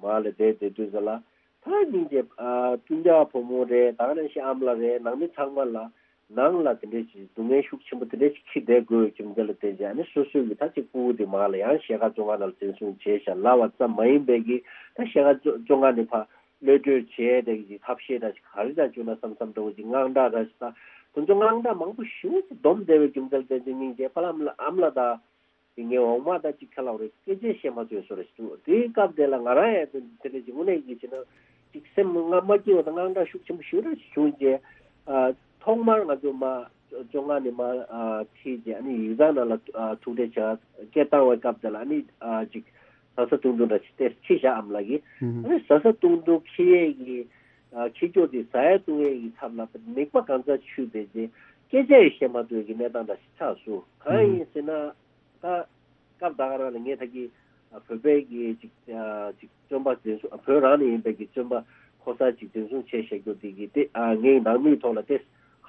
མར་ལ་བསྡད་བསྡད་དུས་ཙམ་ལ་ད་སྙིང་རྗེ་ཨ་སྤུན་ཀྱག་བུ་མོ་རེད། ད་ག་ནང་བཞིན་ཨ་མ་ལགས་རེད། ནང་མི་ཚང་མ་ལ་ནང་ལ་དེ་འདྲའི་ཞིག་སྡུག་བསྔལ་ཤུགས་ཆེན་པོ་དེ་འདྲའི་ཞིག་འཁྱེར་བསྡད་དགོས་རྒྱུ་མཚན་ལ་བརྟེན་བྱས་ཨ་ནི་སོ་སོའི་གི་ད་ཅིག་སྤུ་གུ་དེ་མར་ལ་ཡང་ཤེལ་དཀར་བཙོན་ཁང་ནང་ལ་འཛིན་བཟུང་བྱས་བཞག་ལབ་པ་ཙམ་མ་ཡིན་པའི་གི་ད་ཤེལ་དཀར་བཙོན་ཁང་ནས་ཕར་གློད་གྲོལ་བྱས་དེ་གི་ཐབས་ཤེས་འདྲ་ཞིག་ག་རེ་འདྲ་བྱུང་ན་བསམ་བསམ་འདྲ་བོ་ཅིག་དངངས་སྐྲག་འདྲ་ཞིག་ད་དེ་ཚོ་དངངས་སྐྲག་མང་པོ་ཞེ་པོ་ཅིག་སྡོམ་བསྡད་པའི་རྒྱུ་མཚན་ལ་བརྟེན་བྱས་སྙིང་རྗེ་པཱ་ལགས་ཨ་མ་ལགས་དང་། དེ་ངའི་འོག་མ་དང་གཅིག་ཁ་ལག་རེད། སྐད་ཆ་བཤད་མ་ཐུབ་བཟོ་རེད་ཞུ། དེའི་སྐབས་དེ་ལ་ང་རང་ཡང་དེ་དེ་འདྲ་ཅིག་དངོས་གནས་ཀྱི་བྱས་ན་ཅིག་སེམས་ང་མ་སྐྱིད་པ་དང་དངངས་སྐྲག་ཤུགས་ཆེན་པོ་ཞེ་པོ་ཅིག་བྱུང་རྗེས་ཨ་ཐོག་མར་ང་ཚོ་མ་བཙོན་ཁང་ནས་མ་ཨ་ཁྲིད་རྗེས་ཨ་ནི་ཡིག་ཚང་ནང་ལ་ཨ་ཐུག་འཕྲད་བྱ་སྐད་བཏང་བའི་སྐབས་དེ་ལ་ཨ་ནི་ཨ་ཅིག་ཟ་ས་བཏུང་བཏུང་འདྲ་ཅིག་དེ་ཁྱེར་བཞག་ཨ་མ་ལགས་ཀྱིས། ཨ་ནི་ཟ་ས་བཏུང་བཏུང་ཁྱེར་ཡས་ཀྱི་ཨ་ཁྱེར་ཀྱོག་དེ་ཟ་ཡས་བཏུང་ཡས་ཀྱི་ཚབ་ལ་མིད་པ་གང་སར་ཆུད་བསྡད་རྗེས་སྐད་ཆ་ཡང་བཤད་མ་ཐུབ་ཀྱི་གནས་སྟངས་འདྲ་ཞིག་ཆགས་སོང་། གང་ཡིན་ཟེར་ན། ད་སྐབས་ད་ག་རང་ལ་ངས་ད་གི་ཨ་བོད་པའི་གི་ཅིག་ཨ་ཅིག་བཙོན་པ་འཛིན་བཟུང་ཨ་བོད་རང་ནས་ཡིན་པའི་གི་བཙོན་པ་ཕོ་གསར་ཅིག་འཛིན་བཟུང་བྱས་བཞག་རྒྱུ་དེ་གི་དེ་ཨ་ངའི་ནང་མིའི་ཐོག་ལ་དེ་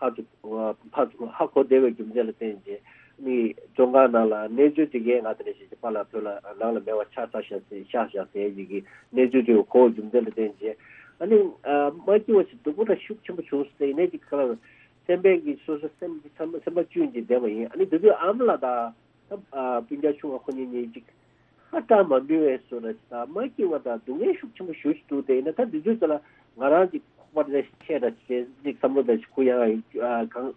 ཧ་ཅུ་ཨ་ཕ་ཧ་གོ་བདེ་བའི་རྒྱུ་མཚན་ལ་བརྟེན་བྱས་ནི་བཙོན་ཁང་ནང་ལ་གནས་ཚུལ་དེ་གས་ང་དེ་འདྲ་ཞིག་གི་པཱ་ལགས་བོད་ལ་ནང་ལ་མེད་པ་ཆགས་ཚར་བཞག་ཟེར་བཞག་བཞག་ཟེར་ཡི་གི་གནས་ཚུལ་དེ་གོ་བའི་རྒྱུ་མཚན་ལ་བརྟེན་བྱས་ཨ་ནི་ཨ་མ་སྐྱིད་པ་ཞིག་སྡུག་པོ་འདྲ་ཤུགས་ཆེན་པོ་བྱུང་སོང་ཟེར་ཡིན་ནའི་ཅིག་ཁ་ལ་སེམས་པའི་གི་སོ་སོ་སེམས་ཀྱི་སེམས་པ་སེམས་པ་བཅུད་ཀྱིས་བསྡད་པ་ཡིན། ཨ་ནི་དེ་དུས་ཨ་མ་ལགས་དང་། ཨ་སྤུན་ཀྱག་ཆུང་བ་ཁོ་གཉིས་གཉིས་ཅིག་ ཁ་བཀྲ་མ་འདུས་པའི་བཟོ་འདྲ་ཞིག་དང་མ་སྐྱིད་པ་དང་སྡུག་བསྔལ་ཤུགས་ཆེན་པོ་ཞེ་པོ་ཅིག་འདུག་དེ་ཡིན་ན་ད་འདི་ཚོའི་ཐད་ལ་ང་རང་ཅིག་ཁོག་པ་རེ་ཆེ་འདྲ་ཅིག་ཅིག་བསམ་བློ་འདྲ་ཞིག་ཁུར་ཡོང་ཡ་ཡིན། ཨ། གང་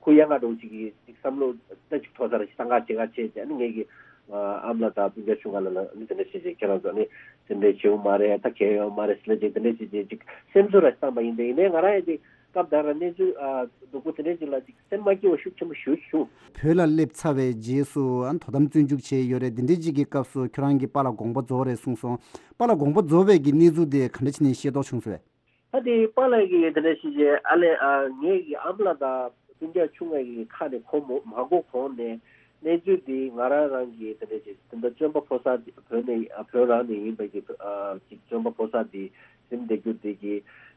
ཁུར་ཡོང་ཡ་འདྲ་བོ་ཅིག་གི་ཅིག་བསམ་བློ་ད་ཅིག་མཐོ་ས་ར་ཞིག་བཏང་ག་བྱེད་ག་བྱེད་ཅེས་ཨ་ནི་ངེད་ཀྱི་ཨ་ཨ་མ་ལགས་དང་སྤུན་ཀྱག་ཆུང་ང་ལ་ལ་ནི་དེ་འདྲ་བྱེད་ཅེས་ཁྱེད་རང་ཚོ་ནི་དེ་འདྲ་བྱེད་ཡོང་མ་རེད། ད་གལ་ཡོད་མ་རེད་ཟེར་ལ་ཅིག་དེ་འདྲ་བྱེད་ཅེས་ཅིག་སེམས་གསོ་ར་ཞིག་བཏང་པ་ཡིན། དེ་ཡིན་ནའི་ང་རང་ཡང་ཅིག་སྐབས་དེ་ར་གནས་ཚུལ་ཨ་སྡུག་པོ་དེ་འདྲ་ཅིག་ལ་ཅིག་སེམས་མ་སྐྱིད་པ་ཤུགས་ཆེན་པོ་ཞེ་པོ་ཅིག་བྱུང་། བོད་ལ་སླེབས་ཚར་བའི་རྗེས་སུ་ཨ་ནི་དོ་དམ་བཙོན་འཇུག་བྱས་ཡོད་རེད། འདི་འདྲའི་ཅིག་གི་སྐབས་སུ་ཁྱོད་རང་གི་པཱ་ལགས་དགོངས་པ་རྫོགས་རེད་གསུངས་སོང་། པཱ་ལགས་དགོངས་པ་རྫོགས་པའི་གི་གནས་ཚུལ་དེ་ག་འདྲ་བྱས་ནས་ཤེས་རྟོགས་བྱུང་སོང་བས། ད་དེ་པཱ་ལགས་ཀྱིས་དེ་འདྲ་ཞིག་བྱས་ཨ་ལས་ཨ་ངེད་ཀྱི་ཨ་མ་ལགས་དང་སྤུན་ཀྱག་ཆུང་ངུ་གི་ཁ་ནས་གོ་མ་མ་གོ་གོང་ནས་གནས་ཚུལ་འདི་ང་རང་རང་གིས་དེ་འདྲ་ཞིག་དེ་འདྲ་བཙོན་པ་ཕོ་གསར་བོད་ནས་ཨ་བོད་རང་ནས་ཡིན་པ་གི་ཨ་ཅིག་བཙོན་པ་ཕོ་གསར་འདི་ཟིན་བསྡད་རྒྱུ་འདི་གི་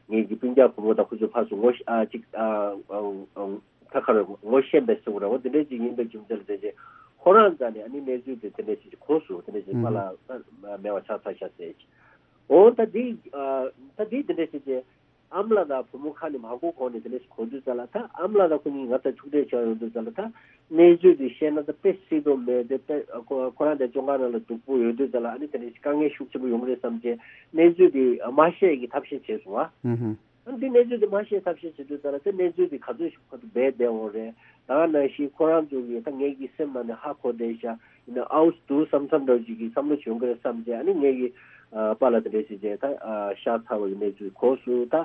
ངེད་ཀྱི་སྤུན་ཀྱག་བུ་མོ་དང་ཁོ་ཚོ་ཕར་ཚུར་ངོ་ཤེས་ཨ་ཅིག་ཨ་ཨ་ཨ་ད་ག་རེ་ངོ་ཤེས་པའི་སུ་རེད་འོ་དེ་འདྲ་ཅིག་ཡིན་པའི་རྒྱུ་མཚན་ལ་བརྟེན་བྱས་ཁོ་རང་རྩ་ནས་ཨ་ནི་གནས་ཚུལ་དེ་དེ་འདྲ་ཞིག་གོ་སོང་། དེ་འདྲ་ཞིག་ཨ་ཕ་ལགས་མེད་པ་ཆགས་ཚར་ཤག་ཟེར། འོ་ད་འདི་ཨ་ད་འདི་འདི་འདྲ་ཞིག་བྱས། ཨ་མ་ལགས་དང་བུ་མོ་ཁ་ནས་མ་གོ་གོང་ནས་དེ་འདྲ་ཞིག་གོ་དུས་ཙམ་ལ་ད་ཨ་མ་ལགས་དང་ཁོ་གཉིས་ང་ཚོ་ཐུག་འཕྲད་བྱས་ཡོང་དུས་ཙམ་ལ་ད་གནས་ཚུལ་འདི་བཤད་ན་ད་དཔེ་སྲིད་དོ་མེད་དེ་དཔེ་ཁོ་ཁོ་རང་དེ་བཙོན་ཁང་ནང་ལ་སྡུག་པོ་ཡོད་དུས་ཙམ་ལ་ཨ་ནི་དེ་འདྲ་ཞིག་དཀའ་ངལ་ཤུགས་ཆེན་པོ་ཡོང་གི་རེད་བསམ་བྱས་གནས་ཚུལ་འདི་མ་བཤད་ཀྱི་ཐབས་ཤེས་བྱས་སོང་ཨ། ཨུ་ཧུམ། ཨ་འདི་གནས་ཚུལ་འདི་མ་བཤད་ཐབས་ཤེས་བྱེད་དུས་ཙམ་ལ་དེ་གནས་ཚུལ་འདི་ག་ཚོད་ཞིག་ཁོ་ཚོ་སྦས་བསྡད་འོང་རེད། ད་ག་ནང་བཞིན་ཁོ་རང་ཚོ་གིས་ད་ངེད་ཀྱི་སེམས་ནང་ནས་ཧ་གོ་བསྡད་ཤག་ཡིན་ན་ཨའུ་འདུག་བསམ་བསམ་འདྲ་བོ་ཅིག་གི་བསམ་བློ་ཞིག་ཡོང་གི་རེད་བསམ་བྱས་ཨ་ནི་ངེད་ཀྱི་ཨ་པཱ་ལགས་དེ་འདྲས་ཞིག་བྱས་ད་ཨ་ཤག་ཚ་བའི་གནས་ཚུལ་གོ་སོང་། ད་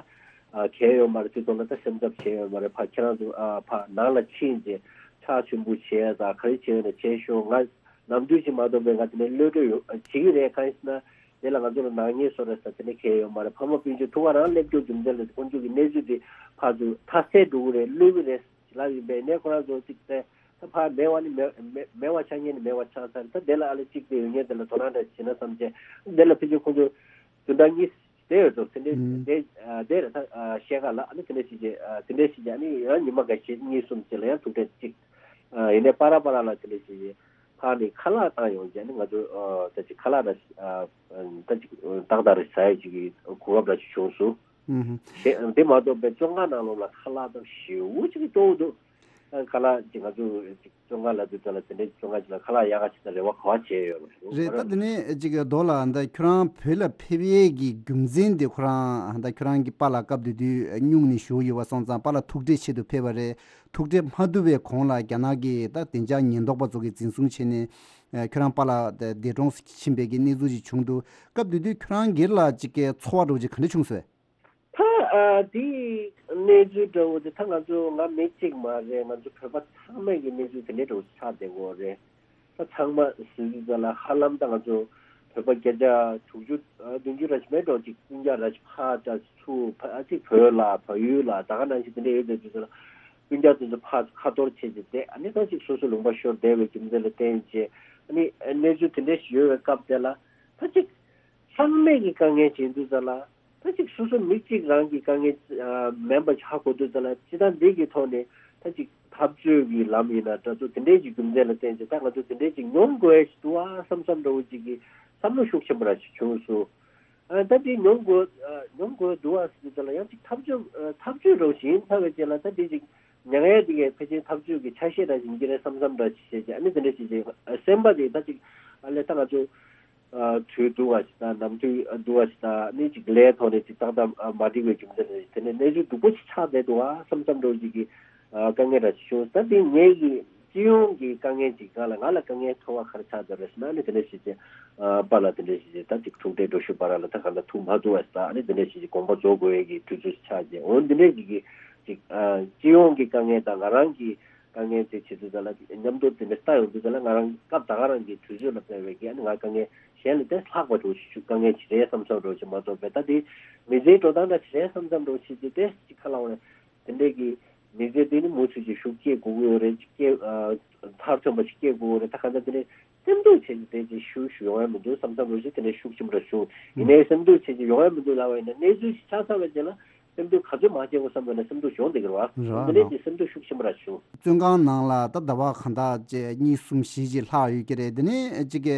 ཨ་གལ་ཡོད་མ་རེད། དེ་ཐོག་ལ་ད་སེམས་འཚབ་བྱས་ཡོད་མ་རེད། ཕ་ཁྱེད་རང་ཚོ་ཨ་ཕ་ནང་ལ་ཕྱིན་བྱས་ཕྱག་མཆོད་འབུལ་བྱས་ད་ག་རེ་བྱས་ཡོད་ན་བྱས་ཤོག་ང་ནམ་དུས་ཅིག་མ་གཏོགས་པའི་ང་དེ་ནས་གློད་གྲོལ་ཡོད་བྱེད་ཀྱི་རེད། གང་ཡིན་ཟེར་ན་དེ་ལ་ང་ཚོ་ལ་ནག་ཉེས་བཟོ་རེད་ཟེར་དེ་ནས་གལ་ཡོད་མ་རེད། ཕ་མ་སྤུན་མཆེད་ཐུག་ག་རང་སླེབས་རྒྱུ་རྒྱུ་མཚན་ལ་དཀོན་མཆོག་གི་གནས་ཚུལ་དེ་ཕར་ཚུར་མཐའ་གསལ་འགྲོ་གི་རེད། གློད་ཀྱི་རེད་ལབ་ཡིན་པས་ནས་ཁོ་རང་ཚོ་ཅིག་བལྟས་ད་ཕར་མེད་པ་ནི་མེད་མེད་མེད་པ་ཆགས་ཉེན་ནི་མེད་པ་ཆགས་ཚར། ད་དེ་ལ་ཨ་ལེ་གཅིག་དེ་ཡོད་ཉེན་དེ་ལ་དོ་སྣང་འདྲ་བྱེད་ན་བསམ་བྱས་དེ་ལ་ཕལ་ཆེར་ཁོང་ཚོ་བདུན་ཕྲག་གཉིས་དེ་ཡོད་ཚོ་དེ་འདྲའི་ཨུམ། དེ་དེ་རེད། ད་བཤད་ག་ལ་ཨ་ནི་དེ་འདྲ་ཞིག་བྱས་དེ་འདྲ་ཞིག་བྱས་ཨ་ནི་ཡང་ཉི་མ་འགའ་ཞིག་གཉིས་གསུམ་ཅིག་ལ་ཡང་ཐུག་འཕྲད་ཅིག་ཡིན་ནའི་པ་ར་པ་ར་ལ་དེ་འདྲ་ཞིག་བྱས་ཕར་ནས་ཁ་ལག་བཏང་ཡོང་བྱས་ཨ་ནི་ང་ཚོ་ད་ཅིག་ཁ་ལག་འདྲ་ད་ཅིག་ཏག་ཏག་རེ་ཟ་ཡ་ཅིག་གི་གོ་སྐབས་འདྲ་ཞིག་བྱུང་སོང་། ཨུམ། དེ་མ་གཏོགས་པའི་བཙོན་ཁང་ནང་ལོགས་ལ་ཁ་ལག་དང་ཞེ་པོ་ཅིག་སྤྲོ་བོ་འདུག་ཁ་ལག་ཅིག་ང་ཚོ་ཅིག་བཙོན་ཁང་ལ་དུས་ཚོད་ལ་དེ་འདྲའི་བཙོན་ཁང་ཅིག་ལ་ཁ་ལག་ཡག་ག་ཅིག་དང་རེ་བ་ག་བ་བྱས་ཡོད་མ་རེད། རེད། ད་དེ་ནས་ཅིག་རྡོ་ལགས་ད་ཁྱོད་རང་བོད་ལ་ཕེབས་ཡས་ཀྱི་རྒྱུ་མཚན་དེ་ཁོ་རང་ད་ཁྱོད་རང་གི་པཱ་ལགས་སྐབས་དེ་དུས་སྨྱུང་གནས་བཞུགས་ཡོད་པ་སོང་ཙང་པཱ་ལགས་ཐུག་འཕྲད་ཆེད་དུ་ཕེབས་པ་རེད། ཐུག་འཕྲད་མ་ཐུབ་པའི་གོང་ལ་རྒྱ་ནག་གི་ད་བདེ་འཇགས་ཉེན་རྟོག་པ་ཚོ་གིས་འཛིན་བཟུང་བྱས་ནས་ཁྱོད་རང་པཱ་ལགས་འདས་གྲོངས་ཕྱིན་པའི་གི་གནས་ཚུལ་ཅིག་བྱུང་འདུག་སྐབས་དེ་དུས་ཁྱོད་རང་སྒེར་ལ་ཅིག་གི་ཚོར་བ་འདྲ་བོ་ཅིག་ག་འདྲ་བྱུང་སོང་བས། ད་ཨ་དེའི་གནས་ཚུལ་འདྲ་བོ་དེ་ད་ང་ཚོ་ང་མི་གཅིག་མ་རེད། ང་ཚོ་བོད་པ་ཚང་མས་ཀྱི་གནས་ཚུལ་དེ་འདྲའི་འདྲ་བོ་ཆགས་བསྡད་ཡོད་རེད། ད་ཚང་མ་ཟེར་དུས་ཙམ་ལ་ཧ་ལམ་ད་ང་ཚོ་བོད་པ་བརྒྱ་ཆ་དྲུག་ཅུ་ཨ་བདུན་ཅུ་ར་ཅིག་མེད་འགྲོ་ཅིག་སྤུན་ཀྱག་ར་ཅིག་ཕར་ཅིག་ཚུར་ཕ་ཨ་ཅིག་བོད་ལ་བལ་ཡུལ་ལ་ད་ག་ནང་བཞིན་དེ་འདྲ་ཡོད་བསྡད་དུས་ཙམ་ལ་སྤུན་ཀྱག་དེ་ཚོ་ཕར་ཁ་འཐོར་བྱས་ཏེ་བསྡད་ཨ་ནི་ད་ཅིག་སོ་སོ་ལུང་པ་ཤོར་བསྡད་པའི་རྒྱུ་མཚན་ལ་བརྟེན་བྱས་ཨ་ནི་གནས་ཚུལ་དེ་འདྲ་ཞིག་ཡོད་པའི་སྐབས་དེ་ལ་ད་ཅིག་ཚང་མས་ཀྱི་དཀའ་ངལ་བྱེད་དུས་ཙམ་ལ། ད་ཅིག་སོ་སོ་མི་གཅིག་རང་གི་དཀའ་ངལ་ཨ་མིན་པ་ཧ་གོ་དུས་ཙམ་ལ་སྤྱི་བཏང་འདི་གི་ཐོག་ནས་ད་ཅིག་འཐབ་རྩོད་ཀྱི་ལམ་ཡིན་ན་འདྲ་ཚོ་དེ་འདྲའི་ཅིག་རྒྱུ་མཚན་ལ་བརྟེན་ཅིག་ད་ང་ཚོ་དེ་འདྲའི་ཅིག་མྱོང་དགོས་ཡ་ཞིག་འདུག་ཨ་བསམ་བསམ་འདྲ་བོ་ཅིག་གི་བསམ་བློ་ཤུགས་ཆེན་པོ་ར་ཞིག་བྱུང་སོང་། ཨ་ད་འདི་མྱོང་དགོས་ཨ་མྱོང་དགོས་འདུག་ཨ་ཟེར་དུས་ཙམ་ལ་ཡང་ཅིག་འཐབ་རྩོད་ཨ་འཐབ་རྩོད་འདྲ་བོ་ཞིག་ཡིན་ཚར་བའི་རྗེས་ལ་ད་འདི་ཅིག་མྱ་ངན་འདི་གའི་ཕལ་ཆེར་འཐབ་རྩོད་ཀྱི་ཆ་ཤས་འདྲ་ཞིག་ཡིན་གྱི་རེད་བསམ་བསམ་འདྲ་ཞིག་བྱས་ཅིག་ཨ་ནི་དེ་འདྲ་ཞིག་ཅིག་སེམས་པ་དེ་ད་ཅིག་ཨ་ལས་ད་ང་ཚོ། དུས་འདུག་བ་ཞིག་དང་ནམ་དུས་འདུག་བ་ཞིག་དང་ནི་ཅིག་ལས་ཐོག་ནས་ཅིག་ཏག་ཏག་མ་འགྲིག་པའི་རྒྱུ་མཚན་རེད། དེ་ནས་གནས་ཚུལ་སྡུག་པོ་ཞིག་ཆགས་བསྡད་འདུག་བ་བསམ་བསམ་འདྲ་བོ་ཅིག་གི་དཀའ་ངལ་འདྲ་ཞིག་བྱུང་། ད་དེ་ངེད་ཀྱི་སྤྱི་ཡོངས་ཀྱི་དཀའ་ངལ་ཅིག་གང་ལ་ང་ལ་དཀའ་ངལ་ཐོབ་པ་ག་རེ་ཆགས་བསྡད་རེད་ཟེར་ན་ནི་དེ་འདྲ་ཞིག་ཅིག་པཱ་ལགས་དེ་འདྲ་ཞིག་ཅིག་ད་ཅིག་ཐུག་འཕྲད་འགྲོ་ཞུ་བ་ར་ལ་ད་གང་ལྟར་ཐུག་མ་ཐུབ་བ་ཞིག་དང་ནི་དེ་འདྲ་ཞིག་ཅིག་དགོངས་པ་རྫོགས་དགོས་ཡས་ཀྱི་དུས་ཚོད་ཞིག་ཆགས་ཅིག་འོ་འདི་འདྲ་ཞིག་གི་ཅིག་སྤྱི་ཡོངས་ཀྱི་དཀའ་ངལ་དང་ང་རང་གི་དཀའ་ངལ་དེ་བྱེད་དུས་ཙམ་ལ་མཉམ་དུ་དེ་འདྲ་ལྟ་ཡོང་དུས་ཙམ་ལ་ང་རང་སྐབས་ད་ག་རང་གི་དུས་ཚོད་ལ་དཔག་པའི་གི་ཨ་ནི་ང་དཀའ་ངལ་གཞན་ལས་དེ་ལྷག་པ་འགྲོ་ཞིག་དཀའ་ངལ་ཞིག་རེད་བསམ་བསམ་འགྲོ་ཞིག་མ་གཏོགས་པའི་ད་དེ་མི་ཚེའི་འགྲོ་སྟངས་འདྲ་ཞིག་རེད་བསམ་བསམ་འགྲོ་ཞིག་དེ་དེ་ཅིག་ཁ་ལ་འོང་རེད། དེ་འདྲའི་གི་མི་ཚེ་དེ་ནི་མུ་མཐུད་ཅིག་ཤུགས་སྐྱེད་དགོས་ཀྱི་ཡོད་རེད། ཅིག་སྐྱེད་མཐར་ཐོན་པ་ཞིག་སྐྱེད་དགོས་ཀྱི་ཡོད་རེད། ད་ག་འདྲ་དེ་ནི་སེམས་སྡུག་བྱས་ནས་དེ་ཅིག་ཞུ་ཞུ་ཡོང་ཡ་མི་འདུག་བསམ་བསམ་འགྲོ་ཞིག་དེ་འདྲའི་ཤུགས་ཆེན་པོ་ར་བྱུང་། ཡིན་ནའི་སེམས་སྡུག་བྱས་ཅིག་ཡོང་ཡ་མི་འདུག་ལབ་པ་ཡིན་ན་གནས་ཚུལ་ཞིག་ཆགས་ཚར་བའི་རྗེས་ལ། སེམས་སྡུག་ག་ཚོད་མང་ཆེ་བོ་བསམ་པ་ན་སེམས་སྡུག་ཤོང་བསྡད་ཀྱི་རེད་བ། རེད་བ། འདི་ནས་ཀྱི་སེམས་སྡུག་ཤུགས་ཆེན་པོ་ར་བྱུང་། བཙོན་ཁང་ནང་ལ་ད་ཟླ་བ་གང་དག་ཅིག་གཉིས་གསུམ་བཞི་ཅིག་ལྷག་ཡོད་ཀྱི་རེད། འདི་ནས་ཅིག་གི་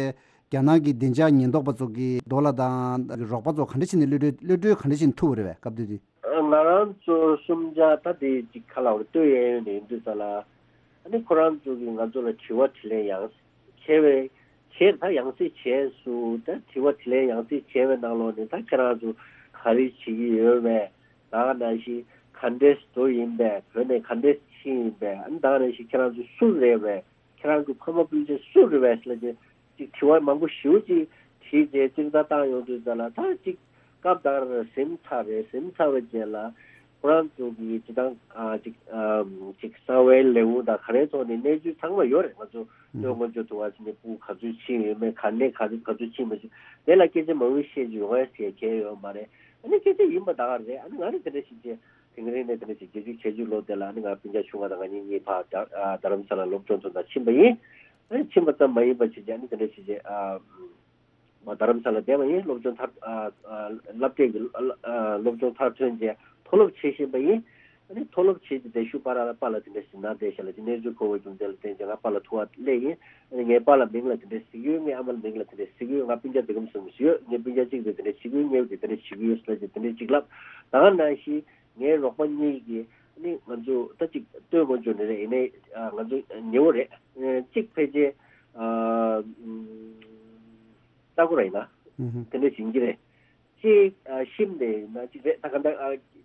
རྒྱ་ནག་གི་བདེ་འཇགས་ཉེན་རྟོག་པ་ཚོ་གིས་རྡོ་ལགས་དང་རོགས་པ་ཚོ་ག་འདྲ་བྱས་ནས་གློད་གྲོལ་གློད་གྲོལ་ག་འདྲ་བྱས་ནས་ཐུབ་པ་རེད་བས་སྐབས་དེ་དུས། ང་རང་ཚོ་གསུམ་ཆ་ད་དེ་ཅིག་ཁ་ལ་བར་ལྟོས་ཡས་ཡོད་ནས་ཡིན་དུས་ཙ་ལ། ཨ་ནི་ཁོ་རང་ཚོ་གིས་ང་ཚོ་ལ་དྲི་བ་དྲིས་ལན་ཡང་བྱས་པའི་ བྱས་ད་ཡང་སེ་བྱས་སུ་ད་དྲི་བ་དྲིས་ལན་ཡང་སེ་བྱས་པའི་ནང་ལོགས་ནས་ད་ཁྱེད་རང་ཚོ་ག་རེ་བྱེད་ཀྱི་ཡོད་པས། ད་ག་ནང་བཞིན་ག་འདྲས་འགྲོ་ཡིན་པས། བོད་ནས་ག་འདྲས་ཕྱིན་ཡིན་པས། ཨ་ནི་ད་ག་ནང་བཞིན་ཁྱེད་རང་ཚོ་སུ་རེད་པས། ཁྱེད་རང་གི་ཕ་མ་སྤུན་མཆེད་སུ་རེད་པས་ཟེར་ལབ་བྱས་ཅིག་དྲི་བ་མང་པོ་ཞེ་པོ་ཅིག་དྲིས་རྗེས་གཅིག་ད་བཏང་ཡོང་དུས་ཙ་ལ་ད་ཅིག་སྐབས་དེར་ཟིན་ཚར་རེད། ཟིན་ཚར་བའི་རྗེས་ལ་ཁོ་རང་ཚོ་གི་སྤྱི་བཏང་ཨ་ཅིག་ཨམ་ཅིག་གསང་བའི་ལེའུ་དང་ག་རེ་ཐོག་ནས་གནས་ཚུལ་ཚང་མ་ཡོད་རེད། ང་ཚོ་ལྟོས་སྔོན་འཇོག་ཐུབ་པ་ཟིན་ནས་སྤུ་ག་ཚོད་ཕྱིན་ཡོད་མེད། ག་ནས་ག་ཚོད་ག་ཚོད་ཕྱིན་མ་ཕྱིན་དེ་ལ་སྐད་ཆ་མང་པོ་བཤད་རྒྱུ་ཡོང་ཡ་ཟེར་གལ་ཡོད་མ་རེད། ཨ་ནི་སྐད་ཆ་ཡིན་པ་ད་ག་རེད། ཨ་ནི་ང་ནི་དེ་འདྲ་ཞིག་བྱས། དེང་རིང་ནས་དེ་འདྲ་ཞིག་བརྒྱད་ཅུ་གྱ་གཅིག་ལོ་དེ་ལ་ནི་ང་སྤུན་ཀྱག་ཆུང་བ་དང་ང་གཉིས་གཉིས་ཕར་རྡ་རྡ་རམ་ས་ལ་སློབ་སྦྱོང་ཚོ་དང་ཕྱིན་པ་ཡིན། ཨ་ནི་ཕྱིན་པ་ཙམ་མ་ཡིན་པ་བྱས་ཀྱང་ནི་དེ་འདྲ་ཞིག་བྱས་ཨ་མ་རྡ་རམ་ས་ལ་བསྡད་པ་ཡིན། སློབ་སྦྱོང་མཐར་ཨ་ཨ་སློབ་གྲྭའི་གི་ཨ་སློབ་སྦྱོང་མཐར་ཐོན་རྗེས་མཐོ་སློབ་བྱེད་བཞིན་པ་ཡིན། ཨ་ནི་མཐོ་སློབ་བྱེད་ཀྱི་བསྡད་ཤུགས་པ་ར་ལ་པཱ་ལགས་དེ་འདྲ་ཞིག་ན་བསྡད་ཤག་ལབ་ཀྱི་གནས་ཚུལ་གོ་བའི་རྒྱུ་མཚན་ལ་བརྟེན་བྱས་ང་པཱ་ལགས་ཐུག་པ་སླེབས་ཡིན། ཨ་ནི་ངའི་པཱ་ལགས་མིང་ལ་དེ་འདྲ་ཟེར་གྱི་ཡོད། ངའི་ཨ་མ་ལགས་མིང་ལ་དེ་འདྲ་ཟེར་གྱི་ཡོད། ང་སྤུན་ཀྱག་འདི་གམ་སོང་ཟེར་ཡོད། ངའི་སྤུན་ཀྱག་གཅིག་དེ་དེ་འདྲ་བྱེད་ཀྱི་ཡོད། ངའི་དེ་དེ་འདྲ་བྱེད་ཀྱི་ཡོད་ཟེར་ལབ་ཀྱི་དེ་འདྲ་ཅིག་ལབ། ད་ག་ནང་བཞིན། ངའི་རོགས་པ་གཉིས་ཀྱིས་ནི་ང་ཚོ་ད་ཅིག་ལྟོས་སྔོན་འཇོག་ནི་རེད། ཡིན་ནའི་ང་ཚོ་ཉེ་བོ་རེད། གཅིག་ཕལ་ཆེར་ལྟ་སྐོར་ར་ཡིན་ན་དེ་འདྲ་ཞིག་གི་རེད། གཅིག་ཤིམ་ནས་ཡིན་ན་གཅིག་རེད། ད་ག་འདྲ་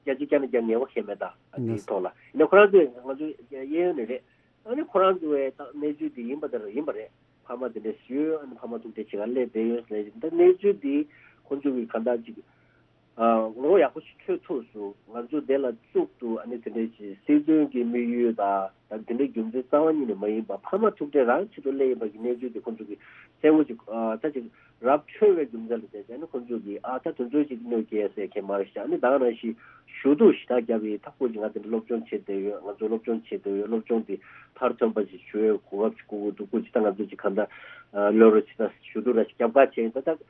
བརྒྱ་ཆ་བརྒྱ་ནས་བརྒྱ་ངེས་པ་ཤེས་མེད། ད་དེའི་ཐོག་ལ་ཡིན་ན་ཁོ་རང་ཚོས་ང་ཚོ་གཡས་གཡོན་ནས་རེད། ཨ་ནི་ཁོ་རང་ཚོ་བས་ད་གནས་ཚུལ་དེ་ཡིན་པ་དེ་ར་ཡིན་པ་རེད། ཕ་མ་དེ་འདྲ་ཞུས། ཨ་ནི་ཕ་མ་ཐུག་འཕྲད་བྱེད་ག་སླེབས་བསྡད་ཡོད་ཟེར་ནས་ད་གནས་ཚུལ་དེ་ཁོང་ཚོ་གིས་ག་འདྲ་ཅིག་ཨ་ངོ་ཡག་པོ་ཞིག་འཕྲོད་ཐུབ་སོང་། ང་ཚོ་དེ་ལ་གཙུག་ཏུ་ཨ་ནི་དེ་འདྲ་ཞིག་སྲིད་དོན་གྱི་དམིགས་ཡུལ་དང་ད་དེ་འདྲའི་རྒྱུ་མཚན་རྩ་བ་ཉིད་ནས་མ་ཡིན་པ་ཕ་མ་ཐུག་འཕྲད་རང་ཆེད་དུ་སླེབས་ཡིན་པ་གི་གནས་ཚུལ་དེ་ཁོང་ཚོ་གིས་གསལ་བོ་ཅིག་ཨ་ད་ཅིག་ར་འཕྲོད་པའི་རྒྱུ་མཚན་ལ་བལྟས་ཙང་ནི་ཁོང་ཚོ་གིས་ཨ་ད་དེ་ཚོ་ཅིག་གནོད་སྐྱེལ་ཟེར་མཁན་མ་རེད་ཤག་ཨ་ནི་ད་ག་ནང་བཞིན་ཞུ་གཏུག་ཞེ་དྲག་བརྒྱབ་ཡིན། ད་ཁོ་ཅིག་ང་དེ་འདྲ་སློབ་སྦྱོང་བྱེད་བསྡད་ཡོད། ང་ཚོ་སློབ་སྦྱོང་བྱེད་བསྡད་ཡོད། སློབ་སྦྱོང་དེ་མཐར་ཐོན་པ་ཞིག་ཞུ་ཡས་གོ་སྐབས་ཞིག་དགོས་ཀྱི་འདུག་ཁོ་ཅིག་ད་ང་ཚོ་ཅིག་གང་ལྟར་ཨ་གློད་རོགས་བྱེད་ད་ཞུ་གཏུག་ར་ཞིག་རྒྱབ་ཁ་བྱས་ཡིན། ད་ད་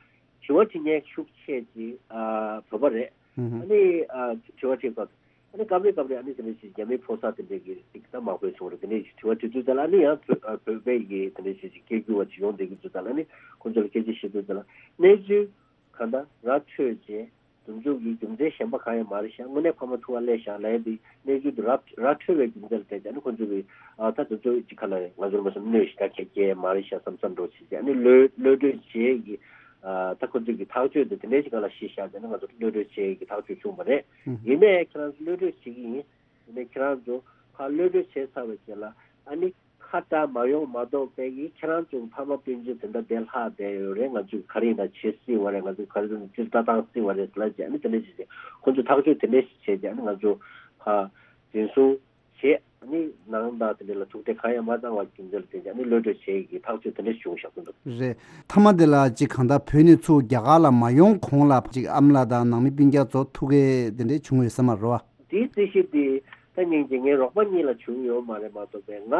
དྲི་བ་དྲི་མཁན་ཤུགས་ཆེ་ཅིག་ཨ་བོད་པ་རེད། ཨ་ནི་ཨ་དྲི་བ་དྲིས་སྐབས་ཨ་ནི་སྐབས་རེ་སྐབས་རེ་ཨ་ནི་དེ་འདྲ་ཞིག་རྒྱ་མིའི་ཕོ་གསར་དེ་འདྲས་ཀྱི་ཅིག་ད་མང་པོ་བྱུང་རེད། དེ་འདྲས་ཞིག་དྲི་བ་དྲི་དུས་ཙམ་ལ་ཨ་ནི་ཡང་བོད་ཨ་བོད་པའི་གི་དེ་འདྲས་ཞིག་ཅིག་སྐད་སྒྱུར་བ་ཅིག་ཡོང་བསྡད་ཀྱི་དུས་ཙམ་ལ་ཨ་ནི་ཁོང་ཚོ་ལ་སྐད་ཆ་བཤད་དུས་ཙམ་ལ་གནས་ཚུལ་གང་ལྟར་ར་འཕྲོད་རྗེས་དེ་ཚོ་གི་རྒྱུ་མཚན་གཞན་པ་གང་ཡང་མ་རེད་ཤག་དངོས་གནས་ཕ་མ་ཐུག་པ་སླེབས་ཤག་ལབ་ཡ་དེ་གནས་ཚུལ་དེ་ར་ར་འཕྲོད་པའི་རྒྱུ་མཚན་ལ་བལྟས་ཙང་ཨ་ནི་ཁོང་ཚོ་གི་ཨ་ད་དེ་ཚོ་ཅིག་ག་ལ་རེད། ང་ཚོར་མ་སོང་གནོད་ཞེ་དྲག་ཁྱད་ཁྱད་མ་རེད་ཤག་བསམ་བསམ་འགྲོ་བྱེད་ཀྱི་ཨ་ནི་གློད་གློད་གྲོལ་བྱེད་ཀྱི་ཨ་ད་ཁོ་ཚོས་ཀྱི་ཐག་གཅོད་དེ་དེ་འདྲའི་ཞིག་ག་ལ་བཞེས་བཞག་ཙང་ཨ་ནི་ང་ཚོ་གློད་གྲོལ་བྱེད་ཀྱི་ཐག་གཅོད་བྱུང་བ་རེད། ཡིན་ནའི་ཁྱེད་རང་ཚོ་གློད་གྲོལ་བྱེད་ཀྱི་ཡིན། ཡིན་ནའི་ཁྱེད་རང་ཚོ་ཕར་གློད་གྲོལ་བྱས་ཚར་བའི་རྗེས་ལ་ཨ་ནི་ཁ་བྲལ་མ་ཡོང་མ་གཏོགས་པའི་གི་ཁྱེད་རང་ཚོ་ཕ་མ་སྤུན་མཆེད་དེ་འདྲ་བསྡད་ལྷག་བསྡད་ཡོད་རེད། ང་ཚོས་ག་རེ་ཡིན་ན་བྱེད་སྲིད་པ་རེད། ང་ཚོས་ག་རེ་ཡིན་ན་སྤྱིར་ལྟ་བཏང་སྲིད་པ་རེད་ལབ་བྱས་ཨ་ནི་དེ་འདྲ་བྱས་བྱས་ཁོང་ཚོས་ཐག་གཅོད་དེ་འདྲ་ཞིག་བྱས་བྱས་ཨ་ནི་ང་ཚོ་ཕར་འཛིན་བཟུང་བྱས། ཨ་ནི་ནང་དང་དེ་འདྲ་ལ་ཐུག་འཕྲད་གང་ཡང་མ་བཏང་བ་རྒྱུ་མཚན་ལ་བརྟེན་ནས་ཨ་ནི་གློད་གྲོལ་བྱེད་ཀྱི་ཐག་གཅོད་དེ་འདྲ་བྱུང་བཞག་གི་འདུག་རེད། མཐའ་མ་དེ་ལ་ཅིག་གང་ལྟར་བོད་ནས་ཚུར་རྒྱ་གར་ལ་མ་ཡོང་གོང་ལ་ཅིག་ཨ་མ་ལགས་དང་ནང་མི་སྤུན་ཀྱག་ཚོ་ཐུག་གི་དེ་འདྲ་བྱུང་ཡོད་ས་མ་རེད་བ། དེའི་རྩིས་གཞི་དེ་ད་སྙིང་རྗེ་ངའི་རོགས་པ་གཉིས་ལ་བྱུང་ཡོད་མ་རེད་མ་གཏོགས་པའི་ང་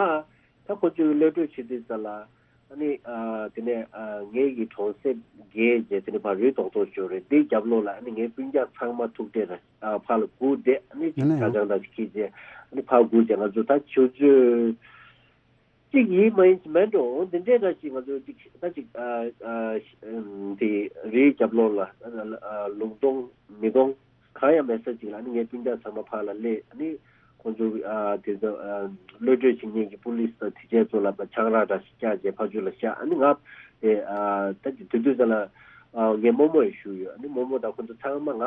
ད་ཁོ་ཚོའི་གློད་གྲོལ་བྱེད་དུས་ཙམ་ལ་ཨ་ནི་ཨ་དེ་ནས་ཨ་ངའི་གི་གྲོང་གསེབ་བརྒལ་རྗེས་དེ་ནས་ཕར་རི་རྡོག་རྡོག་ཅིག་ཡོད་རེད། དེའི་རྒྱབ་ལོགས་ལ་ཨ་ནི་ངའི་སྤུན་ཀྱག་ཚང་མ་ཐུག་འཕྲད་ལ་ཨ་ཕར་ལ་སྒུག་བསྡད། ཨ་ནི་ཡིན་ན་ཡང་ཅ་ལག་འདྲ་ཞིག་འཁྱེར་རྗེས་ཨ་ནི་ཕར་སྒུག་བྱས་ང་ཚོ་ད་ཆུ་ཚོད་གཅིག་ཡིན་མ་ཡིན་ཅིག་མེད་འགྲོ། འོ་འདི་འདྲའི་འདྲ་ཞིག་ང་ཚོ་ཅིག་ད་ཅིག་ཨ་ཨ་ཨམ་དེ་རིའི་རྒྱབ་ལོགས་ལ་ཨ་ཨ་ལུང་སྟོང་མི་སྟོང་གང་ཡང་མེད་ས་ཅིག་ལ་ཨ་ནི་ངའི་སྤུན་ཀྱག་ཚང་མ་ཕར་ལ་སླེབས། ཨ་ནི་ཁོང་ཚོ་ཨ་དེ་ཚོ་ཨ་གློད་གྲོལ་བྱེད་མཁན་གྱི་པུ་ལིས་དང་དེ་བྱས་ཚོ་ལ་ཆང་རག་འདྲ་ཞིག་བཀྱགས་རྗེས་ཕར་ཚུར་ལ་བཞག་ཨ་ནི་ང་དེ་ཨ་ད་ཅིག་དེ་དུས་ཙམ་ལ་ཨ་ངའི་རྨོ་མོ་ཡང་བཞུགས་ཡོད། ཨ་ནི་རྨོ་མོ་དང་ཁོང་ཚོ་ཚང་མ་ང་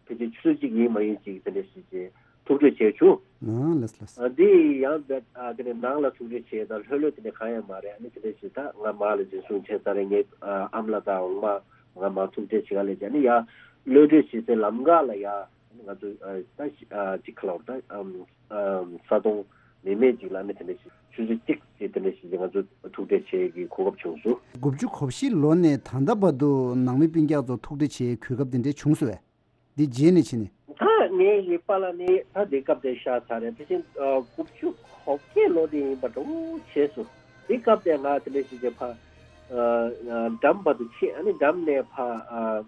ཕལ་ཆེར་ཆུ་ཚོད་གཅིག་ཡིན་མ་ཡིན་ཅིག་དེ་འདྲ་ཞིག་ཅིག་ཐུག་འཕྲད་བྱས་བྱུང་། ཨ་ལགས་ལགས། ཨ་འདི་ཡང་བས་ཨ་དེ་ནས་ནང་ལ་ཐུག་འཕྲད་བྱས་དང་ལྷོད་ལྷོད་དེ་འདྲ་གང་ཡང་མ་རེད། ཨ་ནི་དེ་འདྲ་ཞིག་ད་ང་མར་ལ་འཛིན་བཟུང་བྱས་ཚར་རེད། ངའི་ཨ་ཨ་མ་ལགས་དང་འོག་མ་ང་མར་ཐུག་འཕྲད་བྱེད་ག་སླེབས་བྱས་ཨ་ནི་ཡར་གློད་གྲོལ་བྱེད་སའི་ལམ་ཁ་ལ་ཡར་ཨ་ནི་ང་ཚོ་ཨ་ད་ཤི་ཨ་ཅིག་ཁ་ལོར་ད་ཨམ་ཨམ་ས་དོང་མེ་མེ་ཅིག་ལ་ཨ་ནི་དེ་འདྲ་ཞིག་ཆུ་ཚོད་གཅིག་ཅིག་དེ་འདྲ་ཞིག་ང་ཚོ་ཐུག་འཕྲད་བྱེད་ཀྱི་གོ་སྐབས་བྱུང་སོང་། དགུ་བཅུ་གོ་བཞི་ལོ་ནས་ད་ལྟ་བར་དུ་ནང་མི་སྤུན་ཀྱག་ཚོ་ཐུག་འཕྲད་བྱེད་གོ་སྐབས་དེ་འདྲ་བྱུང་སོང་བས། འདི་རྗེས་ནས་ཕྱིན་ནས། ད་ངའི་ཡིག་པ་ལ་ནི་ད་འདི་སྐབས་དེ་ཤར་ཚར་རེད། དེ་བཞིན་ཨ་དགུ་བཅུ་གོ་བརྒྱད་ལོ་དེ་ཡིན་པ་འདྲ་བོ་བྱས་སོང་། འདི་སྐབས་དེ་ང་དེ་འདྲ་ཞིག་བྱས་ཕ་ཨ་ཨ་འགྲམ་བར་དུ་ཕྱིན། ཨ་ནི་འགྲམ་ནས་ཕ་ཨ་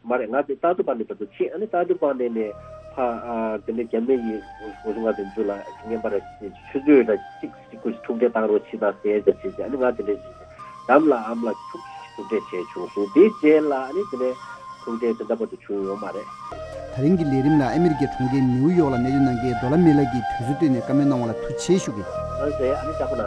མ་རེད། ང་དེ་ལྟ་དུ་པ་ནས་བར་དུ་ཕྱིན། ཨ་ནི་ལྟ་དུ་པ་ནས་ནས་ཕ་ཨ་དེ་འདྲ་རྒྱ་མི་ཡི་འུ་ཚོ་ང་དེ་ཚོ་ལ་ངན་པ་ར་ཆུ་ཚོད་ར་གཅིག་གཅིག་ཁུ་ཐུག་འཕྲད་བཏང་རོགས་བྱེད་དང་ཟེར་ཟེར་བྱས་བྱས། ཨ་ནི་ང་དེ་འདྲ་ཞིག་བྱས་འགྲམ་ལ་ཨམ་ལ་ཐུག་ཐུག་འཕྲད་བྱས་བྱུང་སོང་། དེའི་རྗེས་ལ་ཨ་ནི་དེ་ནས་ཐུག་འཕྲད་དེ་འདྲ་བར་དུ་བྱུང་ཡོད་མ་རེད། ད་རིང་གི་ལས་རིམ་ལ་ཨ་མི་རི་ཀའི་གྲོང་ཁྱེར་ནིའུ་ཡོག་ལ་གནས་སྡོད་གནང་མཁན་རྡོ་ལ་མེ་ལགས་ཀྱིས་དུས་ཚོད་བཏོན་ནས་བཀའ་མོལ་གནང་བ་ལ་ཐུགས་རྗེ་ཆེ་ཞུ་གི། ལགས་སེ། ཨ་ནི་ལྕགས་པོ་ན།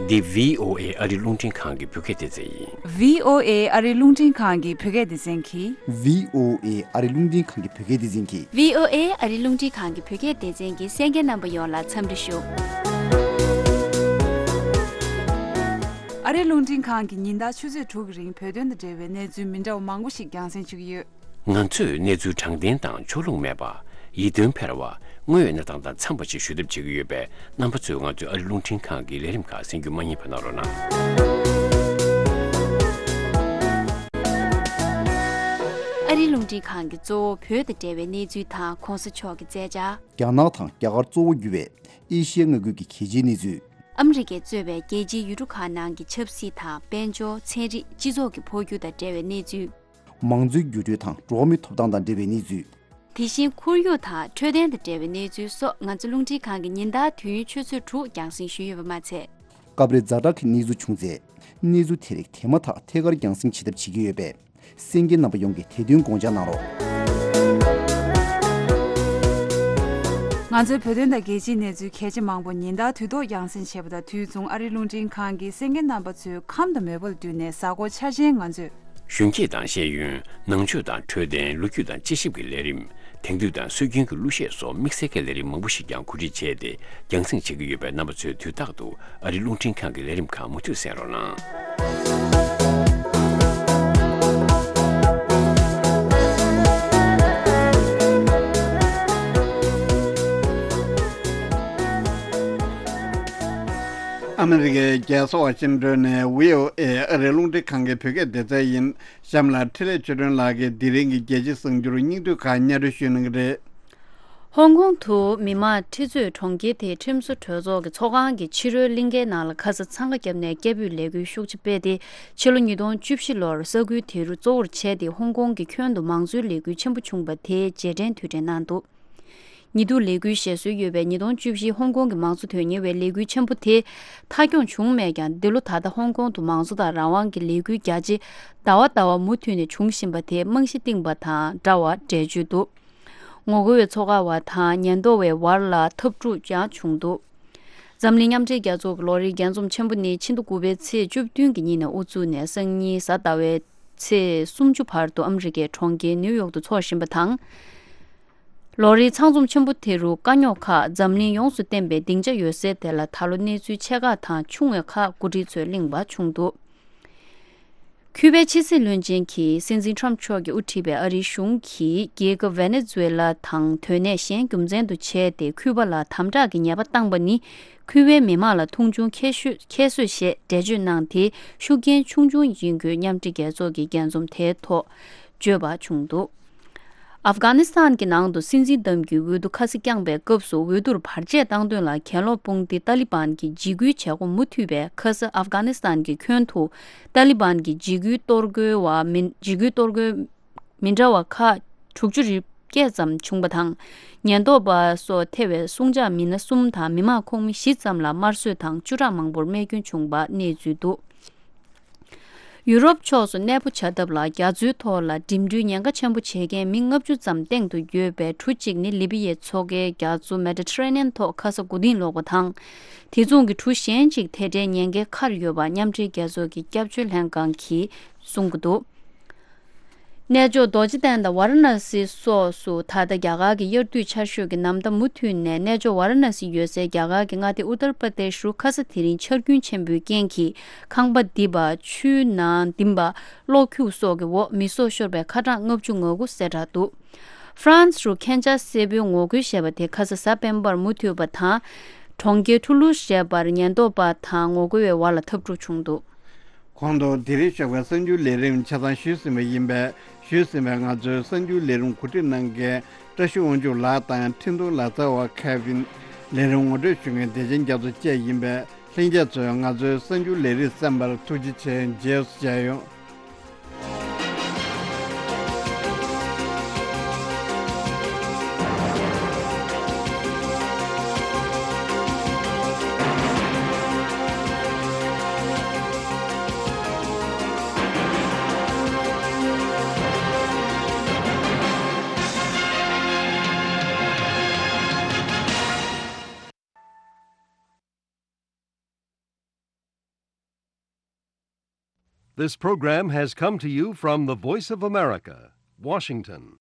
འདི་བྷི་ཨོ་ཨེ་ཨ་རི་རླུང་འཕྲིན་ཁང་གི་བོད་སྐད་སྡེ་ཚན་ཡིན། བྷི་ཨོ་ཨེ་ཨ་རི་རླུང་འཕྲིན་ཁང་གི་བོད་སྐད་སྡེ་ཚན་གྱིས། བྷི་ཨོ་ཨེ་ཨ་རི་རླུང་འཕྲིན་ཁང་གི་བོད་སྐད་སྡེ་ཚན་གྱིས། བྷི་ཨོ་ཨེ་ཨ་རི་རླུང་འཕྲིན་ཁང་གི་བོད་སྐད་སྡེ་ཚན་གྱི་གསན་མཁན་རྣམ་པ་ཡོངས་ལ་འཚམས་འདྲི་ཞུ། ཨ་རི་རླུང་འཕྲིན་ཁང་གིས་ཉིན་ལྟར་ཆུ་ཚོད་དྲུག་གི་རིང་བོད་དོན་དང་འབྲེལ་བའི་གནས་ཚུལ་མི་འདྲ་བ་མང་པོ་ཞིག་རྒྱང་སྲིང་ཞུ་གི་ཡོད། ང་ཚོས་གནས་ཚུལ་དྲང་བདེན་དང་ཕྱོགས་ལྷུང་མེད་པ། ཡིད་རྟོན་འཕེར་བ། དངོས་ཡོད་གནས་སྟངས་དང་འཚམས་པ་ཞིག་ཞུ་ཐབས་བྱེད་ཀྱི་ཡོད་པས། རྣམ་པ་ཚོས་ང་ཚོའི་ཨ་རི་རླུང་འཕྲིན་ཁང་གི་ལས་རིམ་ཁག་གསན་རྒྱུ་མ་བསྙེལ་བ་གནང་རོགས་གནང་། ཨ་རི་རླུང་འཕྲིན་ཁང་གིས་གཙོ་བོ་བོད་དང་འབྲེལ་བའི་གནས་ཚུལ་དང་གོང་ས་མཆོག་གི་མཛད་འཆར། རྒྱ་ནག་དང་རྒྱ་གར་གཙོ་བོ་གྱུར་བའི་ཨེ་ཤི་ཡའི་མངའ་ཁུལ་གྱི་གལ་ཆེའི་གནས་ཚུལ། ཨ་མི་རི་ཀས་གཙོས་པའི་རྒྱལ་སྤྱིའི་ཡུལ་གྲུ་ཁག་ནང་གི་ཆབ་སྲིད་དང་། དཔལ་འབྱོར། ཚན་རིག་སྤྱི་ཚོགས་ཀྱི་འཕོ་འགྱུར་དང་འབྲེལ་བའི་གནས་ཚུལ། མང་གཙོའི་འགྱུར་འགྲོས་དང་འགྲོ་བ་མིའི་ཐོབ་ཐང་དང་འབྲེལ་བའི་གནས་ཚུལ། དེ་བཞིན་ཁོར་ཡུག་དང་འཕྲོད་བསྟེན་དང་འབྲེལ་བའི་གནས་ཚུལ་སོགས། ང་ཚོ་རླུང་འཕྲིན་ཁང་གིས་ཉིན་ལྟར་དུས་ཡུན་ཆུ་ཚོད་དྲུག་རྒྱང་སྲིང་ཞུས་ཡོད་པ་མ་ཚད། སྐབས་རེ་ཛ་དྲག་གི་གནས་ཚུལ་བྱུང་ཚེ། གནས་ཚུལ་དེ་རིགས་དེ་མ་ཐག་ཐད་ཀར་རྒྱང་སྲིང་བྱེད་ཐབས་བྱེད་ཀྱི་ཡོད་པས། གསན་མཁན་རྣམ་པ་ཡོངས་ཀྱིས་དེ་དོན་དགོངས་འཇགས་གནང་རོགས། ང་ཚོའི་བོད་དོན་དང་རྒྱལ་སྤྱིའི་གནས་ཚུལ་གལ་ཆེ་མང་པོ་ཉིན་ལྟར་དུས་ཐོག་རྒྱང་སྲིང་བྱེད་པ་དང་། དུས་མཚུངས་ཨ་རིའི་རླུང་འཕྲིན་ཁང་གིས་གསན་མཁན་རྣམ་པ་ཚོའི་ཁམས་དང་མོས་པ་ལ་བསྟུན་ནས། གཟའ་འཁོར་འཆར་ཅན་ང་ཚོས། གཞོན་སྐྱེས་དང་ཤེས་ཡོན། ནང་ཆོས་དང་འཕྲོད་བསྟེན། ལོ་རྒྱུས་དང་དཔྱད་ཞིབ་ཀྱི་ལས་རིམ། དེང་དུས་དང་སྲོལ་རྒྱུན་གྱི་གླུ་གཞས་སོགས་དམིགས་བསལ་གྱི་ལས་རིམ་མང་པོ་ཞིག་ཀྱང་གོ་སྒྲིག་བྱས་ཏེ་རྒྱང་སྲིང་བྱེད་ཀྱི་ཡོད་པས། རྣམ་པ་ཚོས་དུས་རྟག་ཏུ་ཨ་རིའི་རླུང་འཕྲིན་ཁང་གི་ལས་རིམ་ཁག་མུ་མཐུད་གསན་རོགས་གནང་། ཨ་མི་རི་ཀའི་རྒྱལ་ས་ཝ་ཤིང་ཏོན་ནས་བྷི་ཨོ་ཨེ་ཨ་རིའི་རླུང་འཕྲིན་ཁང་གི་བོད་སྐད་སྡེ་ཚན་ཡིན། གཤམ་ལ་འཕྲིན་ལས་ཆོས་སྒྲོན་ལགས་ཀྱིས་དེ་རིང་གི་རྒྱལ་སྤྱིའི་གསར་འགྱུར་སྙིང་བསྡུས་ཁག་སྙན་སྒྲོན་ཞུ་གནང་གི་རེད། ཧོང་ཀོང་དུ་མི་དམངས་ཁྲི་ཚོས་གྲོང་ཁྱེར་དེའི་ཁྲིམས་བཟོ་གྲོས་ཚོགས་ཀྱི་ཚོགས་ཁང་གི་ཕྱི་རོལ་གླིང་གའི་ནང་ལ་ཁ་ས་འཚང་ཁ་བརྒྱབ་ནས་སྐད་འབོད་ལས་འགུལ་ཤུགས་ཆེ་སྤེལ་ཏེ། ཕྱི་ལོ་ཉིས་སྟོང་བཅུ་བཞི་ལོར་ས་ཁུལ་དེ་རུ་གཙོ་བོར་བྱས་ཏེ་ཧོང་ཀོང་གི་ཁྱོན་དུ་མང་གཙོའི་ལས་འགུལ་ཆེན་པོ་བྱུང་བ་དེའི་རྗེས་དྲན་དུས་དྲན་གནང་འདུག། ཉེ་དུས་ལས་འགུལ་ཞེད་སྲོལ་ཡོད་པའི་ཉིས་སྟོང་བཅུ་བཞི་ཧོང་ཀོང་གི་མང་གཙོ་དོན་གཉེར་བའི་ལས་འགུལ་ཆེན་པོ་དེ་མཐའ་འཁྱོངས་བྱུང་མེད་ཀྱང་། འདི་ལོ་ད་ལྟ་ཧོང་ཀོང་དུ་མང་གཙོ་དང་རང་དབང་གི་ལས་འགུལ་རྒྱ་ཆེ་ཟླ་བ་ཟླ་བ་མུ་མཐུད་ནས་འབྱུང་བཞིན་པ་དེ་རྨང་གཞི་བཏིང་པ་དང་འདྲ་བ་འགྲེལ་བརྗོད་འདུག། ངོ་རྒོལ་བའི་ཚོགས་ཁག་བ་དང་ཉེན་རྟོག་པའི་བར་ལ་འཐབ་འཁྲུག་ཀྱང་བྱུང་འདུག། འཛམ་གླིང་མཉམ་འབྲེལ་རྒྱལ་ཚོགས་ཀྱི་ལོ་རེའི་རྒྱས་འཛོམས་ཆེན་པོ་ནི་ཕྱི་ཟླ་དགུ་པའི་ཚེས་བཅུ་བདུན་གྱི་ཉིན་ནས་དབུ་བཙུགས་ནས་སང་ཉིན་གཟའ་ཟླ་བའི་ཚེས་སུམ་ཅུ་བར་དུ་ཨ་མི་རི་ཀའི་གྲོང་ཁྱེར་ནིའུ་ཡོག་ཏུ་འཚོགས་བཞིན་པ་དང་། ལོ་རེའི་ཚང་འཛོམས་ཆེན་པོ་དེ་རུ་དཀའ་རྙོག་ཁག་འཛམ་གླིང་ཡོངས་སུ་བསྟན་པའི་སྡིངས་ཆ་ཡོད་སའི་དེ་ལ་ད་ལོ་གནས་ཚུལ་ཆེ་ཁག་དང་ཆུང་བའི་ཁག་འགོ་ཁྲིད་ཚོས་གླེང་བ་བྱུང་འདུག། ཁུ་པའི་ཕྱི་སྲིད་བློན་ཆེན་གྱིས་སྲིད་འཛིན་ཁྲོམ་མཆོག་གིས་དབུ་ཁྲིད་པའི་ཨ་རིའི་གཞུང་གིས་རྒྱལ་ཁབ་ཝེ་ནེ་ཛུ་ཝེ་ལ་དང་དོན་གནད་གཞན་རྒྱུ་མཚན་དུ་བྱས་ཏེ་ཁུ་པ་ལ་དམ་དྲག་གི་ཉེས་པ་བཏང་པ་ནི། ཁུ་པའི་མི་དམངས་ལ་མཐོང་ཆུང་ཁྱད་ཤོས་ཁྱད་གསོད་ཞེས་འགྲེལ་བརྗོད་གནང་སྟེ། ཤུགས་རྐྱེན་ཆུང་ཆུང་ཡིན་དགོས་མཉམ་འབྲེལ་རྒྱལ་ཚོགས་ཀྱི་རྒྱས་འཛོམས་དེའི་ཐོག་བརྗོད་པ་བྱུང་འདུག། ཨབ་གྷ་ནི་སི་ཐན་གྱི་ནང་དུ་སྲིད་འཛིན་འདེམས་རྒྱུའི་འོས་བསྡུ་ཁ་སང་བསྐྱངས་པའི་སྐབས་སུ། འོས་བསྡུར་བར་ཆད་བཏང་དོན་ལ་གྱེན་ལོག་དཔུང་སྡེ་ཏཱ་ལི་བན་གྱི་འཇིགས་སྐུལ་བྱེད་སྒོ་མུ་མཐུད་པས། ཁ་ས་ཨབ་གྷ་ནི་སི་ཐན་གྱི་ཁྱོན་དུ་ཏཱ་ལི་བན་གྱི་འཇིགས་སྐུལ་གཏོར་རྒོལ་བ་མི་འཇིགས་སྐུལ་གཏོར་རྒོལ་མི་འདྲ་བ་ཁག་དྲུག་ཅུ་རེ་བརྒྱད་ཙམ་བྱུང་བ་དང་། ཉེན་རྟོག་པ་སོགས་ཐེ་བའི་སྲུང་བྱ་མི་སྣ་གསུམ་དང་མི་མང་ཁོངས་མི་བཞི་ཙམ་ལ་དམར་གསོད་དང་། བཅུ་ཕྲག་མང་པོར་རྨས་སྐྱོན་བྱུང་བ་གནས་ཚུལ་འདུག། ཡུ་རོབ་ཕྱོགས་སུ་གནས་སྤོ་བྱ་ཐབས་ལ་རྒྱ་མཚོའི་ཐོག་ལ་འགྲིམ་འགྲུལ་ཉེན་ཁ་ཆེན་པོ་བྱེད་མཁན་མི་ལྔ་བཅུ་ཙམ་སྟེང་དུ་ཡོད་པའི་གྲུ་གཅིག་ནི་ལི་བི་ཡའི་མཚོ་ཁའི་རྒྱ་མཚོ་མེ་ཌི་ཊ་རེ་ནི་ཡན་ཐོག་ཁ་ས་དགུ་ཐེངས་ལོག་པ་དང་། དེ་མཚུངས་ཀྱི་གྲུ་གཞན་གཅིག་དེ་འདྲའི་ཉེན་ཁའི་ཁར་ཡོད་པ་མཉམ་འབྲེལ་རྒྱལ་ཚོགས་ཀྱི་སྐྱབས་བཅོལ་ལྷན་ཁང་གིས་གསུང་གི་འདུག། གནས་མཆོག་རྡོ་རྗེ་གདན་དང་ཝཱ་ར་ཎ་སི་སོགས་སུ་ད་ལྟ་རྒྱ་གར་གྱི་དབྱར་དུས་ཆར་ཞོད་ཀྱི་ནམ་ཟླ་མུ་མཐུད་ནས། གནས་མཆོག་ཝཱ་ར་ཎ་སི་ཡོད་སའི་རྒྱ་གར་གྱི་མངའ་སྡེ་ཨུ་ཏར་པར་དེ་ཤུ་རུ་ཁ་ས་དེ་རིང་ཆར་རྒྱུན་ཆེན་པོའི་རྐྱེན་གྱིས་ཁང་པ་རྡིབ་པ། ཆུའི་ནང་ལྡིང་བ། གློག་འཁྱུག་སོགས་ཀྱི་འོག་མི་སྲོག་ཤོར་བའི་ཁ་གྲངས་ལྔ་བཅུ་ང་དགུ་གསལ་བསྒྲགས་འདུག། ཧྥ་རན་སི་རུ་མཁྱེན་ཆ་སེར་པོའི་ངོ་རྒོལ་ཞེས་པ་དེ་ཁ་ས་གཟའ་སྤེན་པར་མུ་མཐུད་པ་དང་། གྲོང་ཁྱེར་ཐུ་ལུ་ཞེས་པར་ཉེན་རྟོག་པ་དང་ངོ་རྒོལ་བའི་བར་ལ་འཐབ་འཁྲུག་བྱུང་འདུག། གོང་དུ་དེ་རིང་ཞོགས་པའི་གསར་འགྱུར་ལས་རིམ་ཆ་ཚང་ཞུས་ཟིན་པ་ཡིན་པས། ཞུས་ཟིན་པའི་ང་ཚོའི་གསར་འགྱུར་ལས་རིམ་གོ་སྒྲིག་གནང་མཁན་བཀྲ་ཤིས་དབང་ཕྱུག་ལགས་དང་འཕྲིན་གཏོང་ལག་རྩལ་བ་ཁེ་ཝིན། ལས་རིམ་ངོ་སྤྲོད་ཞུ་མཁན་བདེ་ཆེན་རྒྱ་མཚོ་བཅས་ཡིན་པས། ལྷན་རྒྱས་ཚོས་ང་ཚོའི་གསར་འགྱུར་ལས་རིམ་གསན་པར་ཐུགས་རྗེ་ཆེ། རྗེས་སུ་མཇལ་ཡོང་། This program has come to you from the Voice of America, Washington.